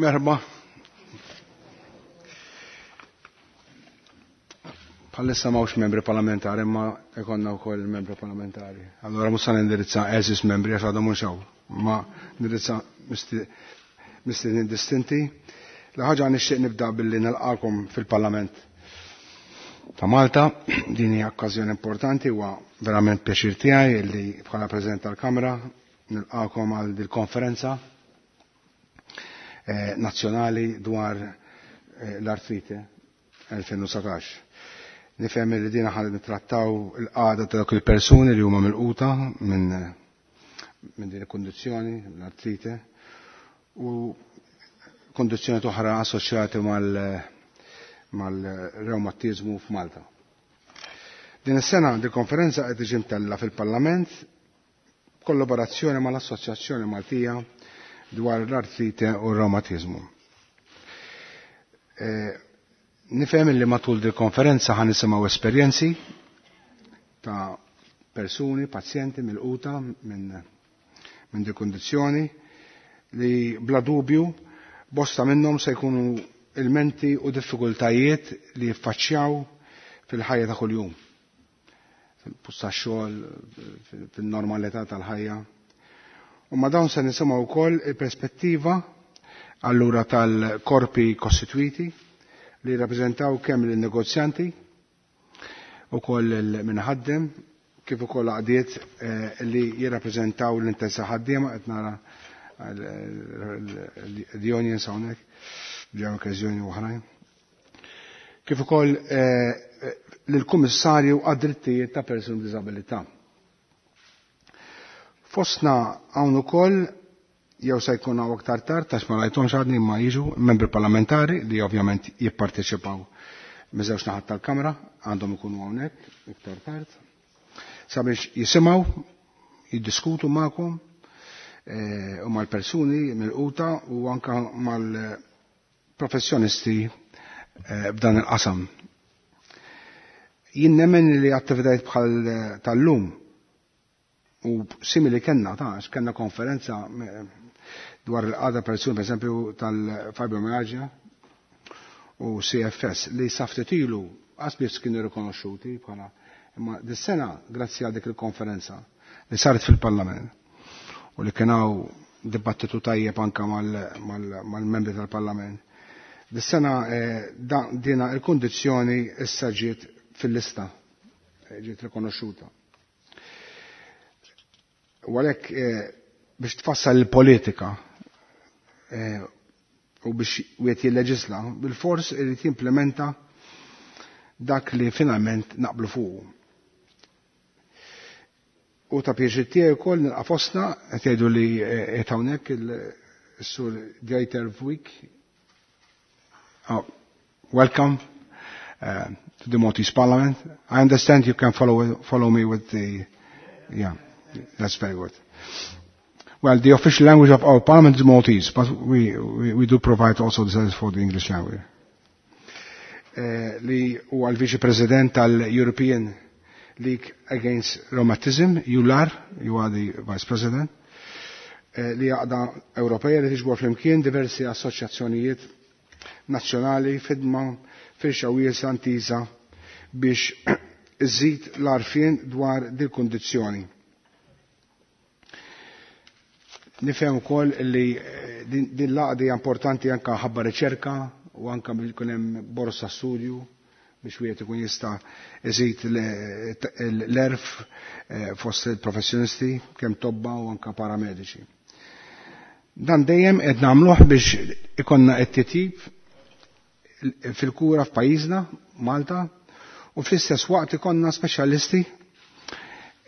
Merħba. Bħalissa m'hawnx membri parlamentari imma ikonna wkoll membri parlamentari. Allura mhux se nindirizza eżis membri għax għadhom mhux hawn, ma nindirizza mistednin distinti. L-ħaġa nixtieq nibda billi nilqakom fil-Parlament ta' Malta. Din hija okkażjoni importanti huwa verament pjaċir tiegħi li bħala President tal-Kamra nilqakom għal dil-konferenza eh, nazzjonali dwar eh, l-artrite 2019. Nifhem li dina ħal nittrattaw il-qagħda ta' dawk il-persuni li huma milquta minn minn din il-kundizzjoni, l-artrite, u kondizzjoni oħra assoċjati mal-reumatizmu f'Malta. Din is-sena di konferenza qed tiġi mtella fil-Parlament kollaborazzjoni mal-Assoċjazzjoni Maltija dwar l-artrite u r-reumatizmu. Eh, nifhem li matul di konferenza ħan nisimgħu esperjenzi ta' persuni, pazjenti mill-quta minn min di kondizzjoni li bla dubju bosta minnhom se jkunu ilmenti u diffikultajiet li jiffaċċjaw fil-ħajja ta' kuljum. Fil-post tax-xogħol, fil-normalità tal-ħajja. U ma dawn se nisimgħu wkoll il-perspettiva allura tal-korpi kostitwiti li jirrappreżentaw kemm il-negozjanti u koll il-minħaddem kif ukoll għaqdiet eh, li jirrappreżentaw l-interess ħaddiema qed nara l-unions hawnhekk ġew okkażjoni oħrajn. Kif ukoll eh, lill-Kummissarju għad-drittijiet ta' persuni b'diżabilità. Fostna hawn ukoll jew se jkun hawn aktar tard għax ma rajthomx għadni ma jiġu membri parlamentari li ovvjament jipparteċipaw miż-żewġ naħat tal-Kamra għandhom ikunu hawnhekk iktar tard sabiex jisimgħu jiddiskutu magħkom eh, u mal-persuni mill-quta u anka mal-professjonisti eh, f'dan il-qasam. Jien nemmen li attivitajiet bħal eh, tal-lum u simili kenna ta' għax kenna konferenza dwar il-qada persuni, per esempio, tal-fibromyalgia u CFS li saftet ilu għasbis kienu rikonoxxuti bħala imma dis-sena grazzi għal dik il-konferenza li saret fil-Parlament u li kien hawn dibattitu tajjeb anka mal-membri tal-Parlament. Dis-sena eh, dina il-kundizzjoni issa ġiet fil-lista, eh, ġiet rikonoxxuta. U għalhekk eh, biex tfassal il-politika u biex wieħed jilleġisla, bil-fors irid jimplementa dak li finalment naqblu fuqu. U ta' pjaċir tiegħi wkoll nilqa' fostna qed jgħidu li qed hawnhekk il-Sur Dieter Vuyk. Oh, welcome to the Maltese Parliament. I understand you can follow me with the, yeah, that's very good. Well, the official language of our parliament is Maltese, but we do provide also the service for the English language. Eh, li huwa l-Viċi President tal-European League Against Rheumatism, EULAR, you are the Vice President, eh, li għaqda Ewropeja li tiġbor flimkien diversi assoċjazzjonijiet nazzjonali fidma firxa wiesa ntiża biex iżid l-arfien dwar dil kundizzjoni. Nifhem ukoll li eh, din l-għaqda hija importanti anke ħabba riċerka u anke biex ikun hemm borsa studju biex wieħed ikun jista' iżid l-erf eh, fost il-professjonisti kemm tobba u anke paramediċi. Dan dejjem qed nagħmluh biex ikonna qed titjib fil-kura f'pajjiżna, Malta, u fl-istess waqt ikonna speċjalisti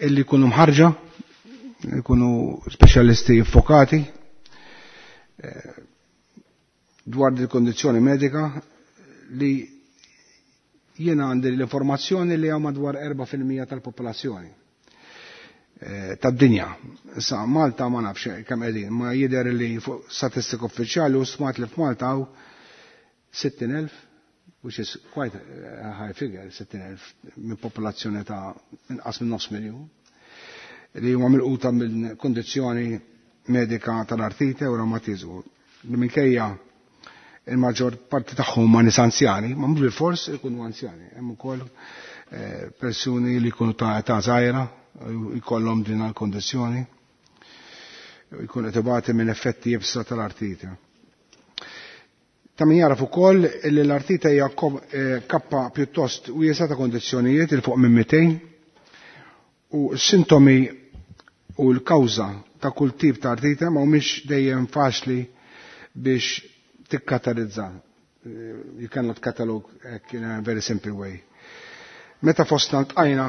illi jkunu mħarġa, jkunu speċjalisti fokati eh, dwar il kondizzjoni medika li jiena għandi l-informazzjoni li hawn madwar 4% tal-popolazzjoni eh, tad-dinja. Issa Malta ma nafx kemm qegħdin, ma jidher li fuq statistika uffiċjali u smat li f'Malta hawn 60,000, which is quite a high figure, 60,000 minn popolazzjoni ta' inqas minn nofs miljun, li huma milquta minn kondizzjoni medika tal-artrite u reumatizmu. Li minkejja Il-maġġor parti tagħhom huma nies anzjani, ma mhux bilfors ikunu anzjani. Hemm ukoll persuni li jkunu ta' età żgħira jkollhom din il-kondizzjoni jkun qed ibati minn effetti iebsa tal-artrite. Ta' min jaraf ukoll li l-artrite hija kappa pjuttost wiesgħa ta' kondizzjonijiet il fuq minn 200 u s-sintomi u l-kawża ta' kull tip ta' artrite ma humiex dejjem faċli biex tikkatarizza. You cannot catalog in a very simple way. Meta fostna ltqajna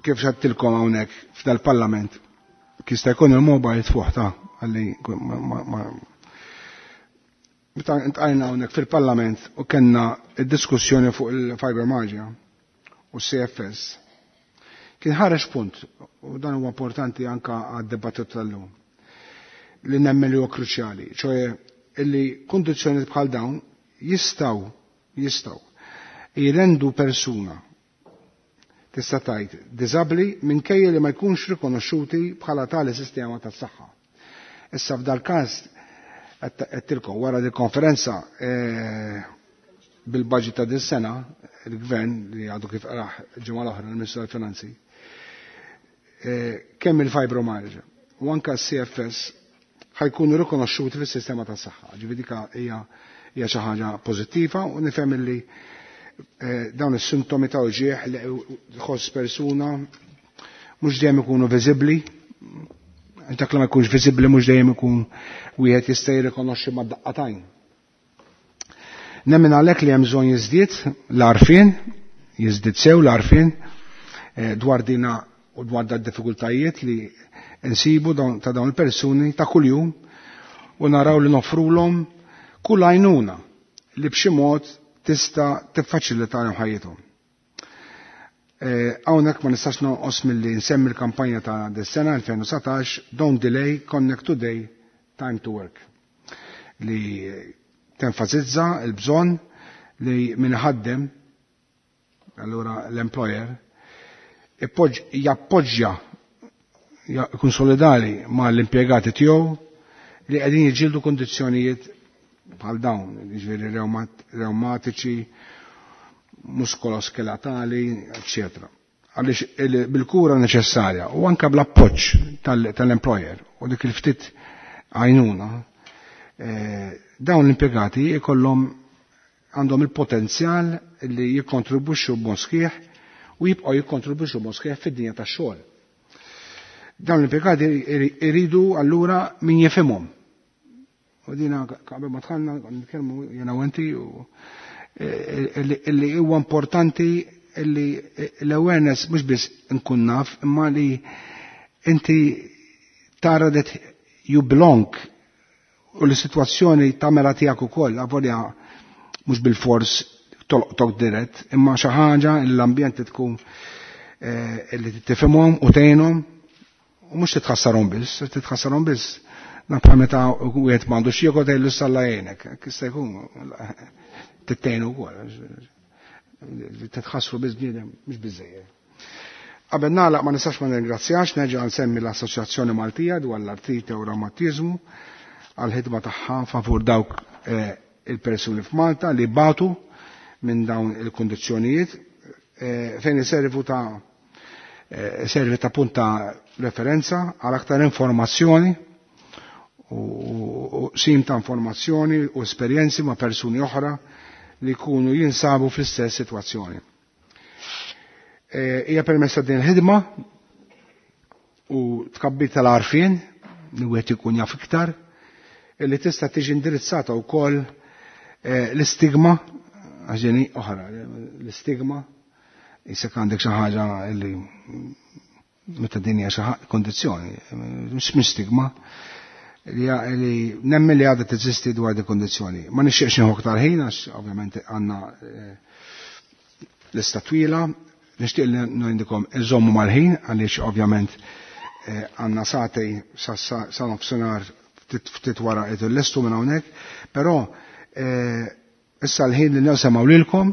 kif xattilkom hawnhekk f'dal-parlament, kista jkun il-mobile tfuħ ta' għalli meta ntqajna hawnhekk fil-parlament u kellna id-diskussjoni fuq il-fibromyalgia u CFS, kien ħareġ punt, u dan huwa importanti anka għad-dibattitu tal-lum, li nemmen li huwa kruċjali, ċoe illi kondizzjoni bħal dawn jistgħu jirendu persuna tista' tgħid diżabbli minkejja li ma jkunx rikonoxxuti bħala tali sistema tas-saħħa. Issa f'dal każ qed wara di konferenza bil-budget ta' din sena, il-gvern li għadu kif qrah ġimgħa l-oħra l-Ministru tal-Finanzi, kemm il-fibromyalgia u anka c-CFS ħajkunu rikonoxxuti fis-sistema tas-saħħa. Ġifieri dik hija xi ħaġa pożittiva u nifhem li dawn is-sintomi ta' uġieħ li tħoss persuna mhux dejjem ikunu viżibbli. Dak li ma jkunx viżibbli mhux dejjem ikun wieħed jista' jirrikonoxxi mad-daqqatajn. Nemmen għalhekk li hemm bżonn jiżdied l-għarfien, jiżdied sew l-għarfien dwar dina u dwar da diffikultajiet li nsibu ta' dawn il-persuni ta' kuljum u naraw li nofrulhom kull għajnuna li b'xi mod tista' tiffaċilitalhom ħajjithom. Hawnhekk ma nistax nonqos milli nsemmi l-kampanja ta' dis-sena 2019 Don't Delay, Connect Today, Time to Work li tenfasizza l-bżonn li min ħaddem allura l-employer jappoġġja jkun solidali ma l-impjegati tiegħu li qegħdin jiġġieldu kondizzjonijiet bħal dawn, jiġifieri reumatiċi, muskoloskeletali, eccetera. Għaliex bil-kura neċessarja u anka bl-appoġġ tal-employer u dik il-ftit għajnuna, dawn l-impjegati jkollhom għandhom il-potenzjal li jikkontribwixxu b'mod sħiħ u jibqgħu jikkontribwixxu b'mod sħiħ fid-dinja tax-xogħol. Dawn l-impjegati iridu allura min jifhimhom. U dina qabel ma dħalna nitkellmu jiena u inti u illi huwa importanti illi l-awareness mhux biss nkun naf imma li inti tara that you belong u l-sitwazzjoni tagħmela tiegħek ukoll avolja mhux bil-fors tolqtok dirett imma xi ħaġa l-ambjent tkun illi tifhimhom u tgħinhom u mhux titħassarhom biss, titħassarhom biss. Nafha meta wieħed m'għandux jiekol tgħidlu salla jgħinek, jista' jkun tittejnu wkoll. Titħassru biss bniedem mhux biżejjed. Qabel nagħlaq ma nistax ma nirringrazzjax, nerġa' nsemmi l-Assoċjazzjoni Maltija dwar l-Artrite u Reumatizmu għall-ħidma tagħha favur dawk il-persuni f'Malta li batu minn dawn il-kondizzjonijiet fejn iservu ta' servi ta' punta referenza għal aktar informazzjoni u sim ta' informazzjoni u esperjenzi ma' persuni oħra li jkunu jinsabu fl-istess sitwazzjoni. Hija permessa din il-ħidma u tkabbir tal-għarfien li wieħed ikun jaf iktar li tista' tiġi indirizzata wkoll l-istigma għax oħra, l-istigma jisek għandek xi ħaġa li meta din hija xi kondizzjoni, mhux stigma li nemmen li għadha teżisti dwar di kondizzjoni. Ma nixtieqx nieħu aktar ħin għax ovvjament għandna lista twila, nixtieq li ngħidilkom iżommu mal-ħin għaliex ovvjament għandna sagħtej sa nofsinhar ftit wara qed illestu minn hawnhekk, però issa l-ħin li nsemgħu lilkom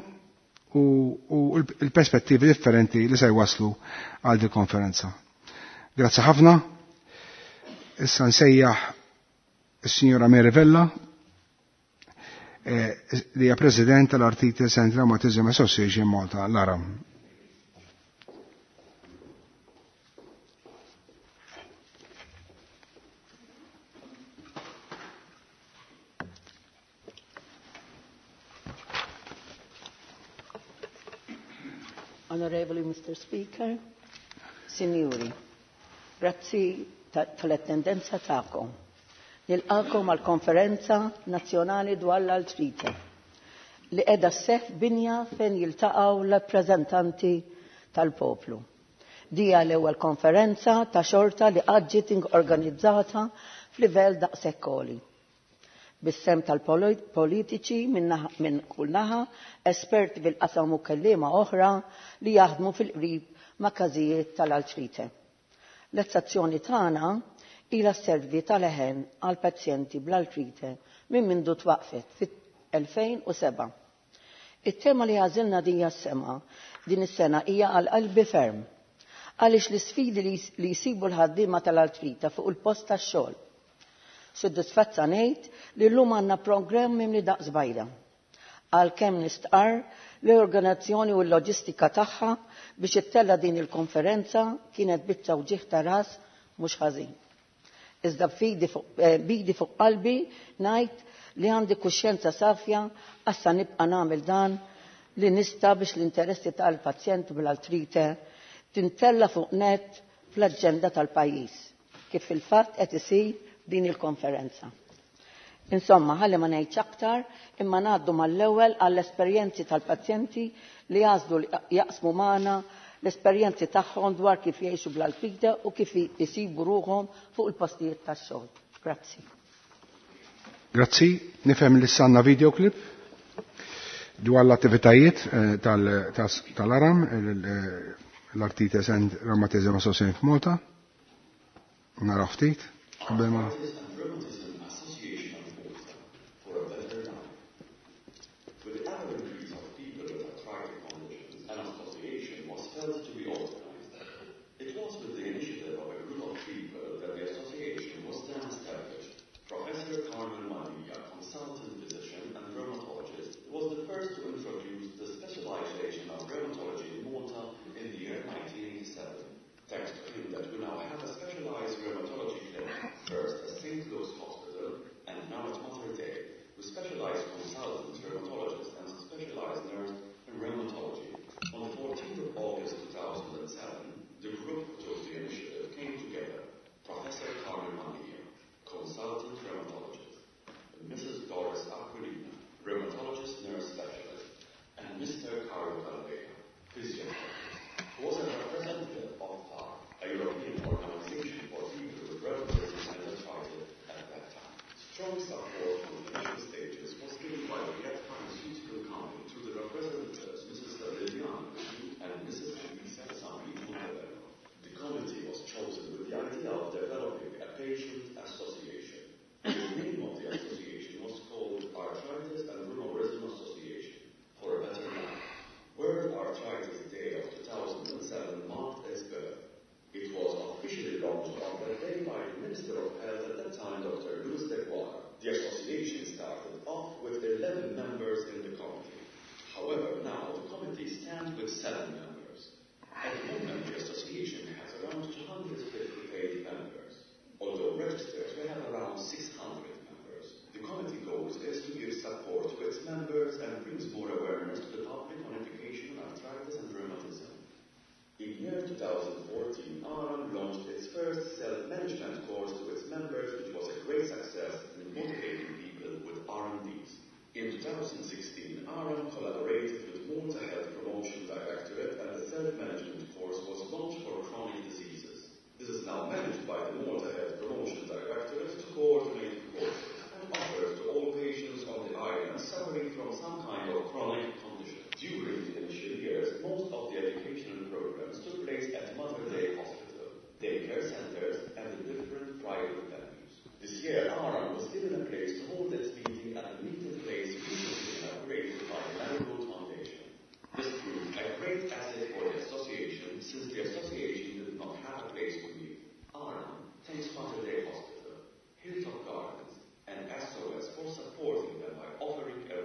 u l-perspettivi differenti li se jwaslu għal di konferenza. Grazzi ħafna. Issa nsejjaħ is-Sinjora Mary Vella. li hija President tal-Arthritis and Rheumatism Association Malta, l-ARAM. Onorevoli Mr. Speaker, Signori, grazzi tal-attendenza tagħkom. Nilqakom għal konferenza nazzjonali dwar l-artrite li qiegħda sseħħ binja fejn jiltaqgħu l-rappreżentanti tal-poplu. Dija l-ewwel konferenza ta' xorta li qatt ġiet organizzata f'livell daqshekk għoli. Bis-sem tal-politiċi minn kull naħa, esperti fil-qasam u kelliema oħra li jaħdmu fil-qrib ma' każijiet tal-artrite. L-azzjoni tagħna ilha sservi tal-leħen għal pazjenti bl-artrite minn mindu twaqfet fit-2007. It-tema li għażilna din is-sena hija għal qalbi ferm għaliex l-isfidi li jsibu l-ħaddiema tal-artrite fuq il-post tax-xogħol. Suddisfatta ngħid li llum għandna programm mimli daqs bajda. Għalkemm nistqarr l-organizzazzjoni u l-loġistika tagħha biex ittella din il-konferenza kienet biċċa wġigħ ta' ras mhux ħażin. Iżda bidi fuq qalbi ngħid li għandi kuxjenza safja għassa nibqa' nagħmel dan li nista' biex l-interessi tal-pazjent bl-artrite tintella fuq net fl-aġenda tal-pajjiż, kif fil-fatt qed isir din il-konferenza. Insomma, ħalli ma ngħidx aktar, imma ngħaddu mal-ewwel għall-esperjenzi tal-pazjenti li għażlu li jaqsmu magħna l-esperjenzi tagħhom dwar kif jgħixu bl-artrite u kif isibu ruħhom fuq il-postijiet tax-xogħol. Grazzi. Grazzi, nifhem li sanna videoclip dwar l-attivitajiet tal-ARAM, l-Arthritis and Rheumatism Association f'Malta. Naraw ftit. Qabel ma Hilltop Gardens, and SOS for supporting them by offering a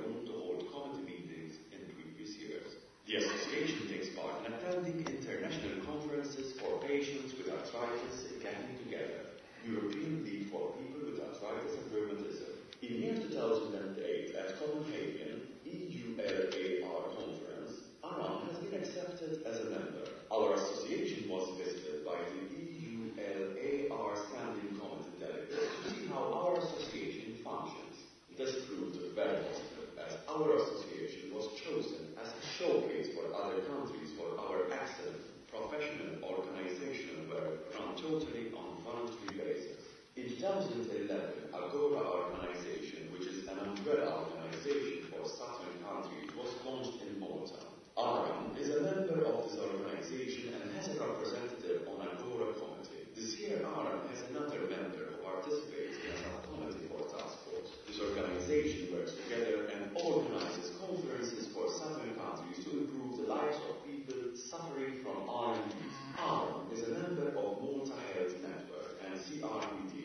Getting Together, European League for People with Arthritis and Rheumatism. In year 2008 at Copenhagen EULAR conference, ARAM has been accepted as a member. Our association was visited by the EULAR Standing Committee delegates to see how our association functions. This proved very positive as our association was chosen as a showcase for other countries for our excellent professional organizational work run totally on voluntary basis. In 2011, Agora organization, which is an umbrella organization for southern countries, was launched in Malta. ARAM is a member of this organization and has a representative on Agora committee. This year, ARAM has another member who participates in a subcommittee for task force. This organization works together and organizes conferences for southern countries to improve the lives of people suffering from RMDs. ARAM is a member of Malta Health Network and CRPD.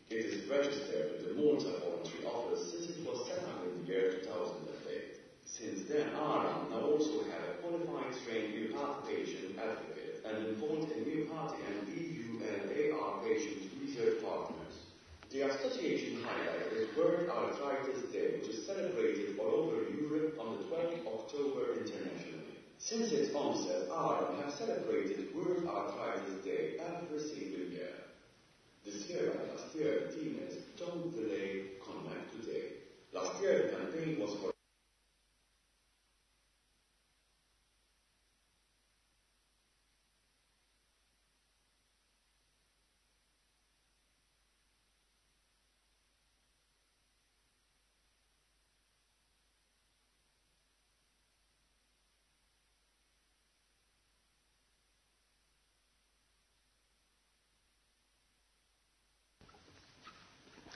It is registered with the Malta Voluntary Office since it was set up in the year 2008. Since then, ARAM now also have a qualified trained myopathy patient advocate and involved in myopathy and EULAR patient research partners. The association highlight is World Arthritis Day, which is celebrated all over Europe on the 12th October internationally. Since its onset, ARAM have celebrated World Arthritis Day every single year. This year, like last year, the theme is Don't Delay, Connect Today. Last year, the campaign was for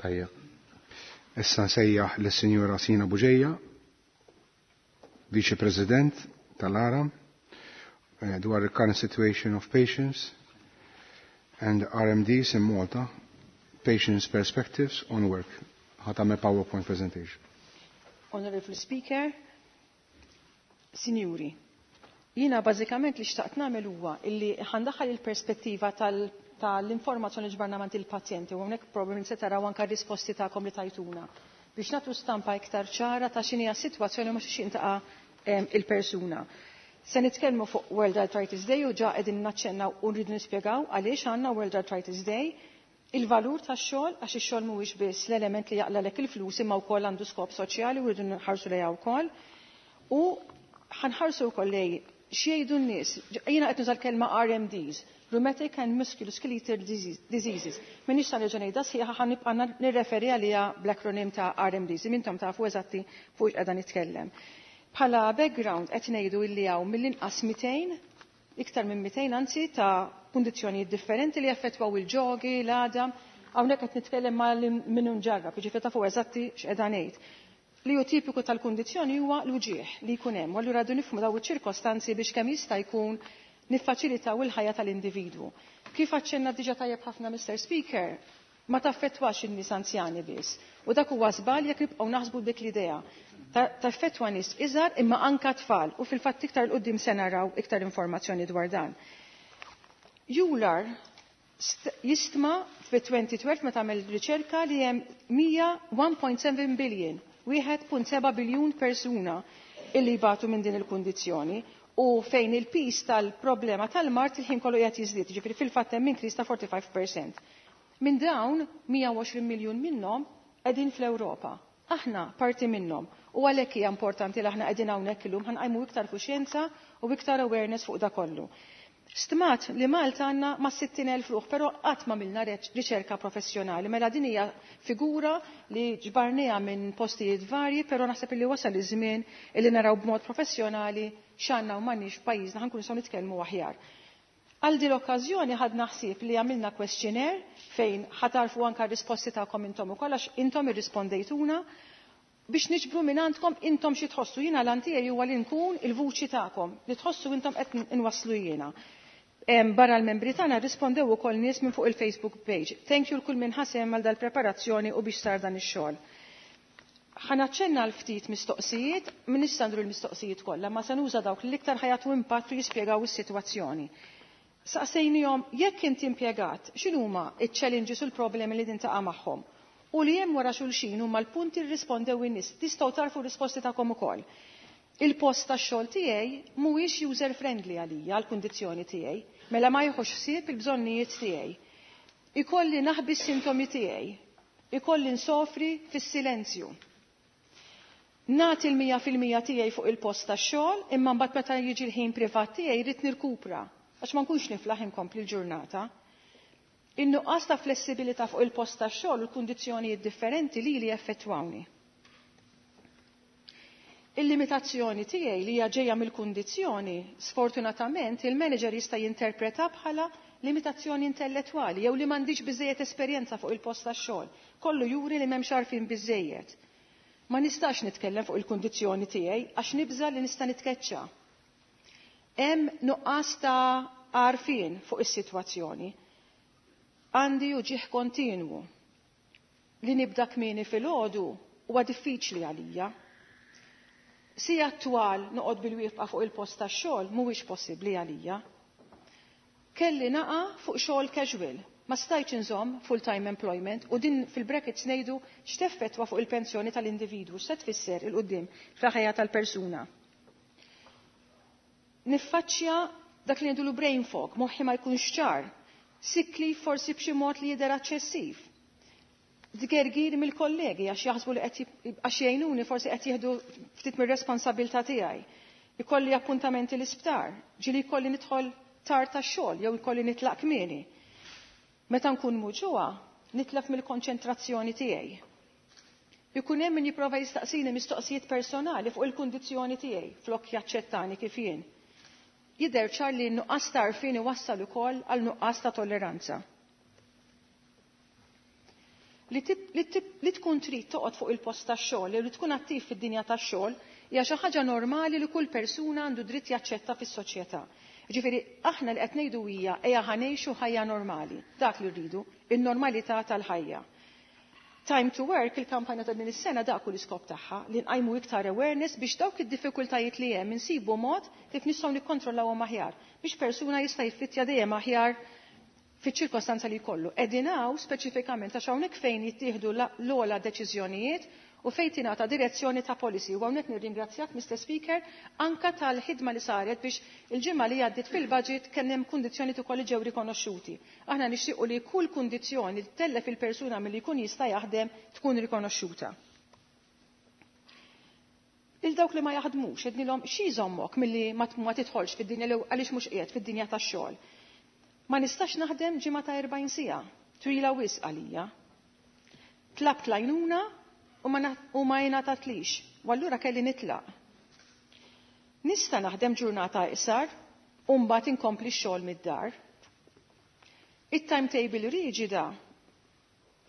Tajjeb. Issa nsejjaħ lis-Sinjura Sina Buġeja, Viċi President tal-ARAM, dwar the current situation of patients and RMDs in Malta, patients' perspectives on work. Ħa tagħmel PowerPoint presentation. Honorable Speaker, Sinjuri, jiena bażikament li xtaqt nagħmel huwa illi ħa ndaħħal il-perspettiva tal-informazzjoni ġbarna mingħand il-pazjenti u hawnhekk probabbilment se taraw anke risposti tagħkom li tajtuna biex nagħtu stampa iktar ċara ta' x'inhi s-sitwazzjoni u ma xiex intaqa' il-persuna. Se nitkellmu fuq World Arthritis Day u ġa qegħdin naċċennaw u rridu nispjegaw għaliex għandna World Arthritis Day, il-valur tax-xogħol għax ix-xogħol mhuwiex biss l-element li jaqlalek il-flus imma wkoll għandu skop soċjali u rridu nħarsu lejha wkoll. U ħa nħarsu wkoll lej x'jgħidu n-nies. Jiena qed nuża l-kelma RMDs, Rheumatic and Musculoskeletal Diseases. M'iniex sa nerġa' ngħidha sħiħa, ħa nibqa' nirreferi għaliha bl-akronim ta' RMDs. Intom tafu eżatti fuq qiegħda nitkellem. Bħala background qed ngħidu illi hawn mill-inqas 200, iktar minn 200 anzi, ta' kundizzjonijiet differenti li jaffettwaw il-ġogi, l-għadam. Hawnhekk qed nitkellem ma' min ġarrab, jiġifieri tafu eżatti x'qiegħda ngħid. Li hu tipiku tal-kundizzjoni huwa l-uġieħ li jkun hemm, u allura rridu nifhmu daw iċ-ċirkostanzi biex kemm jista' jkun niffaċilitaw il-ħajja tal-individwu. Kif aċċenna diġà tajjeb ħafna Mr. Speaker, ma taffettwax in-nies anzjani biss. U dak huwa żball jekk nibqgħu naħsbu dik l-idea. Taffettwa nies iżgħar imma anka tfal u fil-fatt iktar 'l quddiem se naraw iktar informazzjoni dwar dan. EULAR jistma fi 2012 meta għamel riċerka li hemm 1.7 billion, 1.7 biljun persuna illi jbatu minn din il-kundizzjoni u fejn il-pis tal-problema tal-mard il-ħin kollu qiegħed jiżdied, ġifieri fil-fatt hemm increase ta' 45%. Minn dawn 120 miljun minnhom qegħdin fl-Ewropa. Aħna parti minnhom. U għalhekk hija importanti li aħna qegħdin hawnhekk illum ħa nqajmu iktar kuxjenza u iktar awareness fuq da kollu. Stmat li Malta għandna ma' 60,000 ruħ, però qatt ma għamilna riċerka professjonali. Mela din hija figura li ġbarniha minn postijiet varji, però naħseb li wasal iż-żmien li naraw b'mod professjonali x'għandna u m'għandniex f'pajjiżna, ħa nkunu nistgħu nitkellmu aħjar. Għal din l-okkażjoni ħadna ħsieb li għamilna questionnaire fejn ħa tarfu anka risposti tagħkom intom ukoll għax intom irrispondejtuna biex niġbru minn għandkom intom xi tħossu. Jiena l tiegħi huwa li nkun il-vuċi tagħkom li tħossu intom qed inwasslu jiena. Barra l-membri tagħna rispondew ukoll nies minn fuq il-Facebook page. Thank you l kull min ħa sehem għal dal-preparazzjoni u biex sar dan ix-xogħol. Ħa naċċenna l-ftit mistoqsijiet, m'iniex se ndur l-mistoqsijiet kollha, ma se nuża dawk li l-iktar ħa jagħtu impatt u jispjegaw is-sitwazzjoni. Saqsejnihom jekk inti impjegat, x'inhuma iċ-challenges u l-problemi li tintaqa' magħhom? U li hemm wara xulxin huma l-punti rrispondew in-nies. Tistgħu tarfu r-risposti tagħkom ukoll. Il-post tax-xogħol tiegħi mhuwiex user friendly għalija għall-kundizzjoni tiegħi, mela ma jieħux ħsieb il-bżonnijiet tiegħi. Ikolli naħbi s-sintomi tiegħi. Ikolli nsofri fis-silenzju. Nagħti l-100% tiegħi fuq il-post tax-xogħol, imma mbagħad meta jiġi l-ħin privat tiegħi rrid nirkupra għax ma nkunx niflaħ inkompli l-ġurnata. In-nuqqas ta' flessibilità fuq il-post tax-xogħol u l-kundizzjonijiet differenti li li effettwawni. Il-limitazzjoni tiegħi li hija ġejja mill-kundizzjoni, sfortunatament il-manager jista' jinterpreta bħala limitazzjoni intellettwali jew li m'għandix biżejjed esperjenza fuq il-post tax-xogħol. Kollu juri li m'hemmx għarfien biżejjed. Ma nistax nitkellem fuq il-kundizzjoni tiegħi għax nibża li nista' nitkeċċa. Hemm nuqqas ta' għarfien fuq is-sitwazzjoni. Għandi uġigħ kontinwu li nibda kmieni filgħodu huwa diffiċli għalija. Sigħat twal noqgħod bil-wieqfa fuq il-post tax-xogħol mhuwiex possibbli għalija. Kelli naqa' fuq xogħol casual, ma stajtx inżomm full-time employment u din fil-brackets ngħidu x'teffettwa fuq il-pensjoni tal-individwu, x'se tfisser 'il quddiem fil-ħajja tal-persuna. Niffaċċja dak li ngħidulu brain fog, moħħi ma jkunx ċar, sick leave forsi b'xi mod li jidher eċċessiv. Tgergir mill-kollegi għax jaħsbu li qed għax jgħinuni forsi qed jieħdu ftit mir-responsabilità tiegħi. Ikolli appuntamenti l-isptar, ġieli jkolli nidħol tard tax-xogħol jew ikolli nitlaq kmieni. Meta nkun muġugħa, nitlef mill-konċentrazzjoni tiegħi. Ikun hemm min jipprova jistaqsini mistoqsijiet personali fuq il-kundizzjoni tiegħi flok jaċċettani kif jien. Jidher ċar li n-nuqqas ta' għarfien iwassal ukoll għal nuqqas ta' tolleranza. Li tkun trid toqgħod fuq il-post tax-xogħol li tkun attiv fid-dinja tax-xogħol hija xi ħaġa normali li kull persuna għandu dritt jaċċetta fis-soċjetà. Ġifieri aħna li qed ngħidu hija ejja ħa ngħixu ħajja normali, dak li rridu, in-normalità tal-ħajja. Time to Work, il-kampanja ta' din is-sena dak hu l-iskop tagħha, li nqajmu iktar awareness biex dawk id-diffikultajiet li hemm insibu mod kif nistgħu nikkontrollawhom aħjar biex persuna jista' jiffittja dejjem aħjar fiċ-ċirkostanza li jkollu. Qegħdin hawn speċifikament għax hawnhekk fejn jittieħdu l-ogħla deċiżjonijiet u fejn tingħata direzzjoni ta' policy. U hawnhekk nirringrazzjak, Mr. Speaker, anka tal-ħidma li saret biex il-ġimgħa li għaddiet fil-budget kien hemm kundizzjoni ukoll li ġew rikonoxxuti. Aħna nixtiequ li kull kundizzjoni li tellef il-persuna milli jkun jista' jaħdem tkun rikonoxxuta. Lil dawk li ma jaħdmux, għednielhom xi jżommok milli ma tidħolx fid-dinja għaliex mhux qiegħed fid-dinja tax-xogħol. Ma nistax naħdem ġimgħa ta' 40 siegħa, twila wisq għalija. Tlabt l-għajnuna u ma jingħatatlix, u allura kelli nitlaq. Nista' naħdem ġurnata iqsar u mbagħad inkompli x-xogħol mid-dar. It-timetable riġida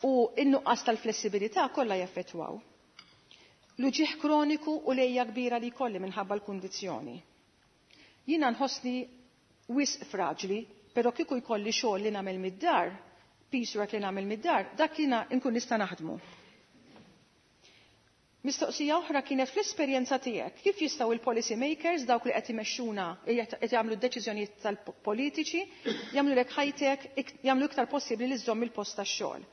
u n-nuqqas tal-flessibilità kollha jaffettwaw. L-uġigħ kroniku u l-għeja kbira li jkolli minħabba l-kundizzjoni. Jiena nħossni wisq fraġli, però kieku jkolli xogħol li nagħmel mid-dar, piecework li nagħmel mid-dar, dak jiena nkun nista' naħdmu. Mistoqsija oħra kienet fl-esperjenza tiegħek, kif jistgħu il-policy makers, dawk li qed imexxuna, qed jagħmlu d-deċiżjonijiet tal-politiċi, jagħmlu lek ħajtek, jagħmlu iktar possibbli li żżomm il-post tax-xogħol.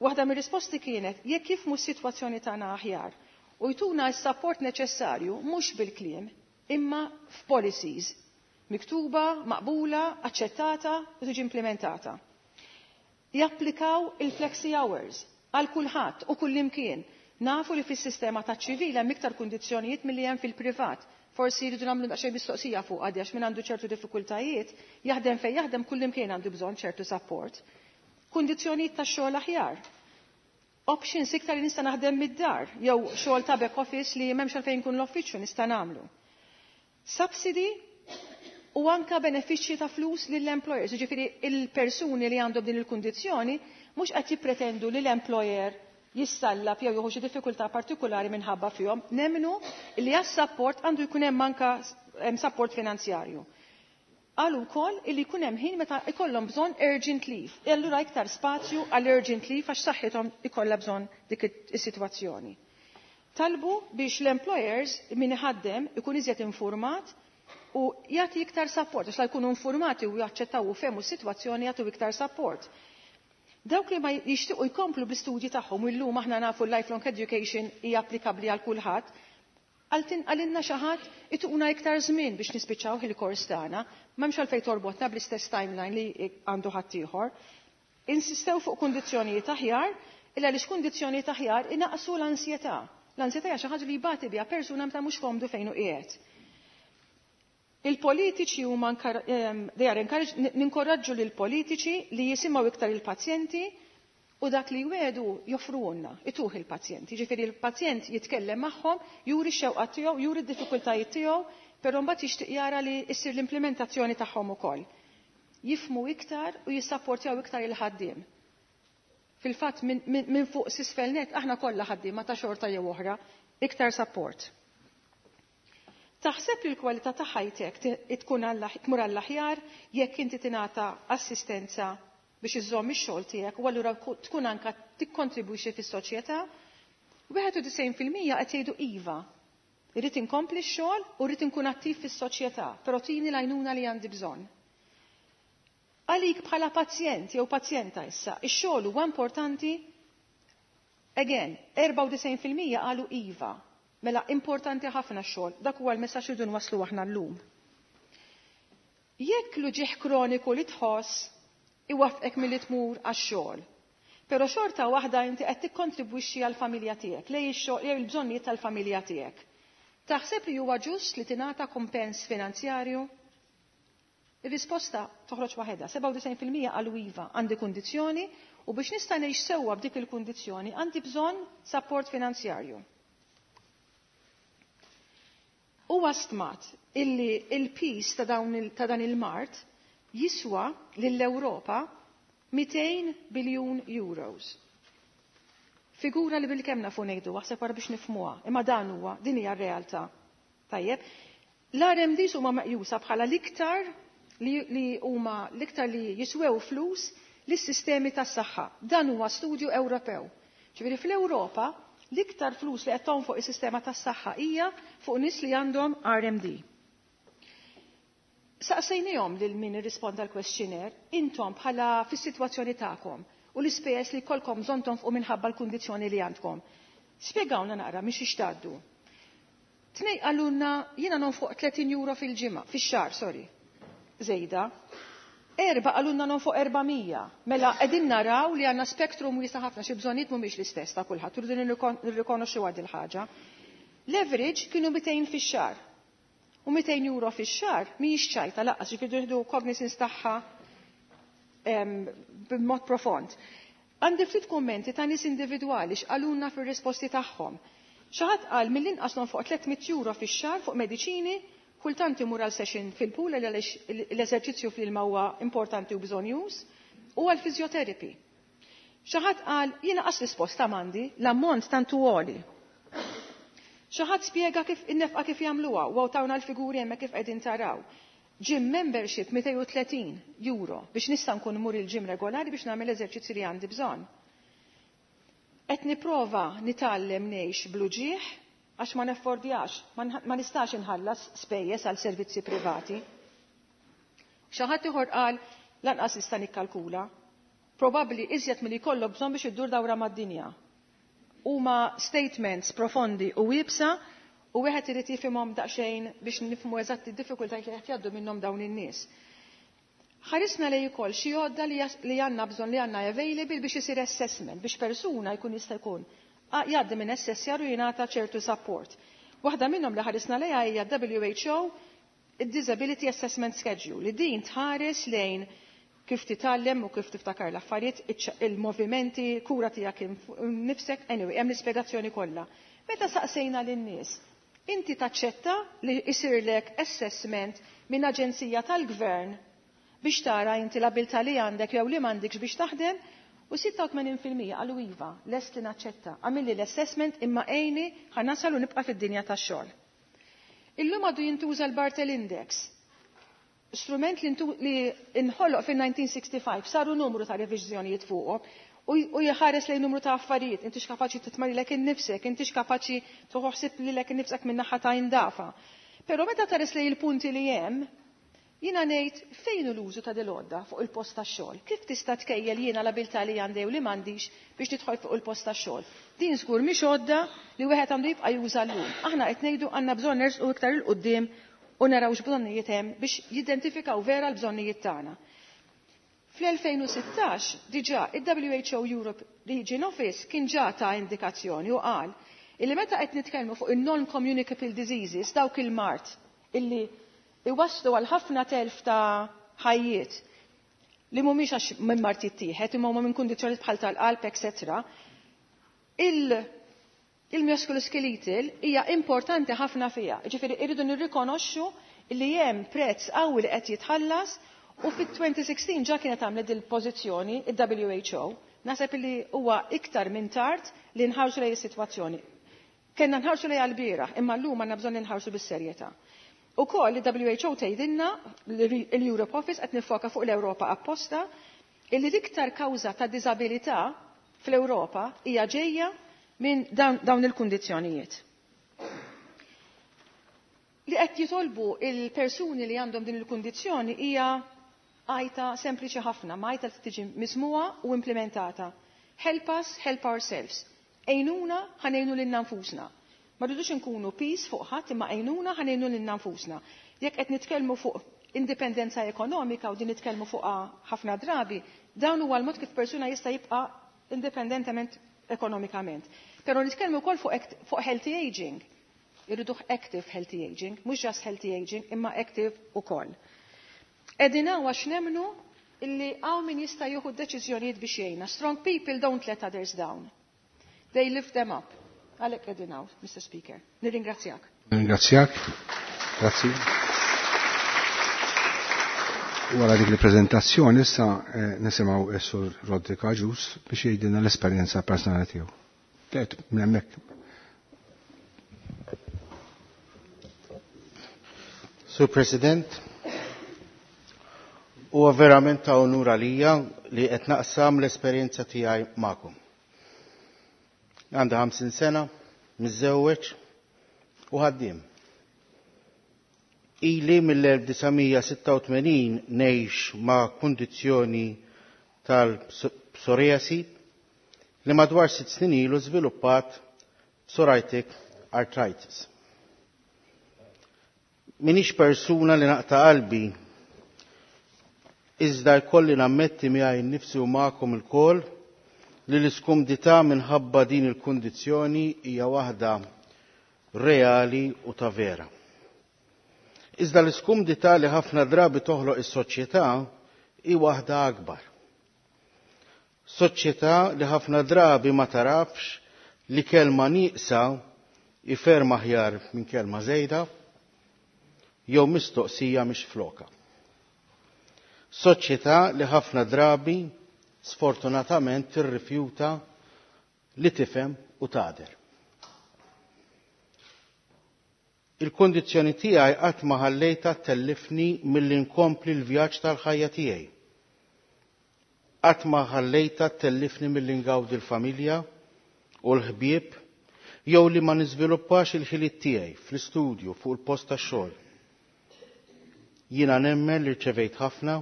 Waħda mir-risposti kienet jekk jifhmu s-sitwazzjoni tagħna aħjar u jtuna s-support neċessarju mhux bil-kliem imma f'policies miktuba, maqbula, aċċettata u tiġi implementata. Japplikaw il-flexi hours għal kulħadd u kullimkien. Nafu li fis-sistema ta' ċivil hemm iktar kundizzjonijiet milli hemm fil-privat. Forsi jridu nagħmlu daqsxejn mistoqsija fuq għadi għax min għandu ċertu diffikultajiet, jaħdem fejn jaħdem kullimkien għandu bżonn ċertu support. Kundizzjonijiet ta' xogħol aħjar. Options iktar li nista' naħdem mid-dar, jew xogħol ta' back office li m'hemmx għalfejn nkun l-uffiċċju nista' nagħmlu. Subsidy u anka benefiċċji ta' flus lill-employers, jiġifieri il-persuni li għandhom din il-kundizzjoni mhux qed jippretendu li l-employer jissallab jew jieħu xi diffikultà partikolari minħabba fihom, nemmnu li għas-support għandu jkun hemm anka support finanzjarju. Qalu wkoll illi jkun hemm ħin meta ikollhom bżonn urgent leave. E allura iktar spazju għal urgent leave għax saħħithom ikollha bżonn dik is-sitwazzjoni. Talbu biex l-employers min iħaddem ikun iżjed informat u U jagħti iktar support, għax la jkunu informati u jaċċettaw u fehmu s-sitwazzjoni jagħtu iktar support. Dawk li ma jixtiequ jkomplu bl-istudji tagħhom u llum aħna nafu l-lifelong education hija applikabbli għal kulħadd, għalinna xi ħadd ituna iktar żmien biex nispiċċaw il-kors tagħna, m'hemmx għalfejn torbotna bl-istess timeline li għandu ħaddieħor. Insistew fuq kundizzjonijiet aħjar, illa għaliex kundizzjonijiet aħjar inaqsu l-ansjetà. L-ansjetà hija xi ħaġa li jbati biha persuna meta mhux komdu fejn hu qiegħed. Il-politiċi huma they are encouraged, ninkoraġġu lil politiċi li jisimgħu iktar il-pazjenti u dak li jwedu joffruhulna, ituh il-pazjenti. Ġifieri il-pazjent jitkellem magħhom, juri x-xewqat tiegħu, juri d-diffikultajiet tiegħu, però mbagħad jixtieq jara li issir l-implementazzjoni tagħhom ukoll. Jifmu iktar u jissapportjaw iktar il-ħaddiem. Fil-fatt minn fuq s'isfel net aħna kollha ħaddiema ta' xorta jew oħra, iktar support. Taħseb li l-kwalità ta' ħajtek tkun tmur għall-aħjar jekk inti tingħata assistenza biex iżżomm ix-xogħol tiegħek u allura tkun anka tikkontribwixxi fis-soċjetà? 91% qed jgħidu iva. Irrid inkompli x-xogħol u rrid inkun attiv fis-soċjetà, però tini l-għajnuna li għandi bżonn. Għalik bħala pazjent jew pazjenta issa, ix-xogħol huwa importanti? Again, 94% qalu iva. Mela importanti ħafna x-xogħol, dak huwa l-messaġġ li nwasslu aħna llum. Jekk l-uġigħ kroniku li tħoss iwaffqek milli tmur għax-xogħol. Però xorta waħda inti qed tikkontribwixxi għall-familja tiegħek, lej ix-xogħol jew il-bżonnijiet tal-familja tiegħek. Taħseb li huwa ġust li tingħata kumpens finanzjarju? Ir-risposta toħroġ waħedha, 97% qalu iva, għandi kundizzjoni u biex nista' ngħix sewwa b'dik il-kundizzjoni għandi bżonn support finanzjarju. Huwa stmat illi il-piż ta' dan il-mard jiswa lill-Ewropa 200 biljun euros. Figura li bil-kemm nafu ngħidu, aħseb wara biex nifhmuha, imma dan huwa, din hija r-realtà. Tajjeb, l-RMDs huma meqjusa bħala l-iktar li huma l-iktar li jiswew flus lis-sistemi tas-saħħa. Dan huwa studju Ewropew. Ġifieri fl-Ewropa l-iktar flus li qed fuq is-sistema tas-saħħa hija fuq nies li għandhom RMD. Saqsejnihom lil min irrisponda l-questionnaire, intom bħala fis-sitwazzjoni tagħkom u l-ispejjeż li jkollkom bżonn tonfqu minħabba l-kundizzjoni li għandkom. Spjegawna naqra miex ixtaddu. Tnej qalulna jiena nonfoq 30 euro fil-ġimgħa, fix-xahar, sorry. Żejda. Erba' qalulna nonfoq 400. Mela qegħdin naraw li għandna spektrum wiesa' ħafna xi bżonnijiet mhumiex l-istess ta' kulħadd, irridu nirrikonoxxu għad il-ħaġa. L-average kienu 200 fix-xahar. U 200 euro fix-xahar mhijiex ċajta lanqas, ġifieri nieħdu cognizance tagħha b'mod profond. Għandi ftit kummenti ta' nies individwali x'qalulna fir-risposti tagħhom. Xi ħadd qal mill-inqas nonfoq 300 euro fix-xahar fuq mediċini, kultant imur għal session fil-pool għaliex l-eżerċizzju fl-ilma huwa importanti u bżonjuż, u għal physiotherapy. Xi ħadd qal jiena qas risposta m'għandi, l-ammont tantu għoli. Xi ħadd spjega kif in-nefqa kif jagħmluha u tawna l-figuri hemmhekk kif qegħdin taraw. Gym membership 230 euro biex nista' nkun mur il-gym regolari biex nagħmel eżerċizzi li għandi bżonn. Qed nipprova nitgħallem ngħix bl-uġigħ għax ma neffordjax, ma nistax inħallas spejjeż għal servizzi privati. Xi ħadd ieħor qal lanqas nista' nikkalkula. Probabbli iżjed milli jkollok bżonn biex iddur dawra mad-dinja. Huma statements profondi u iebsa u wieħed irid jifhimhom daqsxejn biex nifhmu eżatt id-diffikultajiet li qed jgħaddu minnhom dawn in-nies. Ħarisna lej ukoll xi għodda li għandna bżonn li għandna available biex isir assessment, biex persuna jkun jista' jkun jgħaddi minn assessjar u jingħata ċertu support. Waħda minnhom li ħarisna lejha hija WHO Disability Assessment Schedule, li din tħares lejn kif titgħallem u kif tiftakar l-affarijiet, il-movimenti, kura tiegħek nifsek, anyway, hemm l-ispjegazzjoni kollha. Meta saqsejna lin-nies, inti taċċetta li jsirlek assessment minn aġenzija tal-gvern biex tara inti l-abilità li għandek jew li m'għandekx biex taħdem, u 86% qalu iva, lest li naċċetta. Għamilli l-assessment imma għejni ħa nasal u nibqa' fid-dinja tax-xogħol. Illum għadu jintuża l-Barthel Index, strument li inħoloq fil-1965, saru numru ta' reviżjonijiet fuqhom, u jħares lejn numru ta' affarijiet, intix kapaċi titma' lilek innifsek, intix kapaċi toħsib lilek innifsek minn naħa ta' indafa. Però meta tħares lejn il-punti li hemm, jiena ngħid fejn hu l-użu ta' dil-għodda fuq il-post tax-xogħol? Kif tista' tkejjel jiena l-abilità li għandi u li m'għandix biex tidħol fuq il-post tax-xogħol? Din żgur mhix għodda li wieħed għandu jibqa' juża llum. Aħna qed ngħidu għandna bżonn nersqu iktar 'il quddiem u naraw x'bżonnijiet hemm biex jidentifikaw vera l-bżonnijiet tagħna. Fl-2016 diġà il-WHO Europe Region Office kien ġa ta indikazzjoni u qal illi meta qed nitkellmu fuq il-non-communicable diseases, dawk il-mard illi iwasslu għal ħafna telf ta' ħajjiet li mhumiex għax minn mard jittieħed imma huma minn kundizzjoni bħal tal-qalb, etc. Il-musculoskeletal hija importanti ħafna fiha. Ġifieri irridu nirrikonoxxu li hemm prezz qawwi li qed jitħallas u fit-2016 ġa kienet għamlet il-pożizzjoni il-WHO. Naħseb li huwa iktar minn tard li nħarsu lejn is-sitwazzjoni. Kenna nħarsu lejn għall-bieraħ, imma llum għandna bżonn nħarsu bis-serjetà. Ukoll li WHO tgħidilna, l-Europe Office, qed nifoka fuq l-Ewropa apposta, illi l-iktar kawża ta' diżabilità fl-Ewropa hija ġejja minn dawn il-kundizzjonijiet. Li qed jitolbu il-persuni li għandhom din il-kundizzjoni hija għajta sempliċi ħafna, ma għajta li tiġi mismugħa u implementata. Help us, help ourselves. Għinuna ħa ngħinu lilna nfusna. Ma rridux inkunu piż fuq ħadd, imma għinuna ħa ngħinu lilna nfusna. Jekk qed nitkellmu fuq indipendenza ekonomika, u din nitkellmu fuq ħafna drabi, dawn huwa l-mod kif persuna jista' jibqa' indipendentement ekonomikament. Però nitkellmu wkoll fuq healthy aging. Irridu active healthy aging, mhux just healthy aging, imma active ukoll. Qegħdin għax nemmnu illi hawn min jista' jieħu deċiżjonijiet biex jgħinna. Strong people don't let others down. They lift them up. Għalhekk qegħdin hawn, Mr. Speaker. Nirringrazzjak. Nirringrazzjak. Grazzi. Wara dik il-prezentazzjoni issa nisimgħu s-Sur Roderick Agius biex jgħidilna l-esperjenza personali tiegħu. Tlet minn hemmhekk. Sur President, huwa verament ta' onur għalija li qed naqsam l-esperjenza tiegħi magħkom. Għandi 50 sena, miżżewweġ u ħaddiem. Ili mill-1986 ngħix ma' kundizzjoni tal-psoriasi li madwar 6 snin ilu żviluppat psoriatic arthritis. Minix persuna li naqta' qalbi, iżda jkolli nammetti miegħi nnifsi u magħkom ilkoll li l-iskumdità minħabba din il-kundizzjoni hija waħda reali u ta' vera. Iżda l-iskumdità li ħafna drabi toħloq is-soċjetà hi waħda akbar. Soċjetà li ħafna drabi ma tarafx li kelma nieqsa hi ferm aħjar minn kelma żejda jew mistoqsija mhix floka. Soċjetà li ħafna drabi sfortunatament tirrifjuta li tifhem u tagħder. Il-kondizzjoni tiegħi qatt ma ħallejta tellifni milli nkompli l-vjaġġ tal-ħajja tiegħi. Qatt ma ħallejta tellifni milli ngawdi l-familja u l-ħbieb jew li ma niżviluppax il-ħiliet tiegħi fl-istudju, fuq il-post tax-xogħol. Jiena nemmen li rċevejt ħafna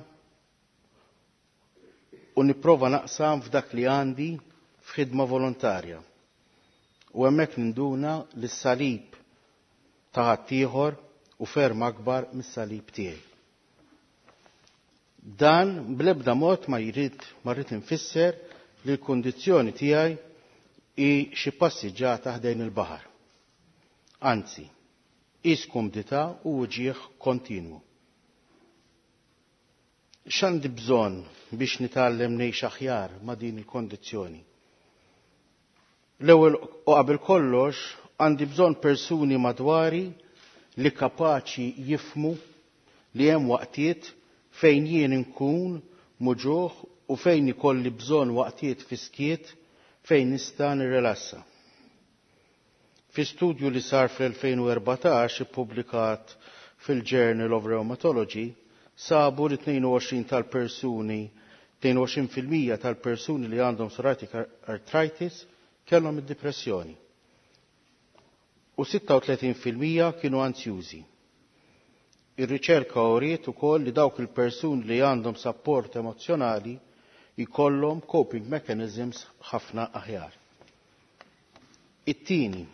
u nipprova naqsam f'dak li għandi f'ħidma volontarja. U hemmhekk ninduna li s-salib ta' ħaddieħor hu ferm akbar mis-salib tiegħi. Dan bl-ebda mod ma rrid infisser li l-kundizzjoni tiegħi hi xi passiġġata ħdejn il-baħar. Anzi, hi skumdità u uġigħ kontinwu. X'għandi bżonn biex nitgħallem ngħix aħjar ma' din il-kondizzjoni? L-ewwel u qabel kollox għandi bżonn persuni madwari li kapaċi jifhmu li hemm waqtiet fejn jien inkun muġugħ u fejn ikolli bżonn waqtiet fis-skiet fejn nista' nirrelassa. Fi studju li sar fl-2014, ippubblikat fil-Journal of Rheumatology, sabu li 22 tal-persuni, 22% tal-persuni li għandhom psoriatic arthritis kellhom id-depressjoni u 36% kienu anzjużi. Ir-riċerka uriet ukoll li dawk il-persuni li għandhom sapport emozzjonali jkollhom coping mechanisms ħafna aħjar. It-tieni,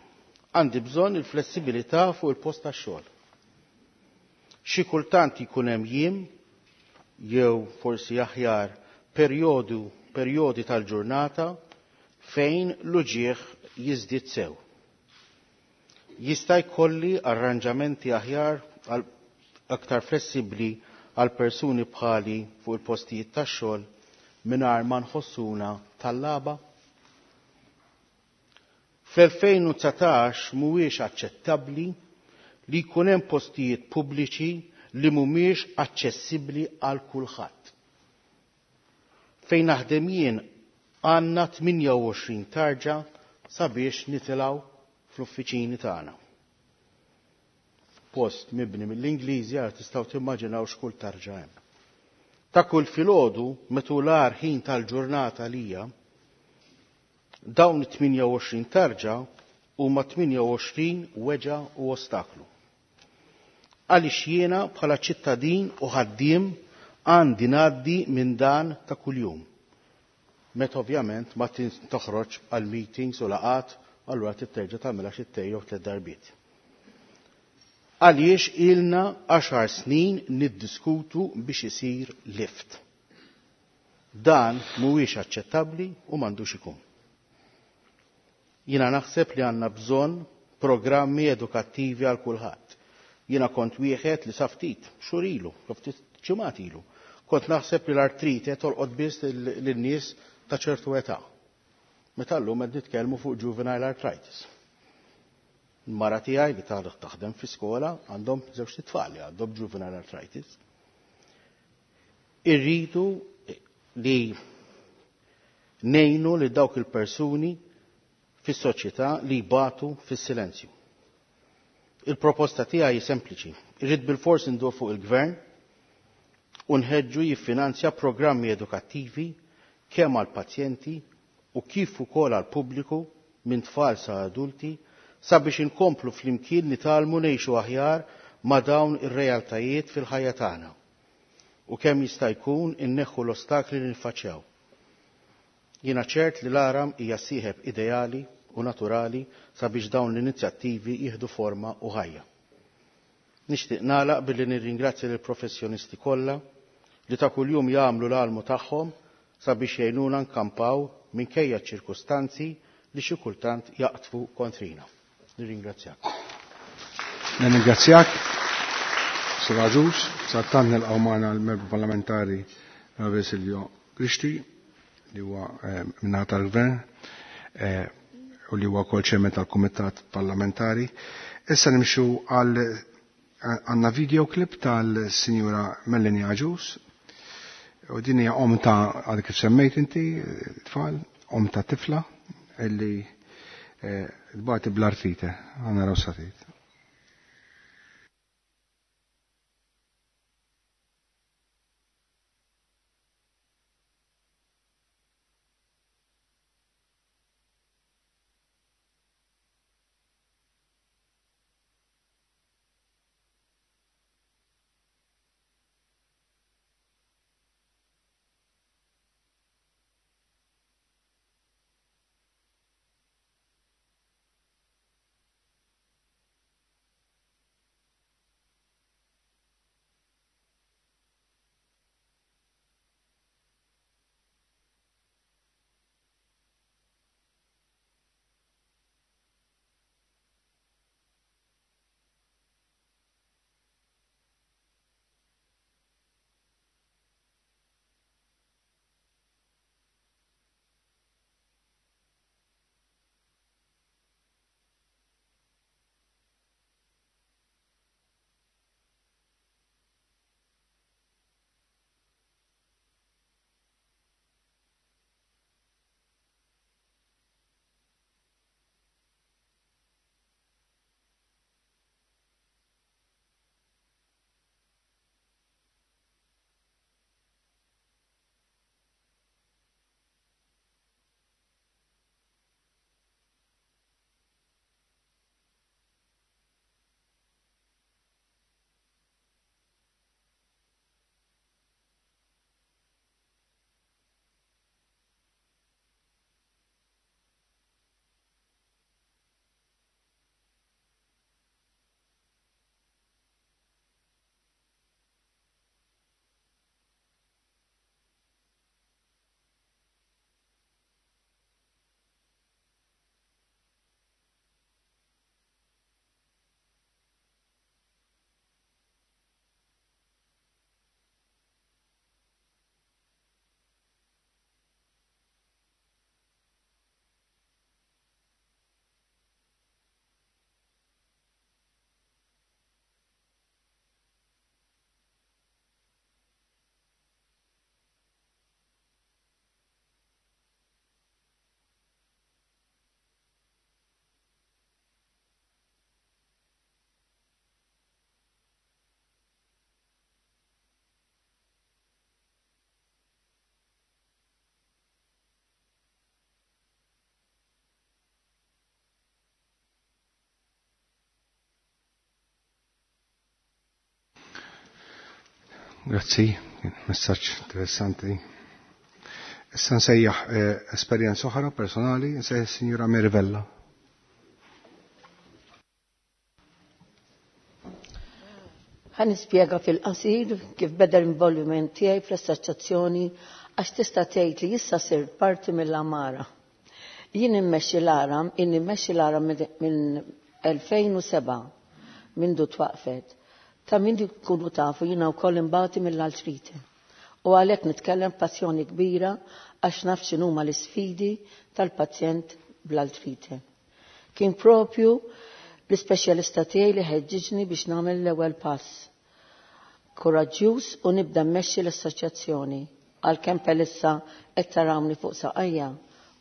għandi bżonn il-flessibilità fuq il-post tax-xogħol. Xi kultant jkun hemm jiem jew forsi aħjar perjodu perjodi tal-ġurnata fejn l-uġieħ jiżdied sew. Jista' jkolli arranġamenti aħjar għal aktar flessibbli għal persuni bħali fuq il-postijiet tax-xogħol mingħajr ma nħossuna tal-laba? Fl-2019 mhuwiex aċċettabbli li jkun hemm postijiet pubbliċi li mhumiex aċċessibbli għal kulħadd. Fejn naħdem jien għandna 28 tarġa sabiex nitilgħu fl-uffiċini tagħna. Post mibni mill-Ingliżi għal tistgħu timmaġinaw x'kull tarġa hemm. Ta' kull filgħodu metu l-agħar ħin tal-ġurnata lija, dawn it-28 tarġa huma 28 weġa u ostaklu. Għaliex jiena bħala ċittadin u ħaddiem għandi ngħaddi minn dan ta' kuljum. Meta ovvjament ma toħroġ għal meetings u laqat, allura titterġa' tagħmilha xi jew tliet darbiet. Għaliex ilna 10 snin niddiskutu biex isir lift. Dan mhuwiex aċċettabbli u m'għandux ikun. Jiena naħseb li għandna bżonn programmi edukattivi għal kulħadd. Jiena kont wieħed li sa ftit xhur ilu, ftit ġimgħat ilu, kont naħseb li l-artrite tolqot biss lin-nies ta' ċertu età. Meta llum qed nitkellmu fuq juvenile arthritis. Mara tiegħi li taħdem fi skola għandhom żewġ tfal li għandhom juvenile arthritis. Irridu li ngħinu li dawk il-persuni fis-soċjetà li jbatu fis-silenzju. Il-proposta tiegħi hi sempliċi. Irrid bilfors indur fuq il-gvern u nħeġġu jiffinanzja programmi edukattivi kemm għal pazjenti u kif ukoll għal pubbliku minn tfal sa adulti sabiex inkomplu flimkien nitgħallmu ngħixu aħjar ma' dawn ir-realtajiet fil-ħajja tagħna u kemm jista' jkun inneħħu l-ostakli li niffaċċjaw. Jiena ċert li l-Aram hija sieħeb ideali u naturali sabiex dawn l-inizjattivi jieħdu forma u ħajja. Nixtieq nagħlaq billi nirringrazzja lill professjonisti kollha li ta' kuljum jagħmlu l-almu tagħhom sabiex jgħinuna nkampaw minkejja ċ-ċirkustanzi li xi kultant jaqtfu kontrina. Nirringrazzjak. Nirringrazzjak, Sur Agius, sattan nilqgħu magħna l-membru parlamentari Ravi Silvio Grixti li huwa minnaħa tal-Gvern u li huwa wkoll chairman tal-Kumitat Parlamentari. Issa nimxu għal għandna video clip tal-Sinjura Melanie Agius u din hija om ta' għal kif semmejt inti tfal, om ta' tifla illi tbati bl-artrite, għandna raw satit. Grazzi, messaġġ interessanti. Issa nsejjaħ eh, esperjenza oħra personali, nsejjaħ Sinjura Mirvella. Ħa nispjega fil-qasir kif beda l-involviment tiegħi fl-assoċjazzjoni għax tista' tgħid li issa sirt parti mill-Amara. Jien immexxi l-Aram, jien immexxi l-Aram minn 2007 mindu twaqfet. Ta' min kunu tafu jiena wkoll imbati mill-altrite. U għalhekk nitkellem passjoni kbira għax naf x'inhuma l-isfidi tal-pazjent bl-altrite. Kien propju l-ispeċjalista tiegħi li ħeġġiġni biex nagħmel l-ewwel pass. Kuraġġjuż u nibda mmexxi l-assoċjazzjoni għalkemm pelissa qed tarawni fuq saqajja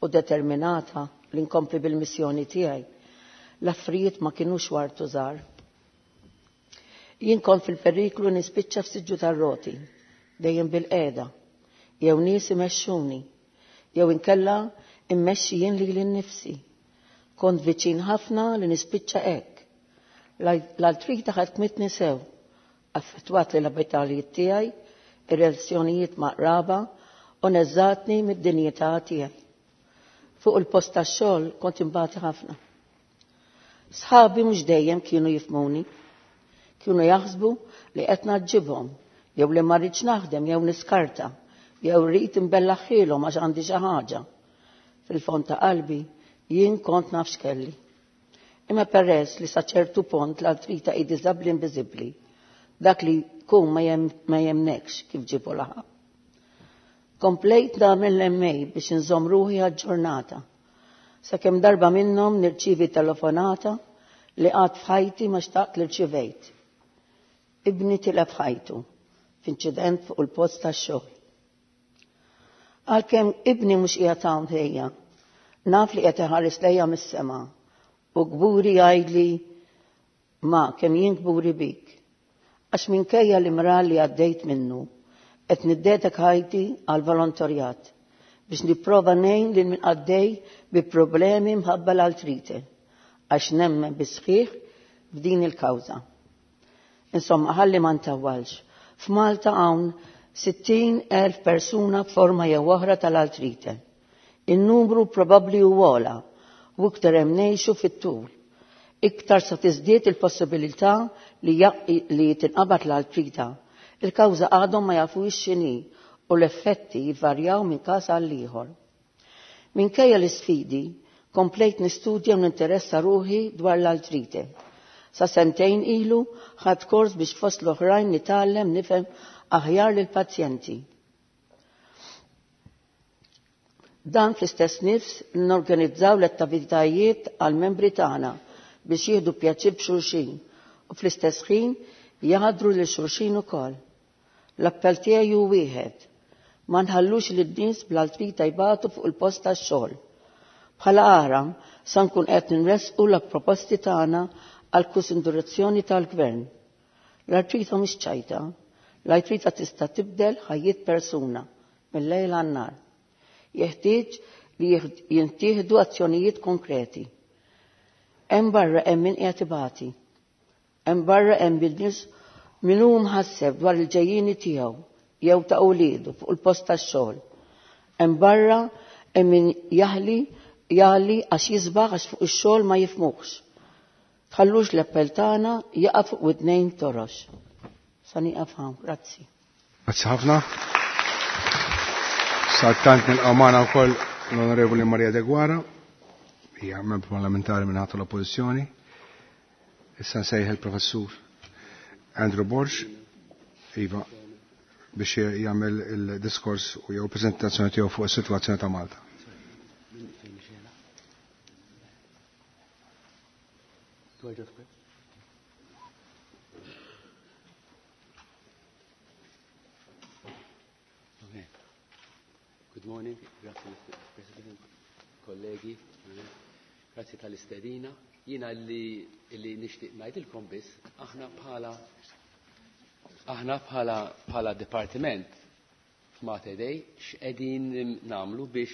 u determinata li nkompli bil-missjoni tiegħi. L-affarijiet ma kinux wartu żgħar. Jien kont fil-periklu nispiċċa f'siġġu tar-roti, dejjem bil-qiegħda, jew nies imexxuni, jew inkella immexxi jien lili nnifsi. Kont viċin ħafna li nispiċċa hekk. L-altrita ħakmitni sew, affettwat li l-abitalijiet tiegħi, ir-relazzjonijiet ma' qraba u neżżatni mid-dinjità tiegħi. Fuq il-post tax-xogħol kont imbati ħafna. Sħabi mhux dejjem kienu jifhmuni. Kienu jaħsbu li qed naġġibhom, jew li ma rridx naħdem jew niskarta, jew rrid imbellaħħilhom għax għandi xi ħaġa. Fil-fond ta' qalbi jien kont naf x'kelli. Imma peress li sa ċertu pont l-altrita hi diżabbli inviżibbli, dak li jkun ma jemnekx kif ġibu laħaq. Komplejt nagħmel l-MA biex inżomm ruħi aġġornata. Sakemm darba minnhom nirċievi telefonata li qatt f'ħajti ma xtaqt li rċivejt. Ibni tilef ħajtu f'inċident fuq il-post tax-xogħol. Għalkemm ibni mhux qiegħed hawn ħejja, naf li qed iħares lejja mis-sema u kburi jgħidli ma kemm jien kburi bik. Għax minkejja l-imrar li għaddejt minnu, qed niddedek ħajti għal volontarjat biex nipprova ngħin lil min għaddej bi problemi mħabba l-altrite għax nemmen bis-sħiħ f'din il-kawża. Insomma, ħalli ma ntawwalx. F'Malta hawn 60,000 persuna b'forma jew oħra tal-altrite. In-numru probabbli hu ogħla u iktar hemm ngħixu fit-tul. Iktar sa tiżdied il-possibilità li, li tinqabad l-altrita. Il-kawża għadhom ma jafux x'inhi u l-effetti jvarjaw minn każ għal ieħor. Minkejja l-isfidi, komplejt nistudja u ninteressa ruħi dwar l-altrite. Sa sentejn ilu ħadt kors biex fost l-oħrajn nitgħallem nifhem aħjar lill-pazjenti. Dan fl-istess nifs norganizzaw l-attivitajiet għal membri tagħna biex jieħdu pjaċir b'xulxin u fl-istess ħin jaħdru lil xulxin ukoll. L-appell tiegħi hu wieħed. Ma nħallux lin nies bl-altrita jbatu fuq il-post tax-xogħol. Bħala Aram sa nkun qed nressqu l-proposti tagħna għal konsiderazzjoni tal-gvern. L-artrita mhix ċajta, l-artrita tista' tibdel ħajjiet persuna mill-lejl għan-nhar. Jeħtieġ li jintieħdu azzjonijiet konkreti. Hemm barra hemm min qiegħed ibati. Hemm barra hemm bil-nies min hu mħasseb dwar il-ġejjieni tiegħu jew ta' uliedu fuq il-post tax-xogħol. Hemm barra hemm min jaħli jali għax jisbaħ għax fuq ix-xogħol ma jifhmuhx. Tħallux l-appell tagħna jaqa' fuq widnejn torox. Sa nieqaf hawn, grazzi. Grazzi ħafna. Sadattant nilqgħu magħna wkoll l-Onorevoli Maria Deguara, hija membru parlamentari minn ħadd l-Oppożizzjoni. Issa nsejħ il-Professur Andrew Borg, iva, biex jagħmel il-diskors u jew preżentazzjoni tiegħu fuq is-sitwazzjoni ta' Malta. Do I just press? Okay. Good morning, grazie Mr. President, kollegi, grazie tal-istedina. Jiena li, li nixtieq ngħidilkom biss, aħna bħala dipartiment f'Mater Dei x'qegħdin nagħmlu biex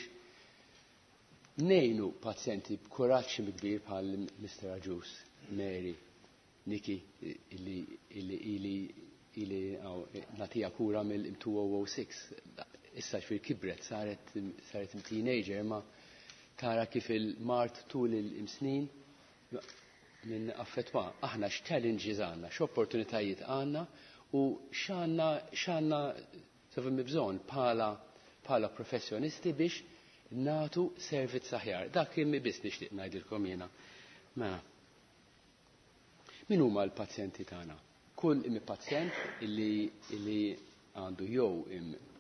ngħinu pazjenti b'kuraġġ kbir bħal Mr. Agius, Mary, Nikki, illi ili ili nagħtiha kura mill-2006. Issa ġifieri kibret, saret teenager, ma tara kif il-mard tul il-snin minn affettwa. Aħna x'challenges għandna, x'opportunitajiet għandna u x'għandna sovim bżonn bħala professjonisti biex natu servizz aħjar. Dak kien biss nixtieq ngħidilkom jiena. Mela. Min huma l-pazjenti tagħna? Kull imi pazjent illi għandu jew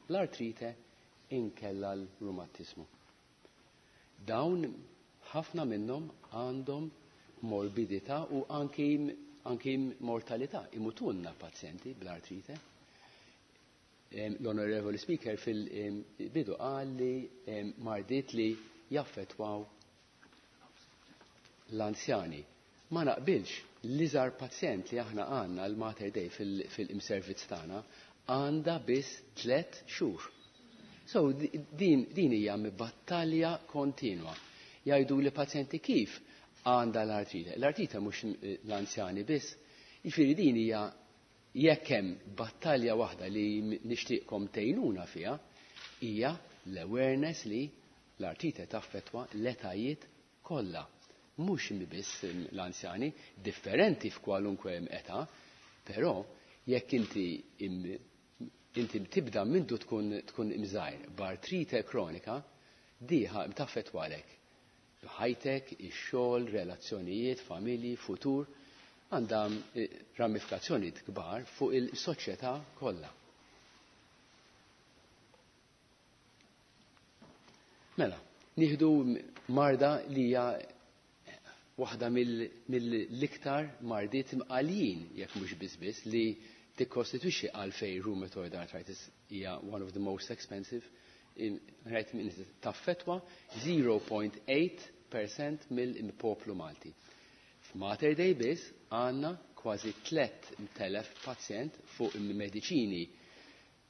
l-artrite inkella l-rumatizmu. Dawn ħafna minnhom għandhom morbidità u anki mortalità. Imutunna pazjenti bl-artrite. L-Onorevoli Speaker fil-bidu qal li mardiet li jaffetwaw l-anzjani. Ma naqbilx, l-iżgħar pazjent li aħna għandna l-Mater Dei fil-imservizz tagħna għandha biss 3 xhur. So din hija battalja kontinwa. Jgħidu li pazjenti kif għandha l-artrite. L-artrite mhux l-anzjani biss. Jiġifieri din hija jekk hemm battalja waħda li nixtieqkom tgħinuna fiha hija l-awareness li l-artrite taffettwa l-etajiet kollha. Mhux biss l-anzjani, differenti f'kwalunkwe età, però jekk inti tibda mindu tkun imżajr b'artrite kronika, diħa taffettwalek. Ħajtek, ix-xogħol, relazzjonijiet, familji, futur, għandha ramifikazzjonijiet kbar fuq il-soċjetà kollha. Mela, nieħdu marda li hija waħda mill-iktar mardiet imqaljin, jekk mhux biss biss, li tikkostitwixxi għalfejn rheumatoid arthritis hija one of the most expensive. Right, taffetwa 0.8% mill-poplu Malti. F'Mater Dei biss għandna kważi 3,000 pazjent fuq mediċini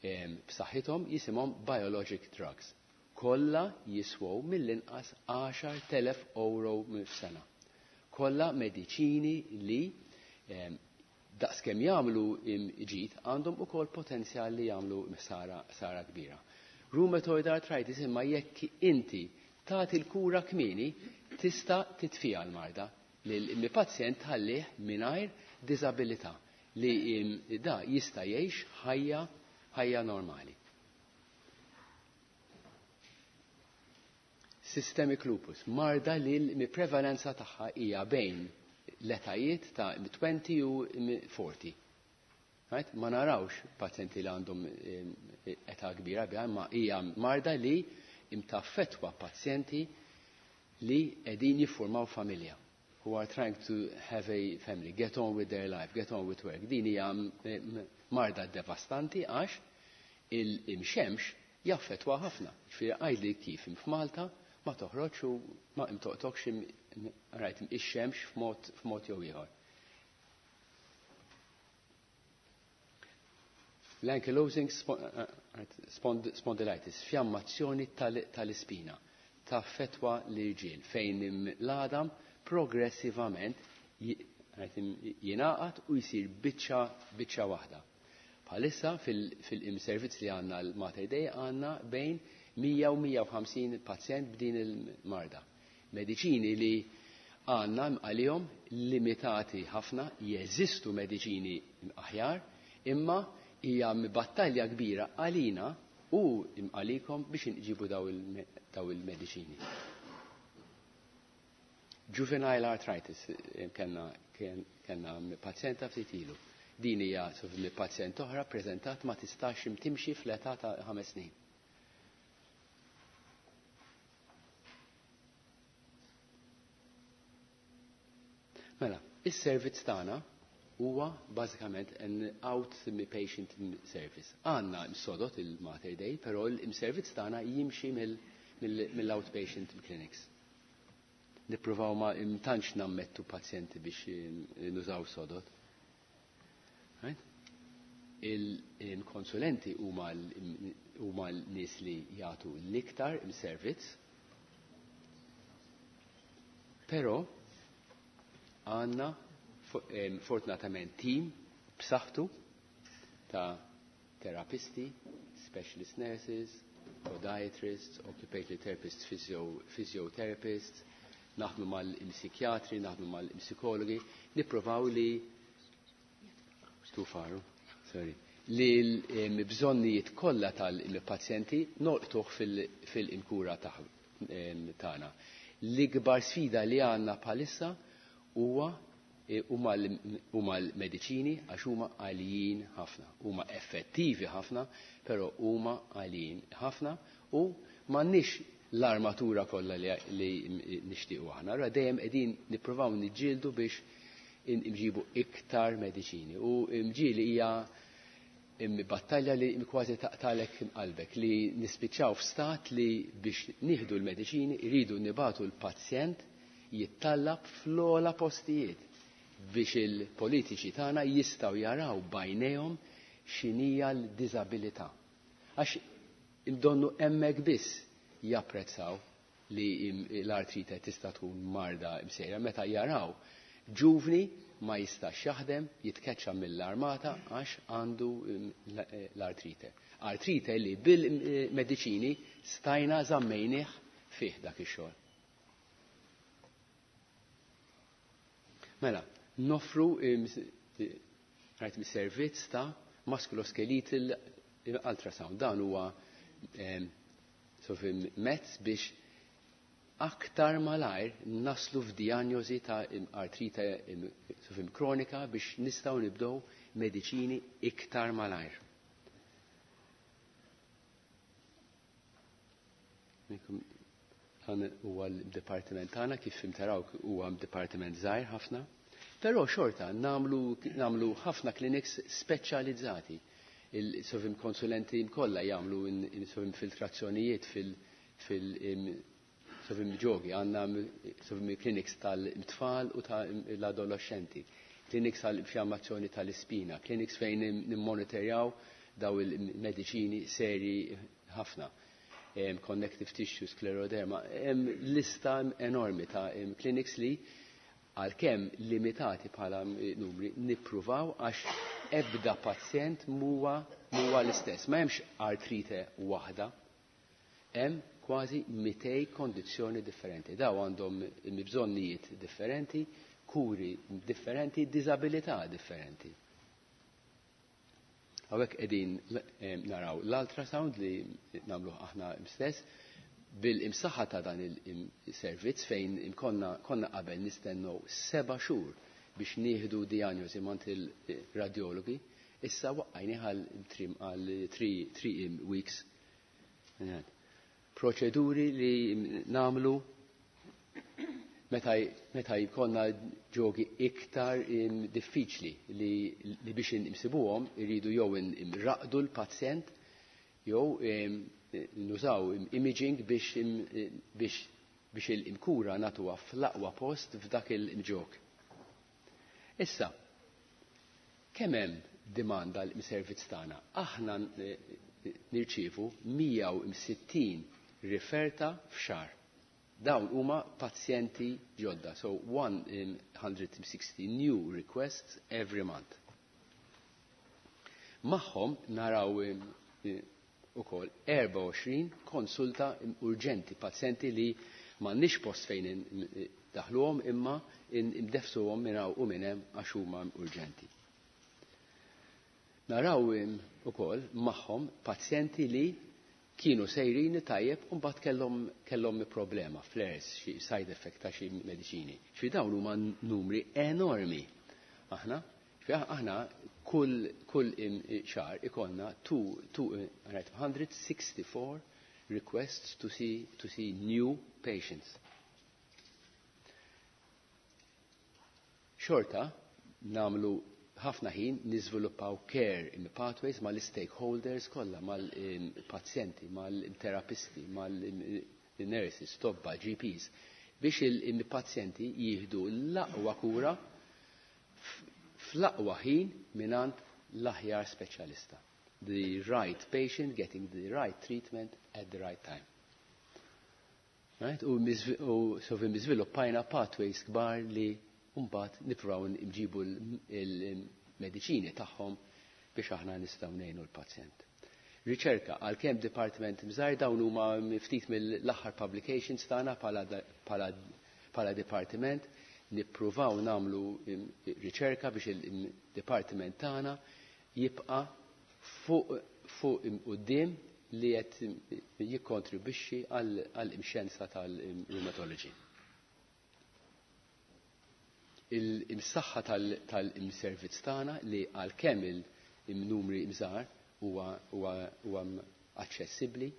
b'saħħithom jisimhom biologic drugs. Kollha jiswew mill-inqas 10,000 euro f'sena. Kollha mediċini li daqskemm jagħmlu ġid għandhom ukoll potenzjal li jagħmlu sara kbira. Rheumatoid arthritis imma jekk inti tagħti l-kura kmieni tista' titfija l-marda li pazjent ħallih mingħajr diżabilità li da jista' jgħix ħajja normali. Systemic lupus, marda li l-prevalenza tagħha hija bejn l-etajiet ta' 20 u 40. Right? Ma narawx pazjenti li għandhom età kbira biha, imma hija marda li imtaffetwa pazjenti li qegħdin jiffurmaw familja, who are trying to have a family, get on with their life, get on with work. Din hija marda devastanti għax il-imxemx jaffetwa ħafna. Ġifieri għidli kif f'Malta ma toħroġ u ma imtoqtokx rajt ix-xemx f'mod jew ieħor. L-ankylosing spondylitis, fjammazzjoni tal-ispina, taffetwa l-irġiel fejn l-għadam progressivament jingħaqad u jsir biċċa waħda. Bħalissa fil-imservizz li għandna l-Mater Dei għandna bejn 100 u 150 pazjent b'din il-marda. Mediċini li għandna għalihom limitati ħafna, jeżistu mediċini aħjar, imma hija battalja kbira għalina u għalikom biex nġibu daw il-mediċini. Juvenile arthritis, kellna pazjenta ftit ilu. Din hija pazjent oħra preżentat ma tistax timxi fl-età ta' 5 snin. Mela, is-servizz tagħna huwa bażikament an outpatient service. Għandna sodot il-Mater Dei, però il-servizz tagħna jimxi mill-outpatient clinics. Nippruvaw ma tantx nammettu pazjenti biex nużaw sodot. Right? Il-konsulenti huma l-nies li jagħtu l-iktar il-servizz, però għandna fortunatament tim b'saħħtu ta' terapisti, specialist nurses, podiatrists, occupational therapists, physiotherapists, naħdmu mal-psikjatri, naħdmu mal-psikologi, nipprovaw li too far, sorry, li l-bżonnijiet kollha tal-pazjenti nolqtuh fil-kura tagħna. L-ikbar sfida li għandna bħalissa huwa huma l-mediċini għax huma għalijin ħafna, huma effettivi ħafna, però huma għalijin ħafna u m'għandniex l-armatura kollha li nixtiequ aħna. Allura dejjem qegħdin nippruvaw niġġieldu biex nġibu iktar mediċini. U mġieli hija battalja li kważi taqtalek qalbek li nispiċċaw f'stat li biex nieħdu l-mediċini jridu nibatu l-pazjent jittallab fl-ogħla postijiet biex il-politiċi tagħna jistgħu jaraw bajnejhom x'inhija l-diżabilità. Għax donnu hemmhekk biss japprezzaw li l-artrite tista' tkun marda msejra meta jaraw ġuvni ma jistax jaħdem, jitkeċċa mill-armata għax għandu l-artrite. Artrite li bil-mediċini stajna żammejnih fih dak ix-xogħol. Mela, noffru rajt servizz ta' musculoskeletal ultrasound. Dan huwa mezz biex aktar malajr naslu f'diagnosi ta' artrite sofim kronika biex nistgħu nibdew mediċini iktar malajr. Dan huwa l-dipartiment tagħna kif taraw huwa dipartiment żgħir ħafna. Però xorta nagħmlu ħafna clinics speċjalizzati. Il-sofim konsulenti kollha jagħmlu sofim filtrazzjonijiet fil sofim ġogi, għandna sofim clinics tal-tfal u tal-adolescenti, clinics tal-infjammazzjoni tal-ispina, clinics fejn nimmonitorjaw daw il-mediċini seri ħafna. Connective tissue, scleroderma, hemm lista enormi ta' clinics li għalkemm limitati bħala numri nippruvaw għax ebda pazjent muwa l-istess. Ma hemmx artrite waħda, hemm kważi 200 kondizzjoni differenti. Daw għandhom bżonnijiet differenti, kuri differenti, diżabilità differenti. Hawnhekk qegħdin naraw l-ultrasound li nagħmluh aħna stess bil-imsaħħa ta' dan il-servizz fejn konna qabel nistennew 7 xhur biex nieħdu diagnosi mant il-radiologi, issa waqqajni għal 3 weeks. Proċeduri li namlu meta jkollna ġogi iktar diffiċli li biex insibuhom iridu jew imraqdu l-pazjent jew nużaw imaging biex il-kura natuha fl-aqwa post f'dak il-ġog. Issa, kemm hemm demanda l-servizz tagħna? Aħna nirċievu 160 riferta f'xahar. Dawn huma pazjenti ġodda, so 160 new requests every month. Magħhom naraw ukoll 24 konsulta urġenti, pazjenti li m'għandniex post fejn daħluhom imma imdefsuhom minn hawn u minn hemm għax huma urġenti. Naraw ukoll magħhom pazjenti li kienu sejrin tajjeb u mbagħad kellhom problema, flares, xi side effect ta' xi mediċini. Xi dawn huma numri enormi. Aħna kull xahar ikollna 264 requests to see new patients. Xorta namlu ħafna ħin niżviluppaw care in pathways mal-stakeholders kollha, mal-pazjenti, mal-terapisti, mal-nurses, tobba, GPs, biex il-pazjenti jieħdu l-aqwa kura fl-aqwa ħin mingħand l-aħjar speċjalista. The right patient getting the right treatment at the right time. Right? U so miżviluppajna pathways kbar li mbagħad nippruvaw nġibu l-mediċini tagħhom biex aħna nistgħu ngħinu l-pazjent. Riċerka, għalkemm dipartiment mżar dawn huma ftit mill-aħħar publications tagħna bħala dipartiment, nippruvaw nagħmlu riċerka biex il-dipartiment tagħna jibqa' fuq quddiem li qed jikkontribwixxi għall-imxjenza tal-rheumatology. Il-saħħa tal-imservizz tagħna li għalkemm il-numri mżar huwa aċċessibbli,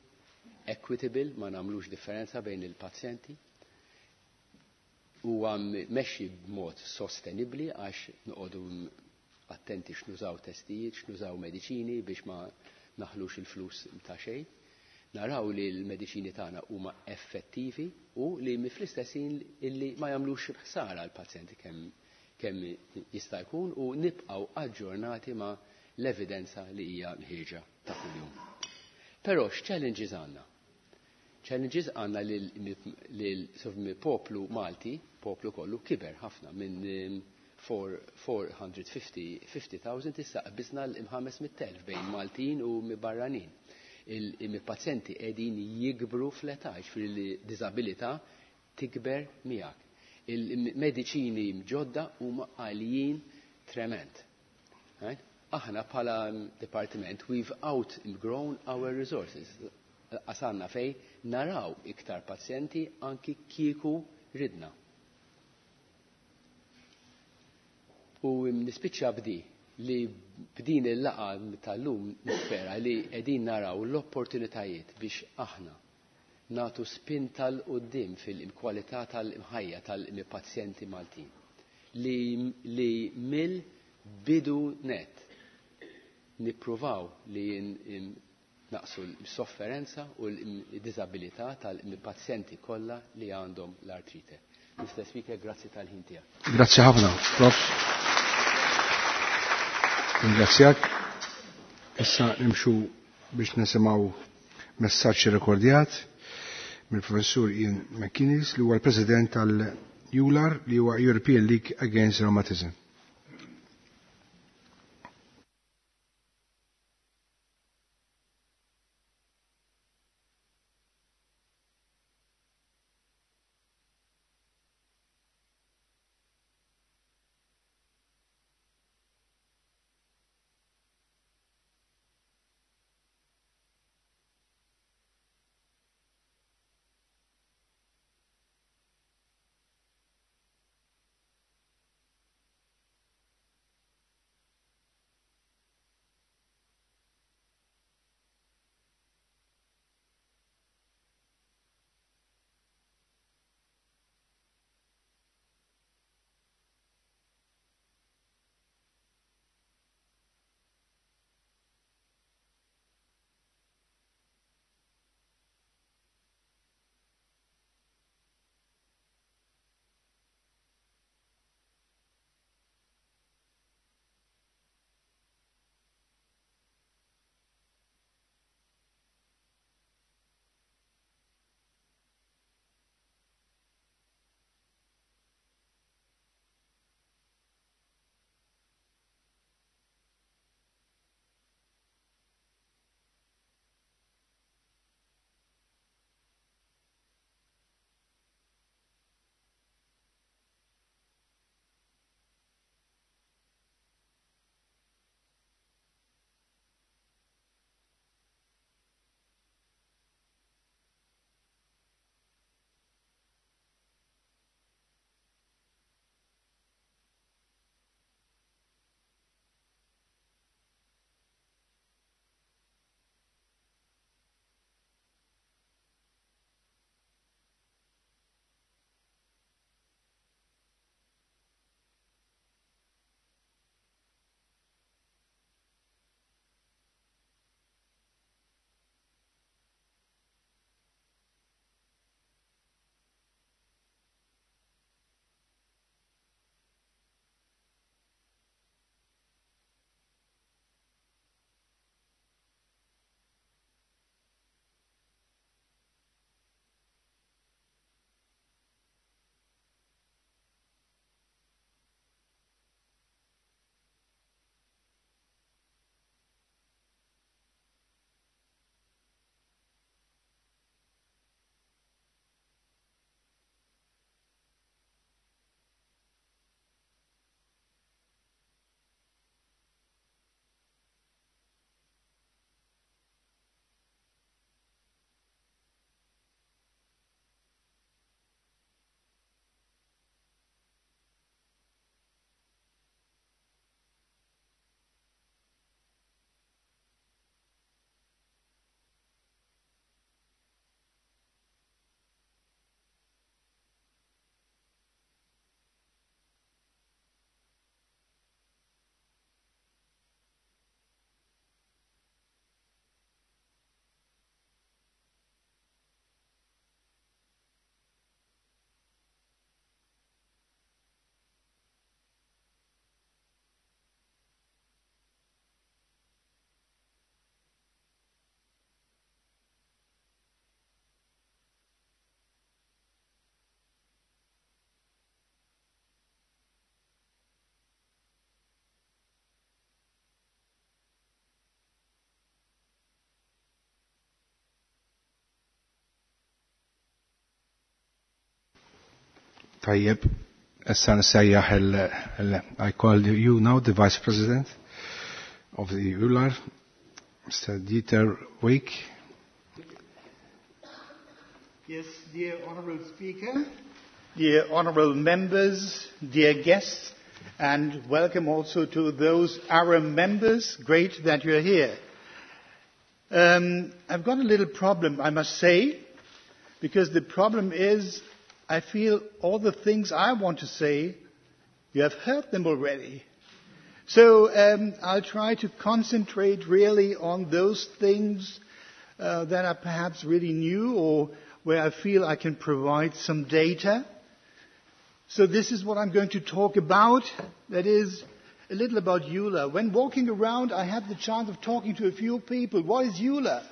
equitable, ma nagħmlux differenza bejn il-pazjenti, huwa mmexxi b'mod sostenibbli għax noqogħdu attenti x'nużaw testijiet, x'nużaw mediċini biex ma naħlux il-flus ta' xejn. Naraw li l-mediċini tagħna huma effettivi u li fl-istess ħin illi ma jagħmlux ħsara l-pazjenti kemm jista' jkun u nibqgħu aġġornati ma' l-evidenza li hija ħieġa ta' kuljum. Però x'challenges għandna? Challenges għandna li poplu Malti, poplu kollu, kiber ħafna minn 450,000 issa qbisna l-500,000 bejn Maltin u barranin. Il-pazjenti qegħdin jikbru fl-età, jiġifieri li diżabilità tikber miegħek. Il-mediċini ġodda huma għalijin trement. Right? Aħna bħala departiment we've outgrown our resources. Qasanna fej naraw iktar pazjenti anki kieku ridna. U nispiċċa bdi li b'din il-laqa tal-lum nispera li qegħdin naraw l-opportunitajiet biex aħna natu spin tal-qoddim fil-kwalità tal-imħajja tal-pazjenti Maltin li mill-bidu net nippruvaw li naqsu l-sofferenza u l-disabilità tal-pazjenti kollha li għandhom l-artrite. Mr. Speaker, grazzi tal-ħin tiegħek. Grazzi ħafna, Prof. Ringrazzjak. Issa nimxu biex nisimgħu messaġġ rekordjat mill-Professur Ian McInnes li huwa l-President tal-EULAR li huwa European League Against Rheumatism. Tajjeb, issa nsejjaħ I call you now the Vice President of the EULAR, Mr. Dieter Wieck. Yes, dear Honourable Speaker, dear Honourable Members, dear guests, and welcome also to those Aram members. Great that you're here. I've got a little problem, I must say, because the problem is I feel all the things I want to say, you have heard them already. So I'll try to concentrate really on those things that are perhaps really new or where I feel I can provide some data. So this is what I'm going to talk about. That is a little about EULAR. When walking around, I had the chance of talking to a few people. What is EULAR?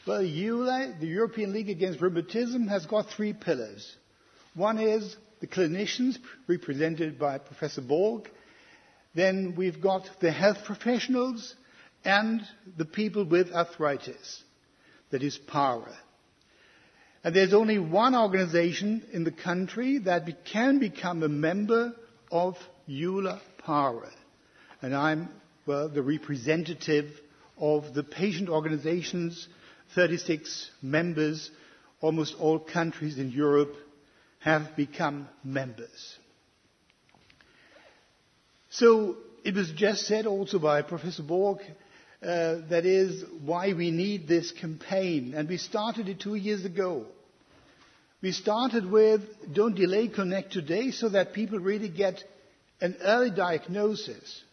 Well, EULAR, the European League Against Rheumatism, has got three pillars. One is the clinicians, represented by Professor Borg. Then we've got the health professionals and the people with arthritis, that is PARA. And there's only one organization in the country that can become a member of EULAR PARA. And I'm, well, the representative of the patient organizations, 36 members, almost all countries in Europe have become members. So it was just said also by Professor Borg, that is why we need this campaign. And we started it 2 years ago. We started with Don't Delay, Connect Today, so that people really get an early diagnosis.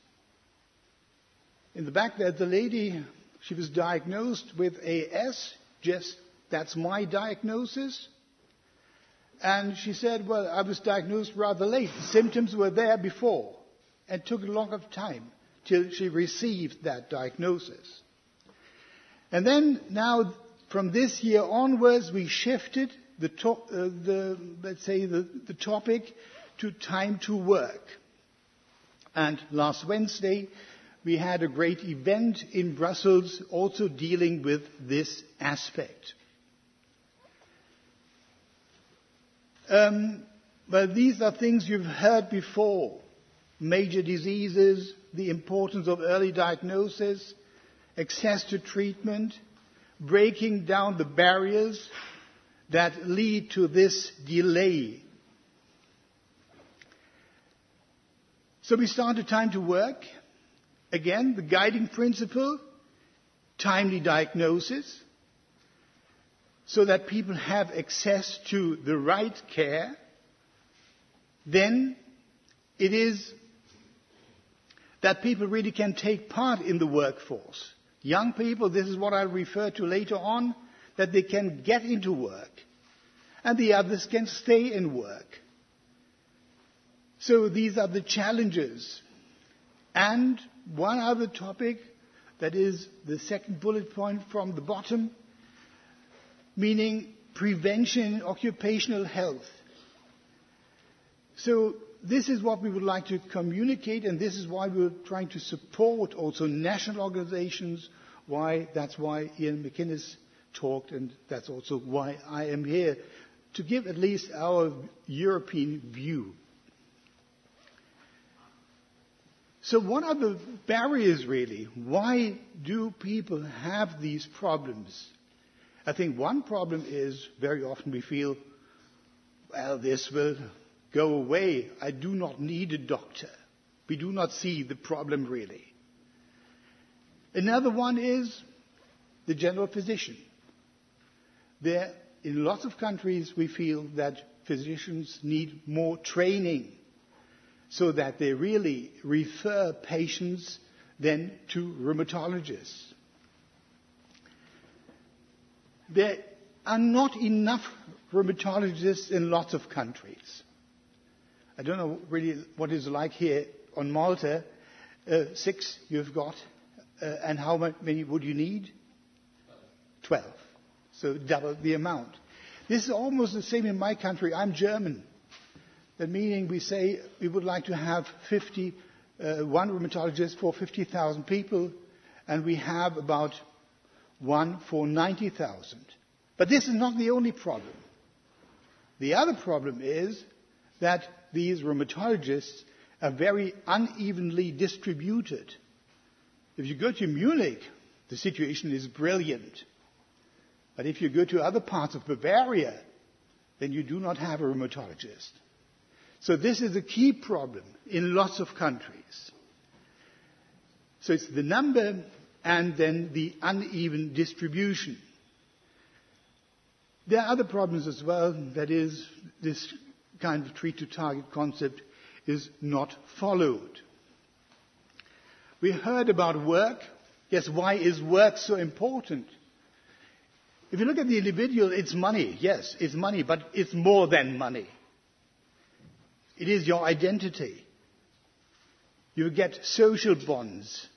In the back there, the lady, she was diagnosed with AS, just that's my diagnosis. And she said, well, I was diagnosed rather late. The symptoms were there before and took a lot of time till she received that diagnosis. And then now, from this year onwards, we shifted the topic to time to work. And last Wednesday, we had a great event in Brussels also dealing with this aspect. Well, these are things you've heard before. Major diseases, the importance of early diagnosis, access to treatment, breaking down the barriers that lead to this delay. So we started Time to Work. Again, the guiding principle, timely diagnosis, so that people have access to the right care. Then it is that people really can take part in the workforce. Young people, this is what I'll refer to later on, that they can get into work, and the others can stay in work. So these are the challenges. And one other topic, that is the second bullet point from the bottom, meaning prevention in occupational health. So this is what we would like to communicate, and this is why we're trying to support also national organizations. That's why Iain McInnes talked, and that's also why I am here, to give at least our European view. So what are the barriers, really? Why do people have these problems? I think one problem is very often we feel, well, this will go away. I do not need a doctor. We do not see the problem, really. Another one is the general physician. There, in lots of countries, we feel that physicians need more training so that they really refer patients then to rheumatologists. There are not enough rheumatologists in lots of countries. I don't know really what it's like here on Malta. 6 you've got, and how many would you need? 12. So double the amount. This is almost the same in my country. I'm German. That meaning we say we would like to have one rheumatologist for 50,000 people, and we have about one for 90,000. But this is not the only problem. The other problem is that these rheumatologists are very unevenly distributed. If you go to Munich, the situation is brilliant. But if you go to other parts of Bavaria, then you do not have a rheumatologist. So this is a key problem in lots of countries. So it's the number and then the uneven distribution. There are other problems as well. That is, this kind of treat-to-target concept is not followed. We heard about work. Yes, why is work so important? If you look at the individual, it's money. Yes, it's money, but it's more than money. It is your identity. You get social bonds.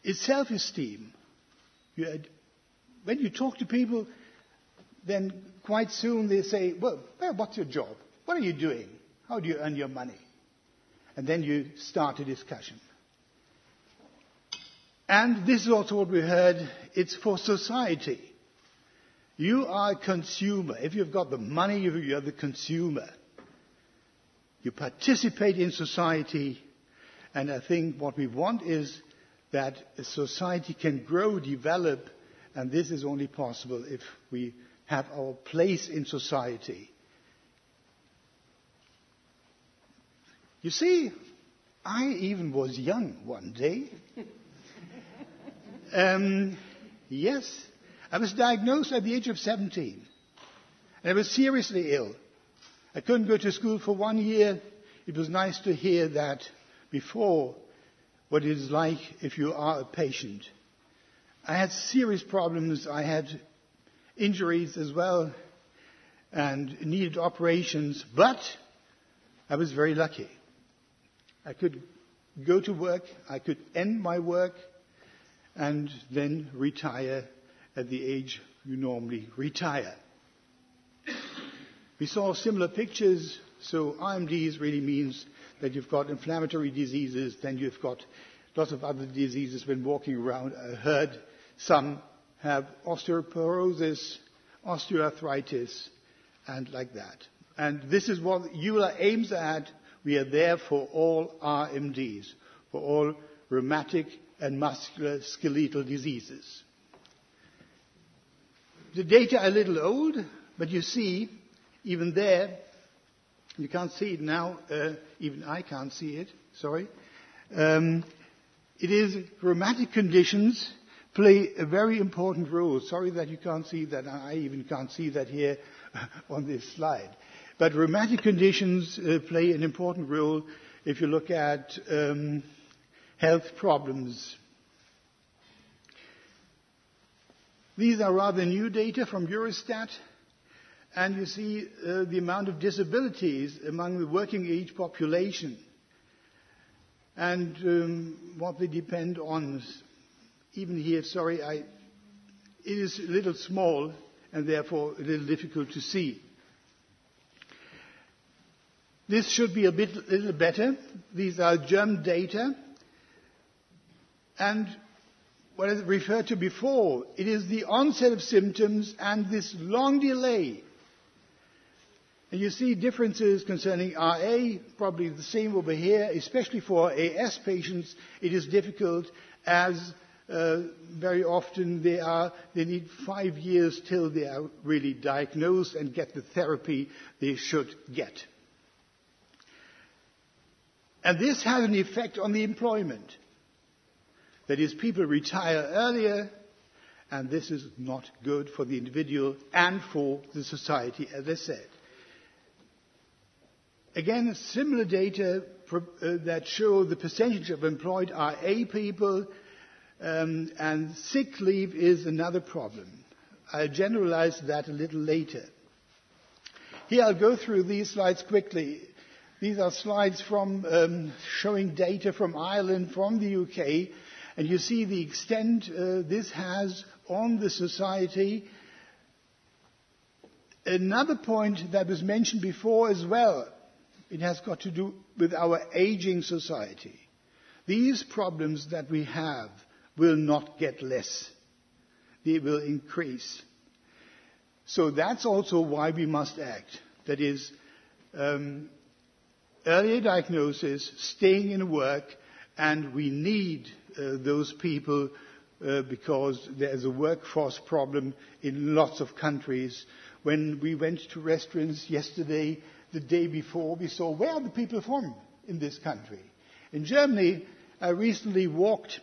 It's self-esteem. When you talk to people, then quite soon they say, well, what's your job? What are you doing? How do you earn your money? And then you start a discussion. And this is also what we heard, it's for society. You are a consumer. If you've got the money, you're the consumer. You participate in society, and I think what we want is that a society can grow, develop, and this is only possible if we have our place in society. You see, I even was young one day. Yes, I was diagnosed at the age of 17, and I was seriously ill. I couldn't go to school for 1 year. It was nice to hear that before, what it is like if you are a patient. I had serious problems. I had injuries as well and needed operations, but I was very lucky. I could go to work, I could end my work, and then retire at the age you normally retire. We saw similar pictures, so IMDs really means that you've got inflammatory diseases, then you've got lots of other diseases when walking around. I heard some have osteoporosis, osteoarthritis, and like that. And this is what EULAR aims at. We are there for all RMDs, for all rheumatic and musculoskeletal diseases. The data are a little old, but you see, even there, you can't see it now, even I can't see it, sorry. It is rheumatic conditions play a very important role. Sorry that you can't see that, I even can't see that here on this slide. But rheumatic conditions play an important role if you look at health problems. These are rather new data from Eurostat, and you see the amount of disabilities among the working age population and what they depend on. Even here, sorry, it is a little small and therefore a little difficult to see. This should be a little better. These are German data. And what I referred to before, it is the onset of symptoms and this long delay. And you see differences concerning RA, probably the same over here, especially for AS patients, it is difficult as very often they need 5 years till they are really diagnosed and get the therapy they should get. And this has an effect on the employment. That is, people retire earlier, and this is not good for the individual and for the society, as I said. Again, similar data that show the percentage of employed RA people, and sick leave is another problem. I'll generalize that a little later. Here I'll go through these slides quickly. These are slides from showing data from Ireland, from the UK, and you see the extent this has on the society. Another point that was mentioned before as well, it has got to do with our aging society. These problems that we have will not get less. They will increase. So that's also why we must act. That is, Earlier diagnosis, staying in work, and we need those people because there's a workforce problem in lots of countries. When we went to restaurants yesterday, the day before, we saw where are the people from in this country. In Germany, I recently walked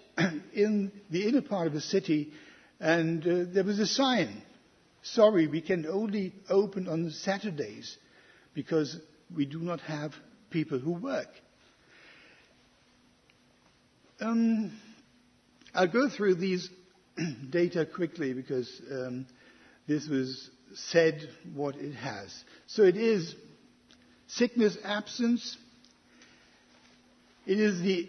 in the inner part of the city, and there was a sign. Sorry, we can only open on Saturdays because we do not have people who work. I'll go through these data quickly because this was said what it has. So it is sickness absence. It is the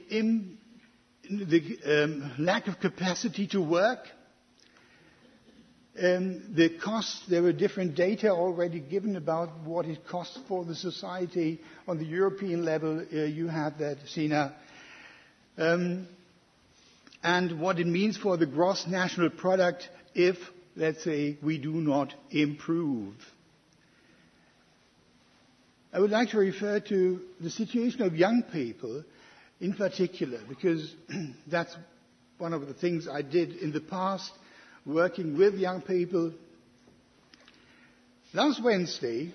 lack of capacity to work. The cost, there were different data already given about what it costs for the society on the European level. You have that, Sina. And what it means for the gross national product if, let's say, we do not improve. I would like to refer to the situation of young people in particular, because that's one of the things I did in the past, working with young people. Last Wednesday,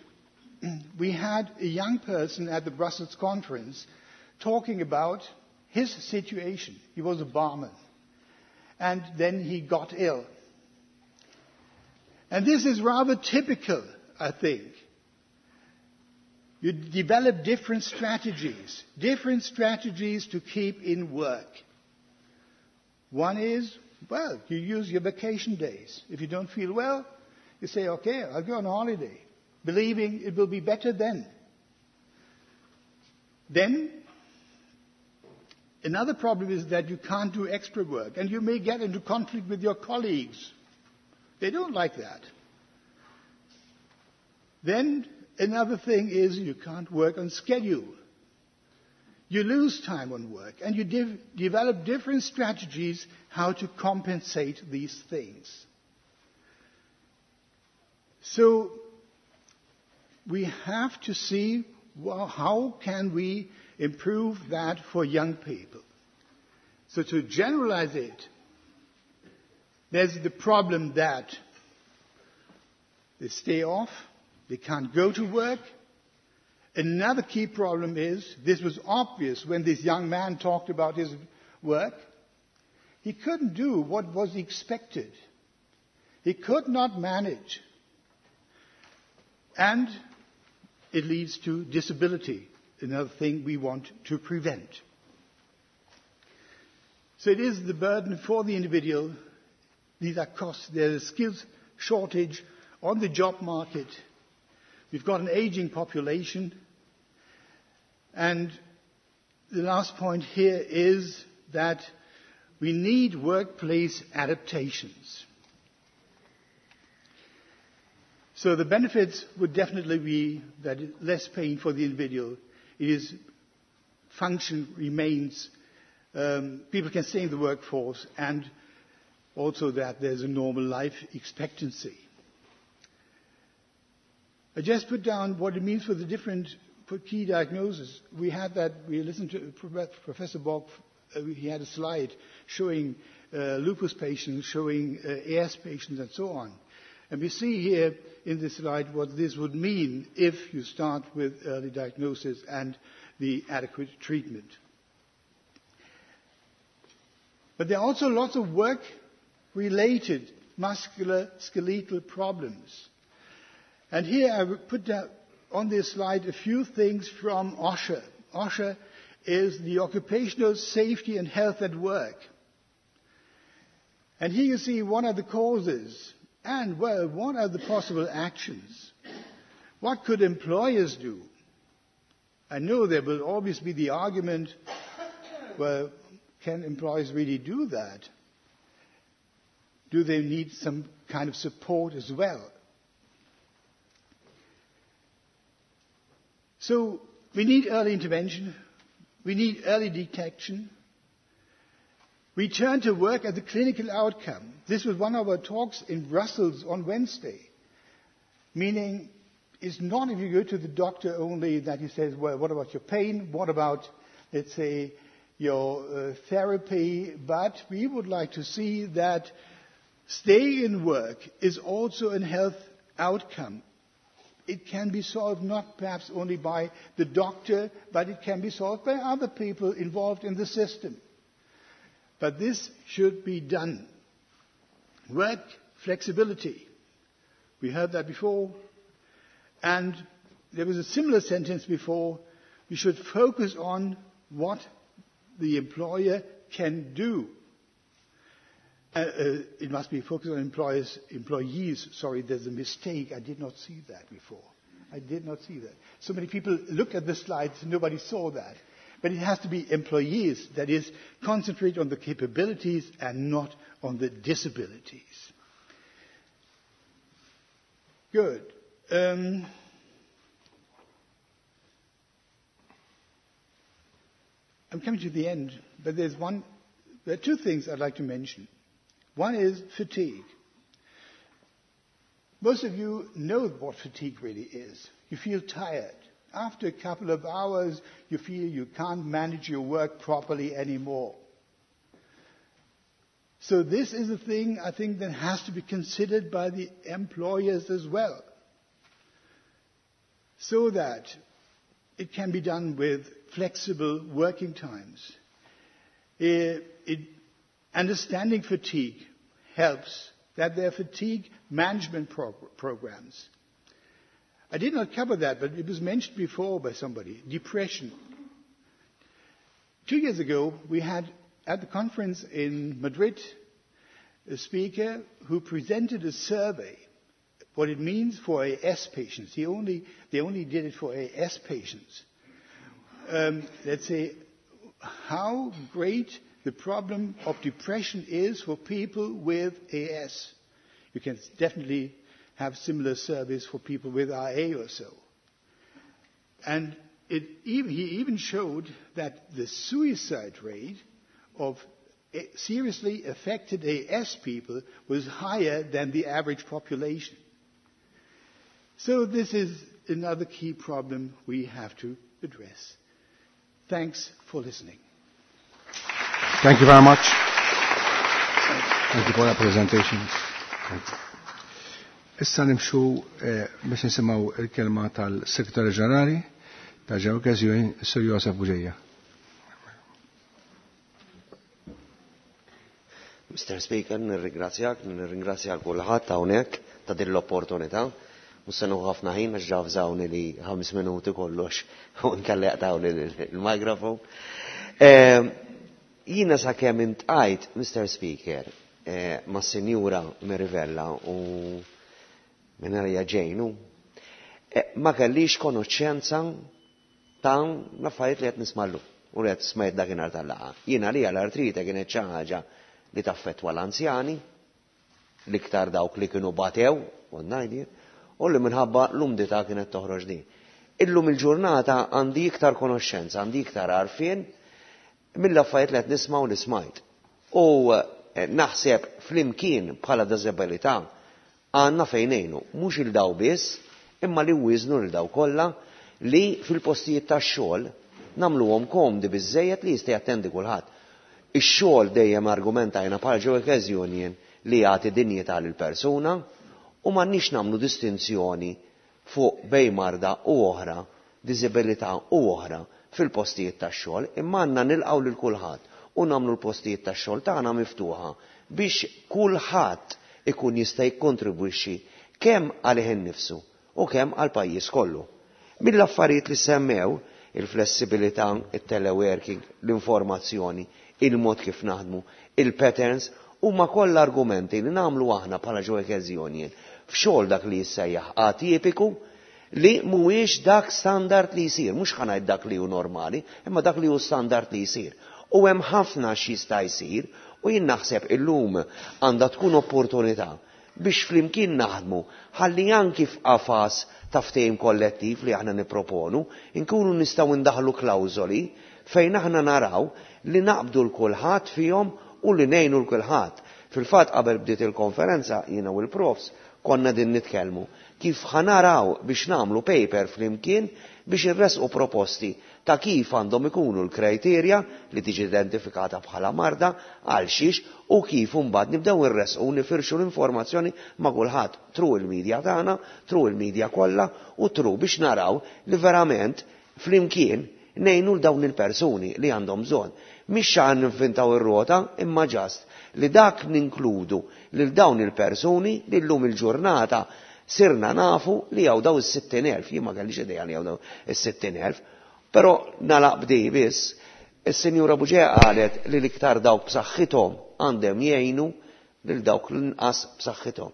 we had a young person at the Brussels conference talking about his situation. He was a barman. And then he got ill. And this is rather typical, I think. You develop different strategies to keep in work. One is, well, you use your vacation days. If you don't feel well, you say, okay, I'll go on holiday, believing it will be better then. Then, another problem is that you can't do extra work, and you may get into conflict with your colleagues. They don't like that. Then, another thing is you can't work on schedule. You lose time on work, and you develop different strategies how to compensate these things. So we have to see, well, how can we improve that for young people? So to generalize it, there's the problem that they stay off, they can't go to work. Another key problem is, this was obvious when this young man talked about his work, he couldn't do what was expected. He could not manage. And it leads to disability, another thing we want to prevent. So it is the burden for the individual. These are costs. There's a skills shortage on the job market. We've got an aging population. And the last point here is that we need workplace adaptations. So the benefits would definitely be that less pain for the individual. It is function remains, people can stay in the workforce, and also that there's a normal life expectancy. I just put down what it means for the different key diagnoses. We had that, we listened to Professor Borg, he had a slide showing lupus patients, showing AS patients, and so on. And we see here in this slide what this would mean if you start with early diagnosis and the adequate treatment. But there are also lots of work-related muscular skeletal problems. And here I put down on this slide a few things from OSHA. OSHA is the Occupational Safety and Health at Work. And here you see what are the causes and, well, what are the possible actions? What could employers do? I know there will always be the argument, well, can employers really do that? Do they need some kind of support as well? So we need early intervention. We need early detection. Return to work as a clinical outcome. This was one of our talks in Brussels on Wednesday, meaning It's not if you go to the doctor only that he says, well, what about your pain? What about, let's say, your therapy? But we would like to see that stay in work is also a health outcome. It can be solved not perhaps only by the doctor, but it can be solved by other people involved in the system. But this should be done. Work flexibility. We heard that before. And there was a similar sentence before. We should focus on what the employer can do. It must be focused on employers, employees. Sorry, there's a mistake. I did not see that before. I did not see that. So many people looked at the slides, nobody saw that. But it has to be employees, that is, concentrate on the capabilities and not on the disabilities. Good. I'm coming to the end, but there are two things I'd like to mention. One is fatigue. Most of you know what fatigue really is. You feel tired. After a couple of hours, you feel you can't manage your work properly anymore. So this is a thing, I think, that has to be considered by the employers as well, so that it can be done with flexible working times. Understanding fatigue helps, that there are fatigue management programs. I did not cover that, but it was mentioned before by somebody, depression. 2 years ago, we had at the conference in Madrid a speaker who presented a survey, what it means for AS patients. They only did it for AS patients. Let's say how great the problem of depression is for people with AS. You can definitely have similar surveys for people with RA or so. And he even showed that the suicide rate of seriously affected AS people was higher than the average population. So this is another key problem we have to address. Thanks for listening. Thank you very much. Thank you for that presentation. Thank you. Issa nimxu biex nisimgħu il-kelma tal-Segretarju Ġenerali ta' Workers Union, Sir Josef Bugeja. Mr. Speaker, nirringrazzjak, nirringrazzja kulħadd hawnhekk ta' din l-opportunità. Mhux se nieħu ħafna ħin għax ġavżawni li 5 minuti kollox u nkalli jaqtawli l-mikrofon. Jiena sakemm intqajt, Mr. Speaker, ma' Sinjura Mirivella u Minarja Ġejnu, ma kellix konoxxenza ta' l-affarijiet li qed nismallu u li qed smajt dakinhar tal-laqgħa. Jiena li l-artrite kienet xi ħaġa li taffettwa l-anzjani, l-iktar dawk li kienu batew, u ngħidi, u li minħabba l-umdità kienet toħroġ din. Illum il-ġurnata għandi iktar konoxxenza, għandi iktar għarfien mill-affarijiet li qed nisma' u li smajt. U naħseb flimkien bħala diżabilità għandna fejn ngħinu, mhux il daw biss, imma li wieżnu lil daw kollha li fil-postijiet tax-xogħol nagħmluhom komdi biżżejjed li jista' jattendi kulħadd. Ix-xogħol dejjem argumentajna bħala Workers Union li jagħti dinjità lil persuna u m'għandniex nagħmlu distinzjoni fuq bej marda u oħra, diżibilità u oħra fil-postijiet tax-xogħol, imma għandna nilqgħu lil kulħadd u nagħmlu l-postijiet tax-xogħol tagħna miftuħa biex kulħadd ikun jista' jikkontribwixxi kemm għalih innifsu u kemm għall-pajjiż kollu. Mill-affarijiet li semmew, il-flessibilità, il-teleworking, l-informazzjoni, il-mod kif naħdmu, il-patterns, huma kollha argumenti li nagħmlu aħna bħala Workers Union f'xogħol dak li jissejjaħ atipiku li mhuwiex dak standard li jsir, mhux ħa ngħid dak li hu normali, imma dak li hu standard li jsir. U hemm ħafna x'jista' jsir u jien naħseb illum għandha tkun opportunità biex flimkien naħdmu ħalli anki f'qafas ta' ftehim kollettiv li aħna nipproponu nkunu nistgħu ndaħlu klawżoli fejn aħna naraw li naqbdu l kulħadd fihom u li ngħinu l kulħadd. Fil-fatt qabel bdiet il-konferenza jiena u l-profs konna din nitkellmu kif ħa naraw biex nagħmlu paper flimkien biex irressqu proposti ta' kif għandhom ikunu l-kriterja li tiġi identifikata bħala marda għal xiex u kif imbagħad nibdew irressqu nifirxu l-informazzjoni ma' kulħadd through il-medja tagħna, through il-medja kollha u through biex naraw li verament flimkien ngħinu l dawn il-persuni li għandhom bżonn. Mhix xan ninvintaw ir-rota imma just li dak ninkludu lil dawn il-persuni li llum il-ġurnata sirna nafu li hawn daw is-60,000, jien ma kellix idea li hawn daw is-60,000, però nagħlaq b'di biss, is-Sinjura Bugeja qalet li l-iktar dawk b'saħħithom għandhom jgħinu lil dawk l-inqas b'saħħithom.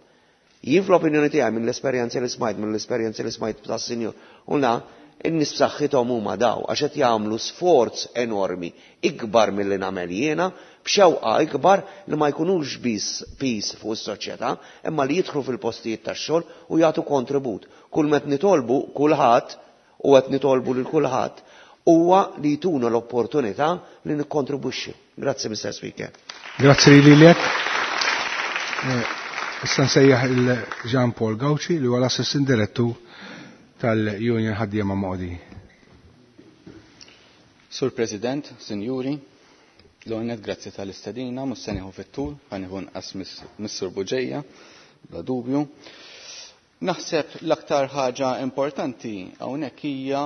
Jien fl-opinjoni tiegħi mill-esperjenzi li smajt, mill-esperjenzi li smajt tas-sinjur, u na, in-nies b'saħħithom huma daw għax qed jagħmlu sforz enormi ikbar milli nagħmel jiena, b'xewqa ikbar li ma jkunux biss piż fuq is-soċjetà, imma li jidħlu fil-postijiet tax-xogħol u jagħtu kontribut. Kull met nitolbu kulħadd u qed nitolbu lil kulħadd huwa li jtuna l-opportunità li nikkontribwixxu. Grazzi, Mr. Speaker. Grazzi lilek. Issa nsejjaħ il-Jean Paul Gauci li huwa l-Assistant Direttur tal-Union Ħaddiema Modi. Sur President, Sinjuri, l-għonet grazzi tal-istedina, mhux se nieħu fit-tul, ħa nieħu nqas mis-Sur Bugeja, bla dubju. Naħseb l-aktar ħaġa importanti hawnhekk hija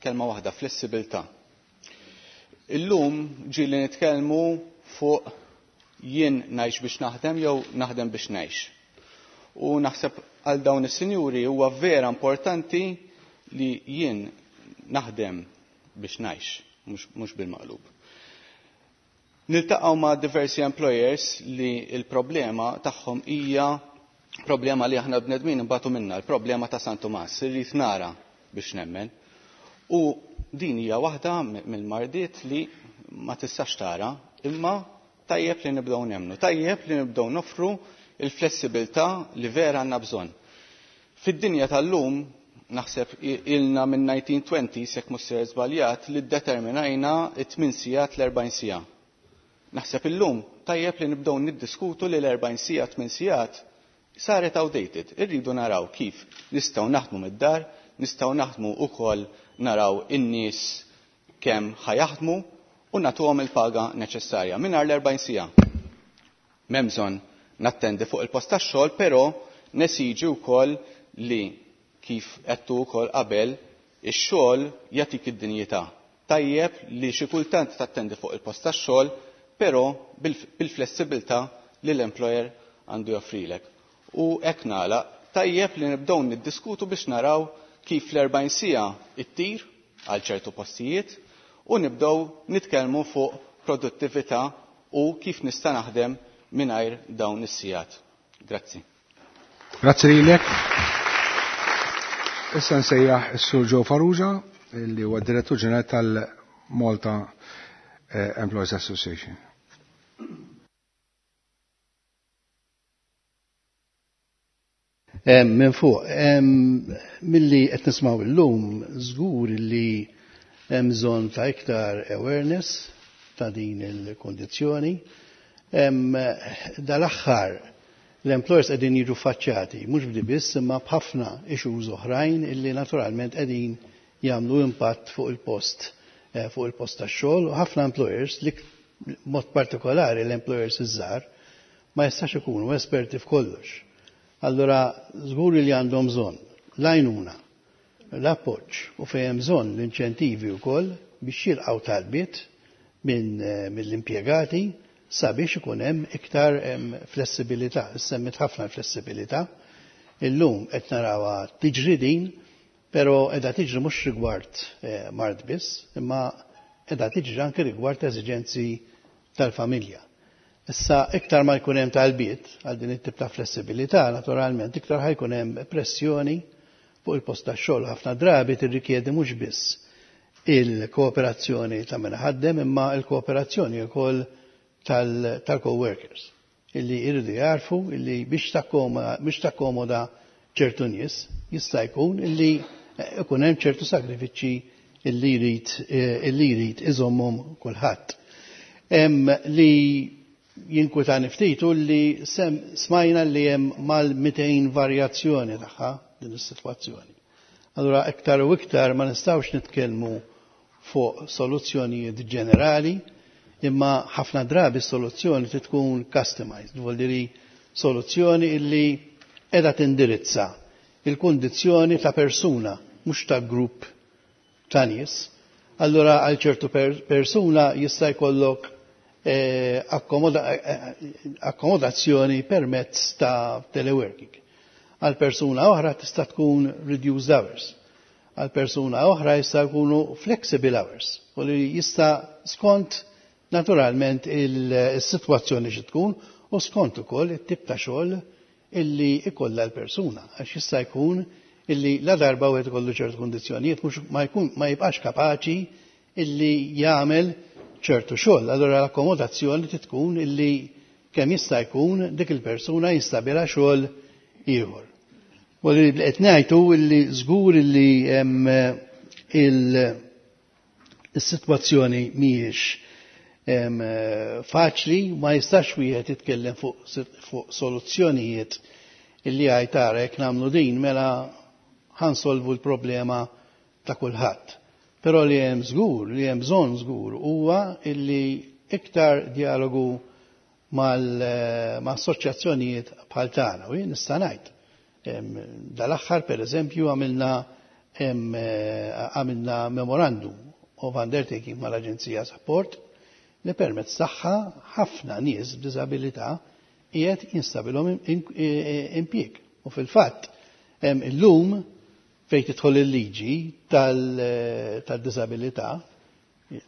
kelma waħda, flessibilità. Illum ġieli nitkellmu fuq jien ngħix biex naħdem jew naħdem biex ngħix. U naħseb għal dawn is-sinjuri huwa vera importanti li jien naħdem biex ngħix, mhux bil-maqlub. Niltaqgħu ma' diversi employers li l-problema tagħhom hija problema li aħna bnedmin nbatu minna, l-problema ta' San Tumas, irrid nara biex nemmen. U din hija waħda mill-mardiet li ma tistax tara, imma tajjeb li nibdew nemmnu, tajjeb li nibdew noffru il-flessibilità li vera għandna bżonn. Fid-dinja tal-lum, naħseb ilna minn 1920 jekk mhux ser żbaljat li ddeterminajna it-8 sigħat l-40 siegħa. Naħseb illum tajjeb li nibdew niddiskutu li l-40 siegħa 8 sigħat saret outdated. Irridu naraw kif nistgħu naħdmu mid-dar, nistgħu naħdmu wkoll naraw in-nies kemm ħa jaħdmu u nagħtuhom il-paga neċessarja mingħajr l-40 siegħa. M'hemm bżonn nattendi fuq il-post tax-xogħol, però nesiġi wkoll li kif għedtu wkoll qabel ix-xogħol jagħtik id-dinjità. Tajjeb li xi kultant tattendi fuq il-post tax-xogħol, però bil-flessibilità li l-employer għandu joffrilek. U hekk nagħlaq, tajjeb li nibdew niddiskutu biex naraw kif l-40 siegħa ittir għal ċertu postijiet u nibdew nitkellmu fuq produttività u kif nista' naħdem mingħajr dawn is-sigħat. Grazzi. Grazzi lilek. Issa nsejjaħ is-Sur Joe Farrugia li huwa Direttur Ġenerali tal-Malta Employees Association. Minn fuq, milli qed nismgħu llum żgur li hemm bżonn ta' iktar awareness ta' din il-kondizzjoni. Dal-aħħar l-employers qegħdin jiġu faċċjati, mhux b'di biss imma b'ħafna issues oħrajn illi naturalment qegħdin jagħmlu impatt fuq il-post tax-xogħol u ħafna employers li mod partikolari l-employers iż-żgħar ma jistax ikunu esperti f'kollox. Allura żgur li għandhom bżonn l-għajnuna, l-appoġġ u fejn hemm bżonn l-inċentivi wkoll biex jilqgħu talbiet mill-impjegati sabiex ikun hemm iktar flessibilità. Semmit ħafna flessibilità. Illum qed narawha tiġri din, però qiegħda tiġri mhux rigward mard biss, imma qiegħda tiġri anke rigward eżiġenzi tal-familja. Issa iktar ma jkun hemm talbiet għal din it-tip ta' flessibilità, naturalment iktar ħajkun hemm pressjoni fuq il-post tax-xogħol. Ħafna drabi tirrikjedi mhux biss il-kooperazzjoni ta' min ħaddem imma il-kooperazzjoni wkoll tal-co-workers illi jridu jarfu illi biex takkomoda ċertu nies jista' jkun illi ikun hemm ċertu sagrifiċċji illi jrid iżommhom kulħadd. Li jinkwetani ftit hu li sem smajna li hemm mal-200 varjazzjoni tagħha din is-sitwazzjoni. Allura iktar u iktar ma nistgħux nitkellmu fuq soluzzjonijiet ġenerali, imma ħafna drabi soluzzjoni trid tkun customized, vuol dire soluzzjoni illi qiegħda tindirizza il-kundizzjoni ta' persuna, mhux ta' grupp ta' nies. Allura għal ċertu persuna jista' jkollok akkomodazzjoni permezz ta' teleworking. Għal persuna oħra tista' tkun reduced hours. Għal persuna oħra jista' jkunu flexible hours. U li jista' skont naturalment il-sitwazzjoni xi tkun u skont ukoll it-tip ta' xogħol illi ikollha l-persuna. Għax jista' jkun illi la darba wieħed ikollu ċertu kundizzjonijiet mhux ma jkun ma jibqax kapaċi illi jagħmel ċertu xogħol. Allura l-akkomodazzjoni trid tkun illi kemm jista' jkun dik il-persuna jistabilha xogħol ieħor. U li qed ngħidu illi żgur illi hemm il-sitwazzjoni mhijiex faċli, ma jistax wieħed jitkellem fuq soluzzjonijiet illi għaj tara jekk nagħmlu din mela ħansolvu l-problema ta' kulħadd. Però li hemm żgur, li hemm bżonn żgur huwa illi iktar dialogu ma' assoċjazzjonijiet bħal tagħna u jien nista' ngħid. Dal-aħħar pereżempju għamilna memorandum of undertaking mal-Aġenzija Support li permezz tagħha ħafna nies b'diżabilità qiegħed jinstabilhom impjieg. U fil-fatt illum fejn tidħol il-liġi tad-diżabilità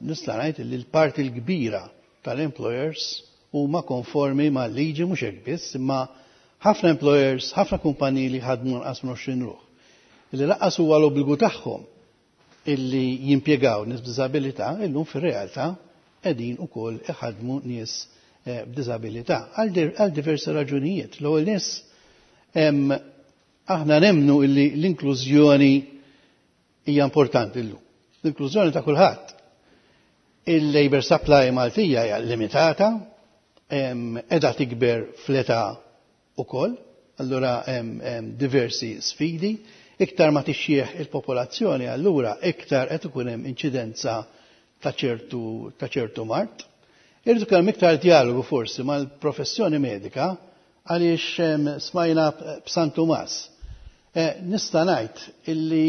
nista' ngħid li l-parti l-kbira tal-employers huma konformi mal-liġi mhux hekk biss, imma ħafna employers, ħafna kumpaniji li ħadmu anqas minn 20 ruħ. Illi lanqas huwa l-obbligu tagħhom illi jimpjegaw nies b'diżabilità, illum fir-realtà qegħdin ukoll iħadmu nies b'diżabilità għal diversi raġunijiet. L-ewwel nies aħna nemmnu illi l-inklużjoni hija importanti llum. L-inklużjoni ta' kulħadd. Il-labor supply Maltija hija limitata, qiegħda tikber fl-età ukoll, allura hemm diversi sfidi. Iktar ma tixjieħ il-popolazzjoni, allura iktar qed ikun hemm inċidenza ta' ċertu mard. Irridu kemm iktar dialogu forsi mal-professjoni medika għaliex smajna b'San Tumas. Nista' ngħid illi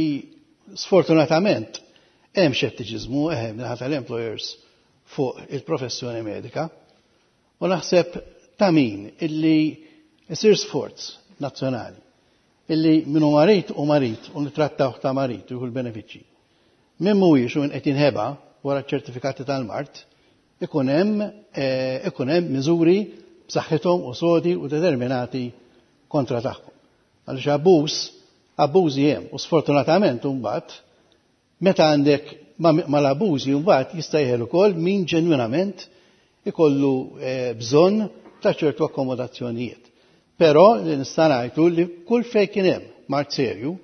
sfortunatament hemm xettiċiżmu minħata tal-employers fuq il-professjoni medika u naħseb ta' min illi isir sforz nazzjonali illi minnu marit u marit u nitrattaw ta' marit u l-benefiċċji. Min mhuwiex u min qed jinħeba wara ċertifikati tal-mard, ikun hemm miżuri b'saħħithom u sodi u determinati kontra tagħhom. Għaliex abbużi hemm u sfortunatament imbagħad meta għandek mal-abbużi mbagħad jista' jeħel ukoll min ġenwinament ikollu bżonn ta' ċertu akkomodazzjonijiet. Però li nista' ngħidu li kull fejn kien hemm mard serju,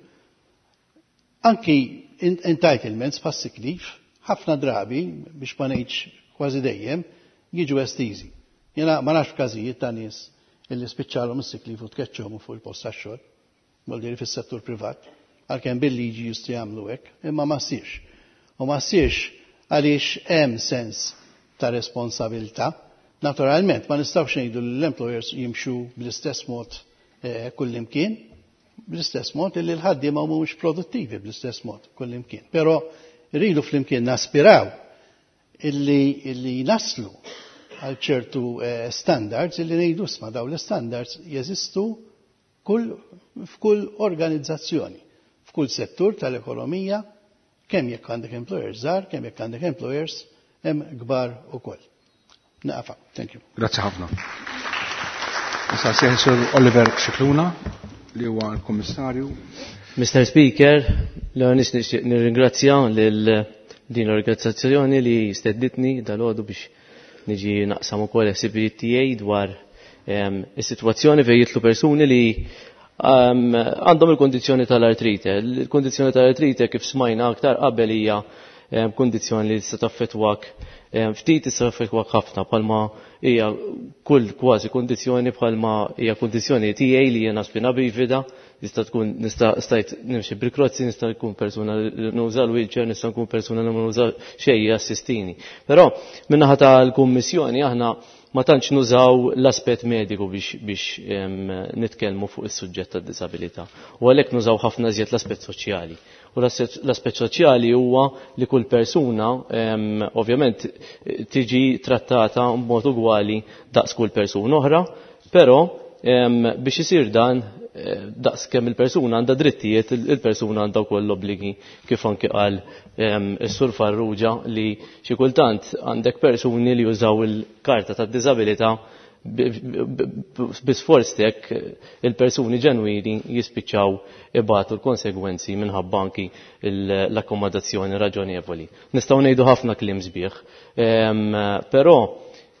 anki entitlements bħas sick leave, ħafna drabi, biex ma ngħidx kważi dejjem, jiġu estiżi. Jiena ma nafx każijiet ta' nies illi spiċċalhom is-sick leave u tkeċċhom fuq il-post tax-xogħol, vuol dire fis-settur privat, għalkemm bil-liġi jistgħu jagħmlu hekk, imma ma ssirx. U ma ssirx għaliex hemm sens ta' responsabilità. Naturalment, ma nistgħux ngħidu li l-employers jimxu bl-istess mod kullimkien, bl-istess mod illi l-ħaddiema mhumiex produttivi bl-istess mod kullimkien. Però rridu flimkien naspiraw illi naslu għal ċertu standards illi ngħidu isma' dawn l-standards jeżistu f'kull organizzazzjoni, f'kull settur tal-ekonomija, kemm jekk għandek employers żgħar, kemm jekk għandek employers hemm kbar ukoll. Naqfa, thank you. Grazzi ħafna. Issa sejħ Sur Oliver Scicluna li huwa l-Kummissarju. Mr. Speaker, l-għanis nixtieq nirringrazzja lil din l-organizzazzjoni li stednitni dalgħodu biex niġi naqsam ukoll ħsibijiet tiegħi dwar is-sitwazzjoni fejn jidħlu persuni li għandhom il-kondizzjoni tal-artrite. Il-kondizzjoni tal-artrite kif smajna aktar qabel hija kondizzjoni li tista' taffettwak Ftit issa ħafna bħalma hija kull kważi kundizzjoni, bħalma hija kundizzjoni tiegħi li jiena spina bifida, nista' tkun nista' stajt nimxi bil-krozzi, nista' nkun persuna li nuża l-wheelchair, nista' nkun persuna li ma nuża xejn jassistini. Però min-naħa tal-Kummissjoni aħna ma tantx nużaw l-aspett mediku biex nitkellmu fuq is-suġġett tad-disabilità. U għalhekk nużaw ħafna iżjed l-aspett soċjali. U l-aspett soċjali huwa li kull persuna ovvjament tiġi trattata b'mod ugwali daqs kull persuna oħra, però biex isir dan, daqs kemm il-persuna għandha drittijiet, il-persuna għandha wkoll l-obbligi, kif anki qal is-Sur Farrugia, li xi kultant għandek persuni li jużaw il-karta tad-diżabilità bi sforz tek il-persuni ġenwini jispiċċaw ibatu l-konsegwenzi minħabba anki l-akkomodazzjoni raġonevoli. Nistgħu ngħidu ħafna kliem sbieħ, però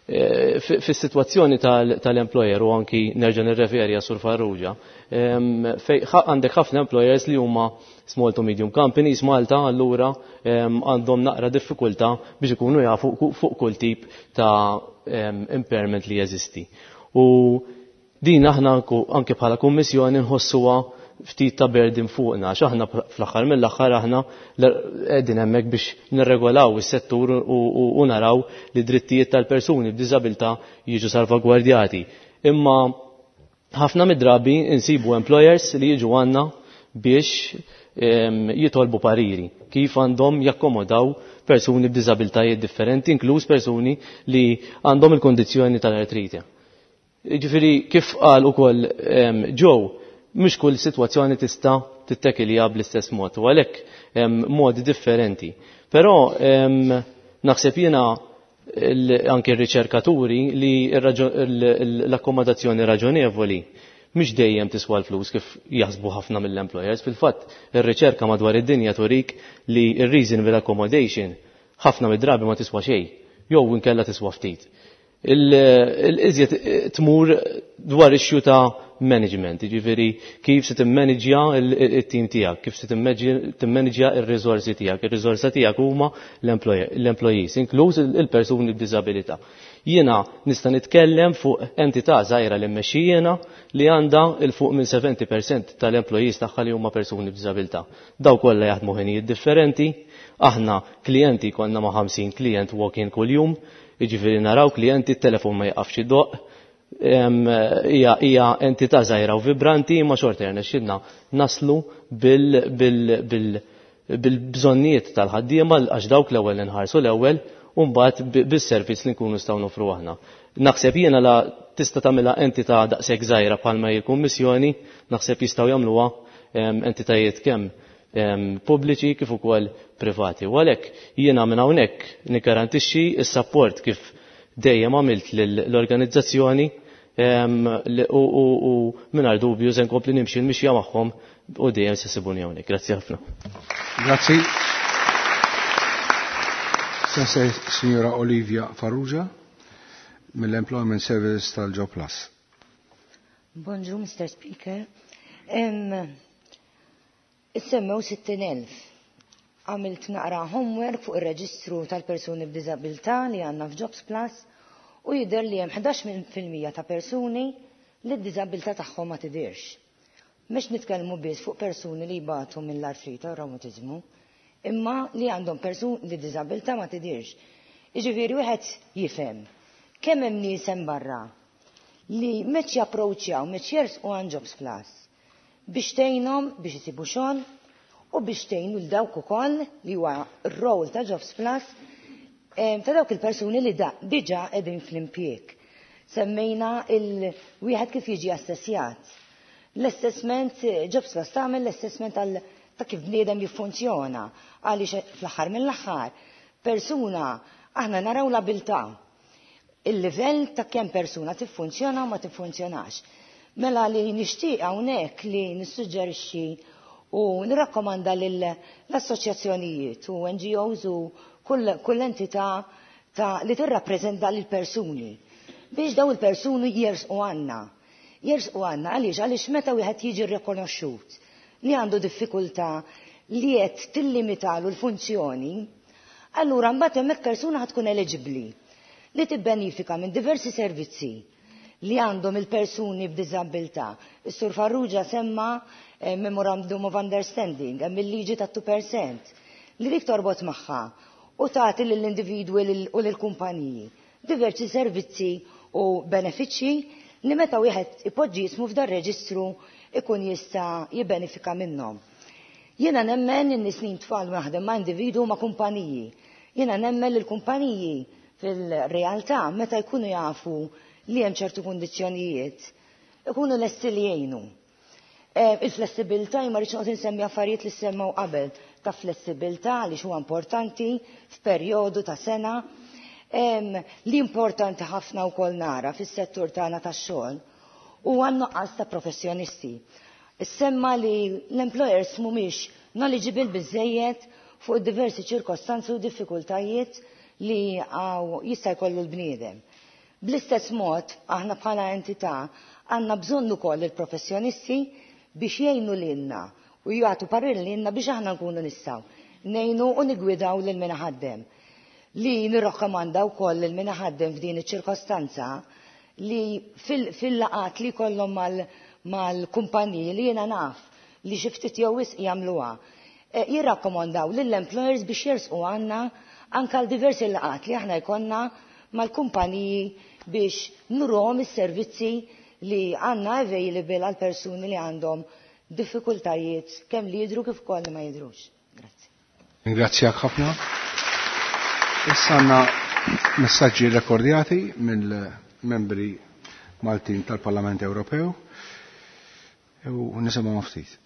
fis-sitwazzjoni tal-employer, u anki nerġa' nirreferi Sur Farrugia, fej għandek ħafna employers li huma small to medium companies Malta, allura għandhom naqra diffikultà biex ikunu jafu fuq kull tip ta' impairment li jeżisti. U din aħna anke bħala kummissjoni nħossuha ftit ta' burden fuqna, għax aħna fl-aħħar mill-aħħar aħna qegħdin hemmhekk biex nirregolaw is-settur u naraw li drittijiet tal-persuni b'diżabilità jiġu salvagwardjati. Imma ħafna mid-drabi insibu employers li jiġu għandna biex jitolbu pariri kif għandhom jakkomodaw persuni b'diżabiltajiet differenti, inkluż persuni li għandhom il-kondizzjoni tal-artrite. Ġifieri, kif qal ukoll Joe, mhux kull sitwazzjoni tista' tittekilja bl-istess mod, u għalhekk modi differenti. Però naħseb jiena, anke r-riċerkaturi, li l-akkomodazzjoni raġonevoli mhix dejjem tiswa l-flus kif jaħsbu ħafna mill-employers. Fil-fatt, ir-riċerka madwar id-dinja turik li r-reasonable accommodation ħafna mid-drabi ma tiswa xejn, jew inkella tiswa ftit. Il-iżjed tmur dwar issue ta' management, ġifieri kif se timmanġja il-team tiegħek, kif se timmanġja il-riżorsi tiegħek. Il-riżorsa tiegħek huma l-employees, inkluż il-persuni b'diżabilità. Jiena nista' nitkellem fuq entità żgħira li mmexxi jiena li għandha 'l fuq minn 70% tal-employees tagħha li huma persuni b'diżabilità. Daw kollha jaħdmu ħinijiet differenti, aħna klijenti konna ma' 50 klient walk-in kuljum, jiġifieri naraw klijenti, t-telefon ma jaqafx idoqq, hija entità żgħira u vibranti, imma xorta rnexxilna naslu bil-bżonnijiet tal-ħaddiema, għax dawk l-ewwel inħarsu l-ewwel, u mbagħad bis-servizz li nkunu nistgħu nofru aħna. Naħseb jiena la tista' tagħmilha entità daqshekk żgħira bħalma hi l-Kummissjoni, naħseb jistgħu jagħmluha entitajiet kemm pubbliċi kif ukoll privati. U għalhekk jiena minn hawnhekk nikgarantixxi s-sapport kif dejjem għamilt l-organizzazzjoni u mingħajr dubju se nkompli nimxi l-mixja magħhom u dejjem se sibuni hawnhekk. Grazzi ħafna. Grazzi. Sensei Signora Olivia Farrugia mill-Employment Service tal-Jobsplus. Bonġu, Mr. Speaker. Issemmew 60,000. Għamilt naqra homework fuq ir-reġistru tal-persuni b'diżabilità li għandna f'Jobsplus u jidher li hemm 11% ta' persuni li d-diżabilità tagħhom ma tidirx. Mhux nitkellmu biss fuq persuni li jbatu mill-artrita u reumatizmu, imma li għandhom persuni li diżabilità ma tidirx. Jiġifieri wieħed jifhem kemm hemm nies hemm barra li meċ japproċċjaw, meċ jersqu għand Jobsplus biex tgħinhom biex isibu xogħol u biex tgħinu l dawk ukoll li huwa r-rol ta' Jobsplus ta' dawk il-persuni li da diġà qegħdin fl-impjieg. Semmejna il-wieħed kif jiġi assessjat. L-assessment, Jobsplus tagħmel l-assessment għal ta' kif bniedem jiffunzjona, għaliex fl-aħħar mill-aħħar persuna aħna naraw l-abilità, il-livell ta' kemm persuna tiffunzjona u ma tiffunzjonax. Mela li nixtieq hawnhekk li nissuġġerixxi u nirrakkomanda lill-assoċjazzjonijiet u NGOs u kull entità ta' li tirrappreżenta lil persuni biex daw il-persuni jersqu għandna. Jersqu għandna għaliex meta wieħed jiġi rikonoxxut li għandu diffikultà li qed tillimitalu l-funzjoni, Allura mbagħad hemmhekk persuna ħa tkun eligibbli li tibbenifika minn diversi servizzi li għandhom il-persuni b'diżabilità. Is-Sur Farrugia semma Memorandum of Understanding, hemm il-liġi ta' 2% li dik torbot magħha u tagħti lill-individwi u lill-kumpaniji diversi servizzi u benefiċċji li meta wieħed ipoġġi jismu f'dar reġistru ikun jista' jibbenefika minnhom. Jiena nemmen in snin tfal naħdem ma' individu ma' kumpaniji. Jiena nemmen li l-kumpaniji fil-realtà meta jkunu jafu li hemm ċertu kundizzjonijiet ikunu lesti li jgħinu. Il-flessibilità, ma rridx noqgħod insemmi affarijiet li semmew qabel ta' flessibilità li huwa importanti f'perjodu ta' sena. Li importanti ħafna wkoll nara fis-settur tagħna tax-xogħol huwa n-nuqqas ta' professjonisti. Issemma li l-employers mhumiex knowledgeable biżejjed fuq diversi ċirkostanzi u diffikultajiet li għaw jista' jkollu l-bniedem. Bl-istess mod, aħna bħala entità għandna bżonn ukoll il-professjonisti biex jgħinu lilna u jagħtu parir lilna biex aħna nkunu nistgħu ngħinu u nigwidaw lil min ħaddem. Li nirrakkomanda wkoll lil min ħaddem f'din iċ-ċirkostanza li fil-laqat li kollhom mal-kumpaniji li jiena naf li xi ftit jew wisq jagħmluha. Jirrakkomandaw lill-employers biex jersqu għandna anke għal diversi laqat li aħna jkollna mal-kumpaniji biex nuruhom is-servizzi li għandna available għal persuni li għandhom diffikultajiet kemm li jidru kif ukoll li ma jidrux. Grazzi. Ringrazzjak ħafna. Issa għandna messaġġi rekordjati mill-membri Maltin tal-Parlament Ewropew u nisimgħu ftit.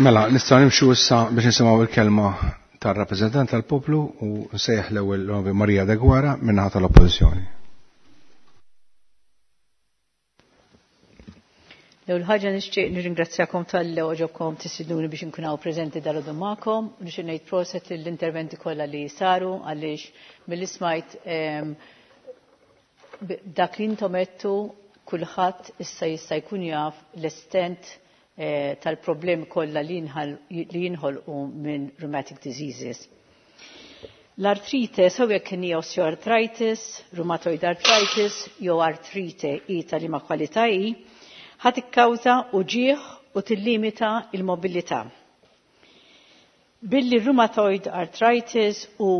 Mela, nistgħu nimxu issa biex nisimgħu il-kelma tar-rappreżentant tal-poplu u nsejjaħ l-ewwel l Maria Deguara min-naħa tal-Oppożizzjoni. L-ewwel ħaġa nixtieq nirringrazzjakom talli għoġobkom tistidnuni biex inkun hawn preżenti dalgħodu magħkom u nixtieq ngħid proset lill-interventi kollha li saru għaliex milli smajt dak li intom għedtu kulħadd issa jista' jkun jaf l-estent tal-problemi kollha li jinħolqu minn rheumatic diseases. L-artrite, sew jekk hija osteoarthritis, rheumatoid arthritis, jew artrite i ta' liema kwalità hi, ħa tikkawża uġigħ u tillimita il-mobilità. Billi rheumatoid arthritis u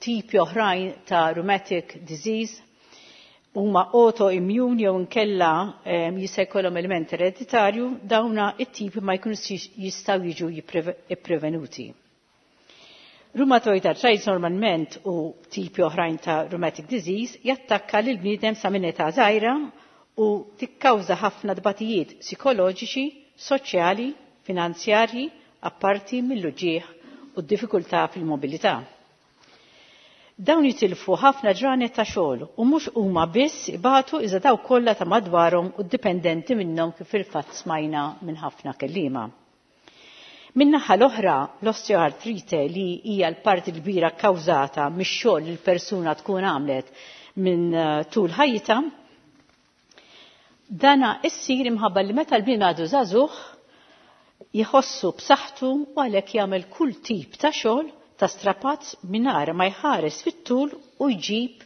tipi oħrajn ta' rheumatic disease huma autoimmune jew inkella jista' jkollhom element ereditarju, dawna it-tipi ma jkunux jistgħu jiġu ipprevenuti. Rheumatoid arthritis normalment u tipi oħrajn ta' rheumatic disease jattakka lil bniedem sa minn età żgħira u tikkawża ħafna tbatijiet psikoloġiċi, soċjali, finanzjarji, apparti mill-uġigħ u d-diffikultà fil-mobilità. Dawn jitilfu ħafna ġranet ta' xogħol u mhux huma biss ibatu iżda dawk kollha ta' madwarhom u dipendenti minnhom kif fil-fatt smajna minn ħafna kelliema. Min-naħa l-oħra, l-osteoartrite li hija l-parti kbira kkawżata mix-xogħol li l-persuna tkun għamlet minn tul ħajjitha, dana issir imħabba li meta l-bniedem għadu żagħżugħ jħossu b'saħħtu u għalhekk jagħmel kull tip ta' xogħol ta' strapazz mingħajr ma jħares fit-tul u jġib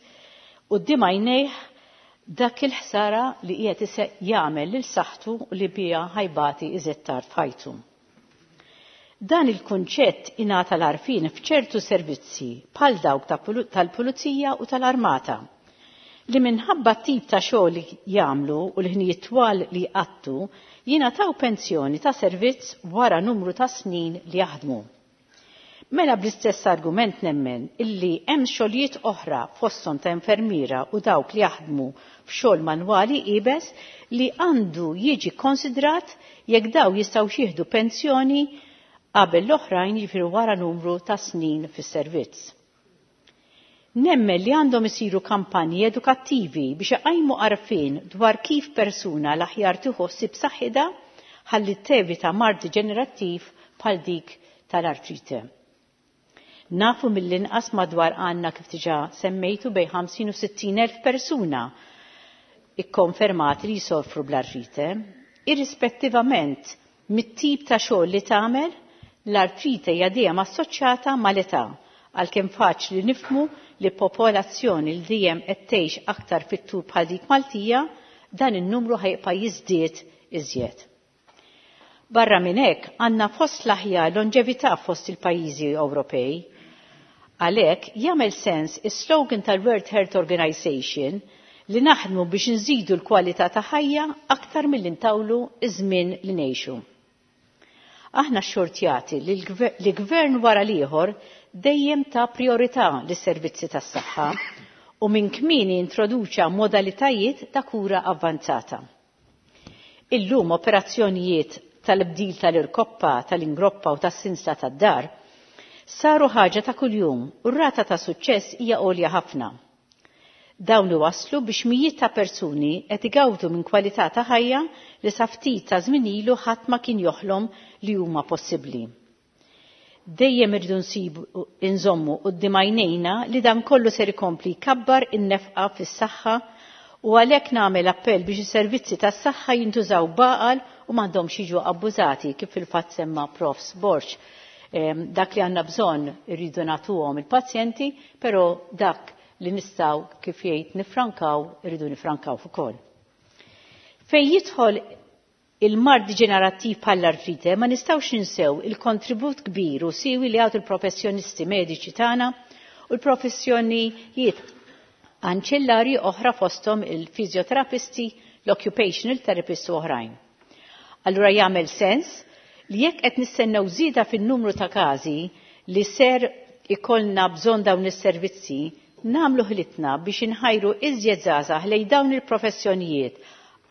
quddiem għajnejh dak il-ħsara li qiegħed jagħmel lil saħħtu u li biha ħajbati iżjed tard f'ħajtu. Dan il-kunċett ingħata l-għarfien f'ċertu servizzi bħal dawk tal-pulizija u tal-armata li minħabba tip ta' xogħol li jagħmlu u l-ħinijiet twal li jqattu jingħataw pensjoni ta' servizz wara numru ta' snin li jaħdmu. Mela bl-istess argument nemmen illi hemm xogħlijiet oħra fosthom ta' infermiera u dawk li jaħdmu f'xogħol manwali iebes li għandu jiġi konsidrat jekk daw jistgħu jieħdu pensjoni qabel l-oħrajn, jiġifieri wara numru ta' snin fis-servizz. Nemmen li għandhom isiru kampanji edukattivi biex iqajmu għarfien dwar kif persuna l-aħjar tieħu ħsieb saħħitha ħalli tevita mard deġenerattiv bħal dik tal-artrite. Nafu mill-inqas madwar għandna kif diġà semmejtu bejn 50 u 60 elf persuna ikkonfermati li jsofru bl-artrite. Irrispettivament mit-tip ta' xogħol li tagħmel, l-artrite hija dejjem assoċjata mal-età, għalkemm faċli nifhmu li popolazzjoni li dejjem qed tgħix aktar fit-tul bħal dik Maltija, dan in-numru ħajbqa' jiżdied iżjed. Barra minn hekk għandna fost l-aħjar longevità fost il-pajjiżi Ewropej. Għalhekk jagħmel sens is-slogan tal-World Health Organization li naħdmu biex nżidu l-kwalità ta' ħajja aktar milli ntawlu iż-żmien li ngħixu. Aħna xxortjati li gvern wara l-ieħor dejjem ta' priorità lis-servizzi tas-saħħa u minn kmieni introduċa modalitajiet ta' kura avvanzata. Illum operazzjonijiet tal-bdil tal-irkoppa, tal-ingroppa u tas-sinsla tad-dar saru ħaġa ta' kuljum u r-rata ta' suċċess hija għolja ħafna. Dawn iwasslu biex mijiet ta' persuni qed igawdu minn kwalità ta' ħajja li sa ftit ta' żmien ilu ħadd ma kien joħlom li huma possibbli. Dejjem irridu nsibu inżommu quddiem għajnejna li dan kollu ser ikompli jkabbar in-nefqa fis-saħħa u għalhekk nagħmel appell biex is-servizzi tas-saħħa jintużaw b'għaqal u m'għandhomx jiġu abbużati kif fil-fatt semma Prof. Borg. Dak li għandna bżonn irridu nagħtuhom il-pazjenti, però dak li nistgħu kif jgħid nifrankaw irridu nifrankaw ukoll. Fejn jidħol il-mard deġenerattiv bħall-artrite ma nistgħux ninsew il-kontribut kbir u siwi li għatu l-professjonisti mediċi tagħna u l-professjonijiet anċillari oħra fosthom il-fizjoterapisti, l-occupational therapists u oħrajn. Allura jagħmel sens li jekk qed nistennew żieda fin-numru ta' każi li ser ikollna bżonn dawn is-servizzi, nagħmlu ħilitna biex inħajru iżjed żgħażagħ lejn dawn il-professjonijiet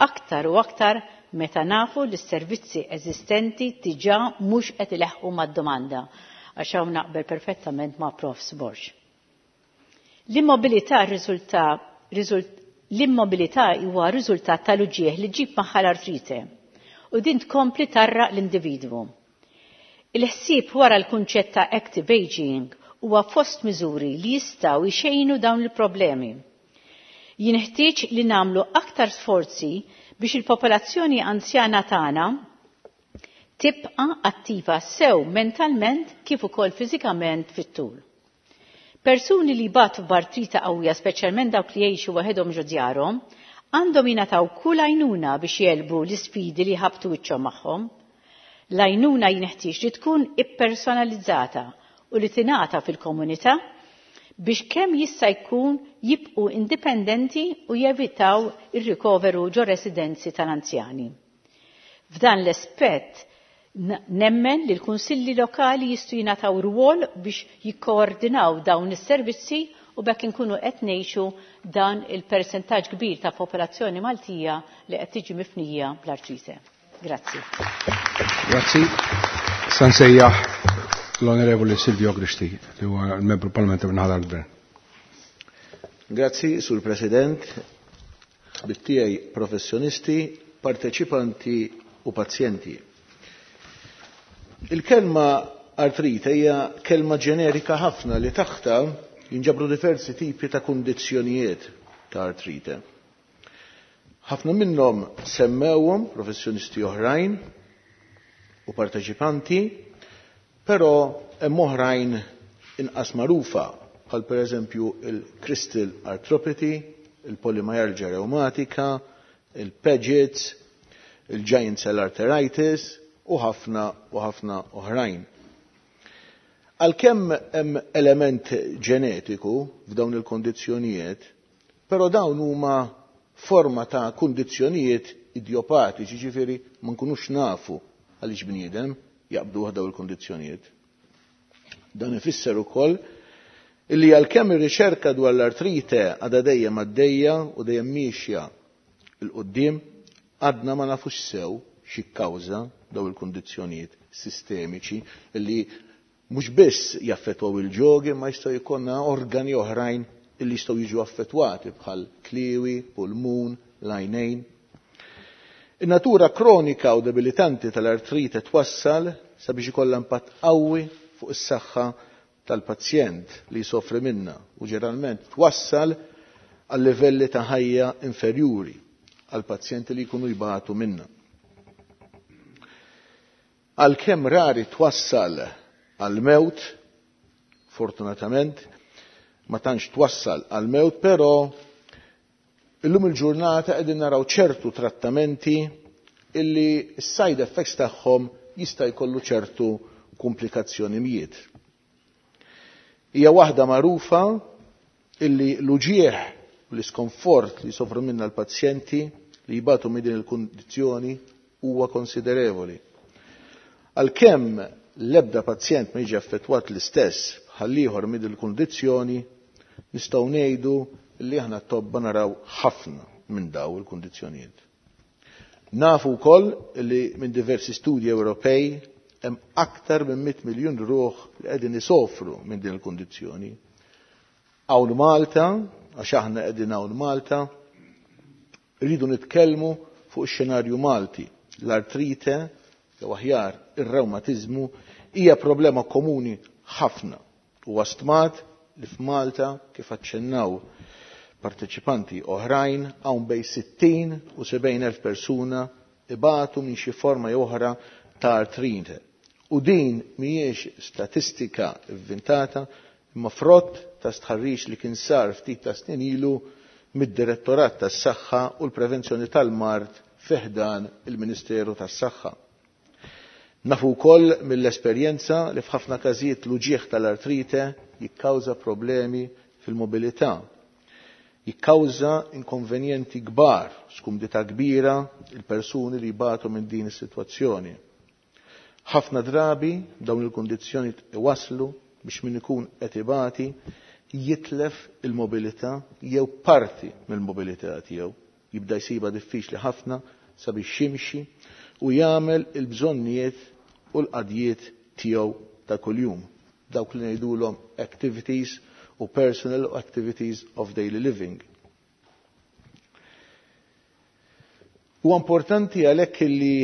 aktar u aktar meta nafu li s-servizzi eżistenti diġà mhux qed ileħħu mad-domanda għax hawn naqbel perfettament ma' Prof. Borg. L-immobilità riżulta l-immobilità huwa riżultat tal-uġieħ li ġib magħha l-artrite u din tkompli tarraq l-individwu. Il-ħsieb wara l-kunċett ta' active aging huwa fost miżuri li jistgħu jxejnu dawn il-problemi. Jinħtieġ li nagħmlu aktar sforzi biex il-popolazzjoni anzjana tagħna tibqa' attiva sew mentalment kif ukoll fiżikament fit-tul. Persuni li jbatu b'artrita qawwija speċjalment dawk li jgħixu waħedhom ġo djarhom, għandhom jingħataw kull għajnuna biex jegħlbu l-isfidi li jħabbtu wiċċhom magħhom. L-għajnuna jinħtieġ li tkun ippersonalizzata u li tingħata fil-komunità biex kemm jista' jkun jibqu indipendenti u jevitaw ir-rikoveru ġo residenzi tal-anzjani. F'dan l-aspett nemmen li l-kunsilli lokali jistgħu jingħataw rwol biex jikkoordinaw dawn is-servizzi u bekk inkunu qed ngħixu dan il-persentaġġ kbir ta' popolazzjoni Maltija li qed tiġi mifnija bl-artrite. Grazzi. Grazzi. Sa nsejjaħ l-Onorevoli Silvio Grixti, li huwa l-membru parlamentari minn ħadar gvern. Grazzi, Sur President, ħbieb professjonisti, parteċipanti u pazjenti. Il-kelma artrite hija kelma ġenerika ħafna li taħta jinġabru diversi tipi ta' kundizzjonijiet ta' artrite. Ħafna minnhom semmewhom professjonisti oħrajn u parteċipanti, però hemm oħrajn inqas magħrufa bħal pereżempju il-crystal arthropathy, il-polymyalgia reumatica, il-Paget's, il-giant cell arteritis u ħafna u ħafna oħrajn. Għalkemm hemm element ġenetiku f'dawn il-kondizzjonijiet, però dawn huma forma ta' kundizzjonijiet idiopatiċi, ġifieri ma nkunux nafu għaliex bniedem jaqbdu dawn il-kondizzjonijiet. Dan ifisser ukoll illi għalkemm ir-riċerka dwar l-artrite għadha dejjem għaddejja u dejjem miexja 'l quddiem, għadna ma nafux sew xi kkawża daw il-kundizzjonijiet sistemiċi illi mhux biss jaffettwaw il-ġogi ma jistgħu jkollna organi oħrajn illi jistgħu jiġu affettwati bħal kliwi, pulmun, l-għajnejn. In-natura kronika u debilitanti tal-artrite twassal sabiex ikollha impatt qawwi fuq is-saħħa tal-pazjent li jsofri minna u ġeneralment twassal għal livelli ta' ħajja inferjuri għal pazjenti li jkunu jbatu minna. Għalkemm rari twassal għal mewt, fortunatament, ma tantx twassal għal mewt, però illum il-ġurnata qegħdin naraw ċertu trattamenti illi s-side effects tagħhom jista' jkollu ċertu komplikazzjonijiet. Hija waħda magħrufa illi l-uġieħ u l-iskomfort li jsofru minna l-pazjenti li jibatu minn din il-kundizzjoni huwa konsiderevoli. Għalkemm l-ebda pazjent ma jiġi affettwat l-istess bħal ieħor minn din il-kundizzjoni, nistgħu ngħidu li aħna tobba naraw ħafna minn daw il-kundizzjonijiet. Nafu wkoll li minn diversi studji Ewropej hemm aktar minn 100 miljun ruħ li qegħdin isofru minn din il-kundizzjoni. Hawn Malta, għax aħna qegħdin hawn Malta, rridu nitkellmu fuq ix-xenarju Malti. L-artrite, jew aħjar ir-rewmatiżmu, hija problema komuni ħafna u stmat li f'Malta kif aċċennaw parteċipanti oħrajn hawn bejn 60 u 70 elf persuna ibatu minn xi forma jew oħra ta' artrite. U din mhijiex statistika inventata imma frott ta' stħarriġ li kien sar ftit ta' snin ilu mid-Direttorat tas-Saħħa u l-Prevenzjoni tal-Mard fi ħdan il-Ministeru tas-Saħħa. Nafu wkoll mill-esperjenza li f'ħafna każijiet l-uġieħ tal-artrite jikkawża problemi fil-mobilità. Jikkawża inkonvenjenti kbar, skumdità kbira il-persuni li jbatu minn din is-sitwazzjoni. Ħafna drabi dawn il-kundizzjoni iwaslu biex min ikun qed ibati jitlef il-mobilità jew parti mill-mobilità tiegħu. Jibda jsibha diffiċli ħafna sabiex jimxi u jagħmel il-bżonnijiet u l-qadjiet tiegħu ta' kuljum. Dawk li ngħidulhom activities u personal activities of daily living. Huwa importanti għalhekk li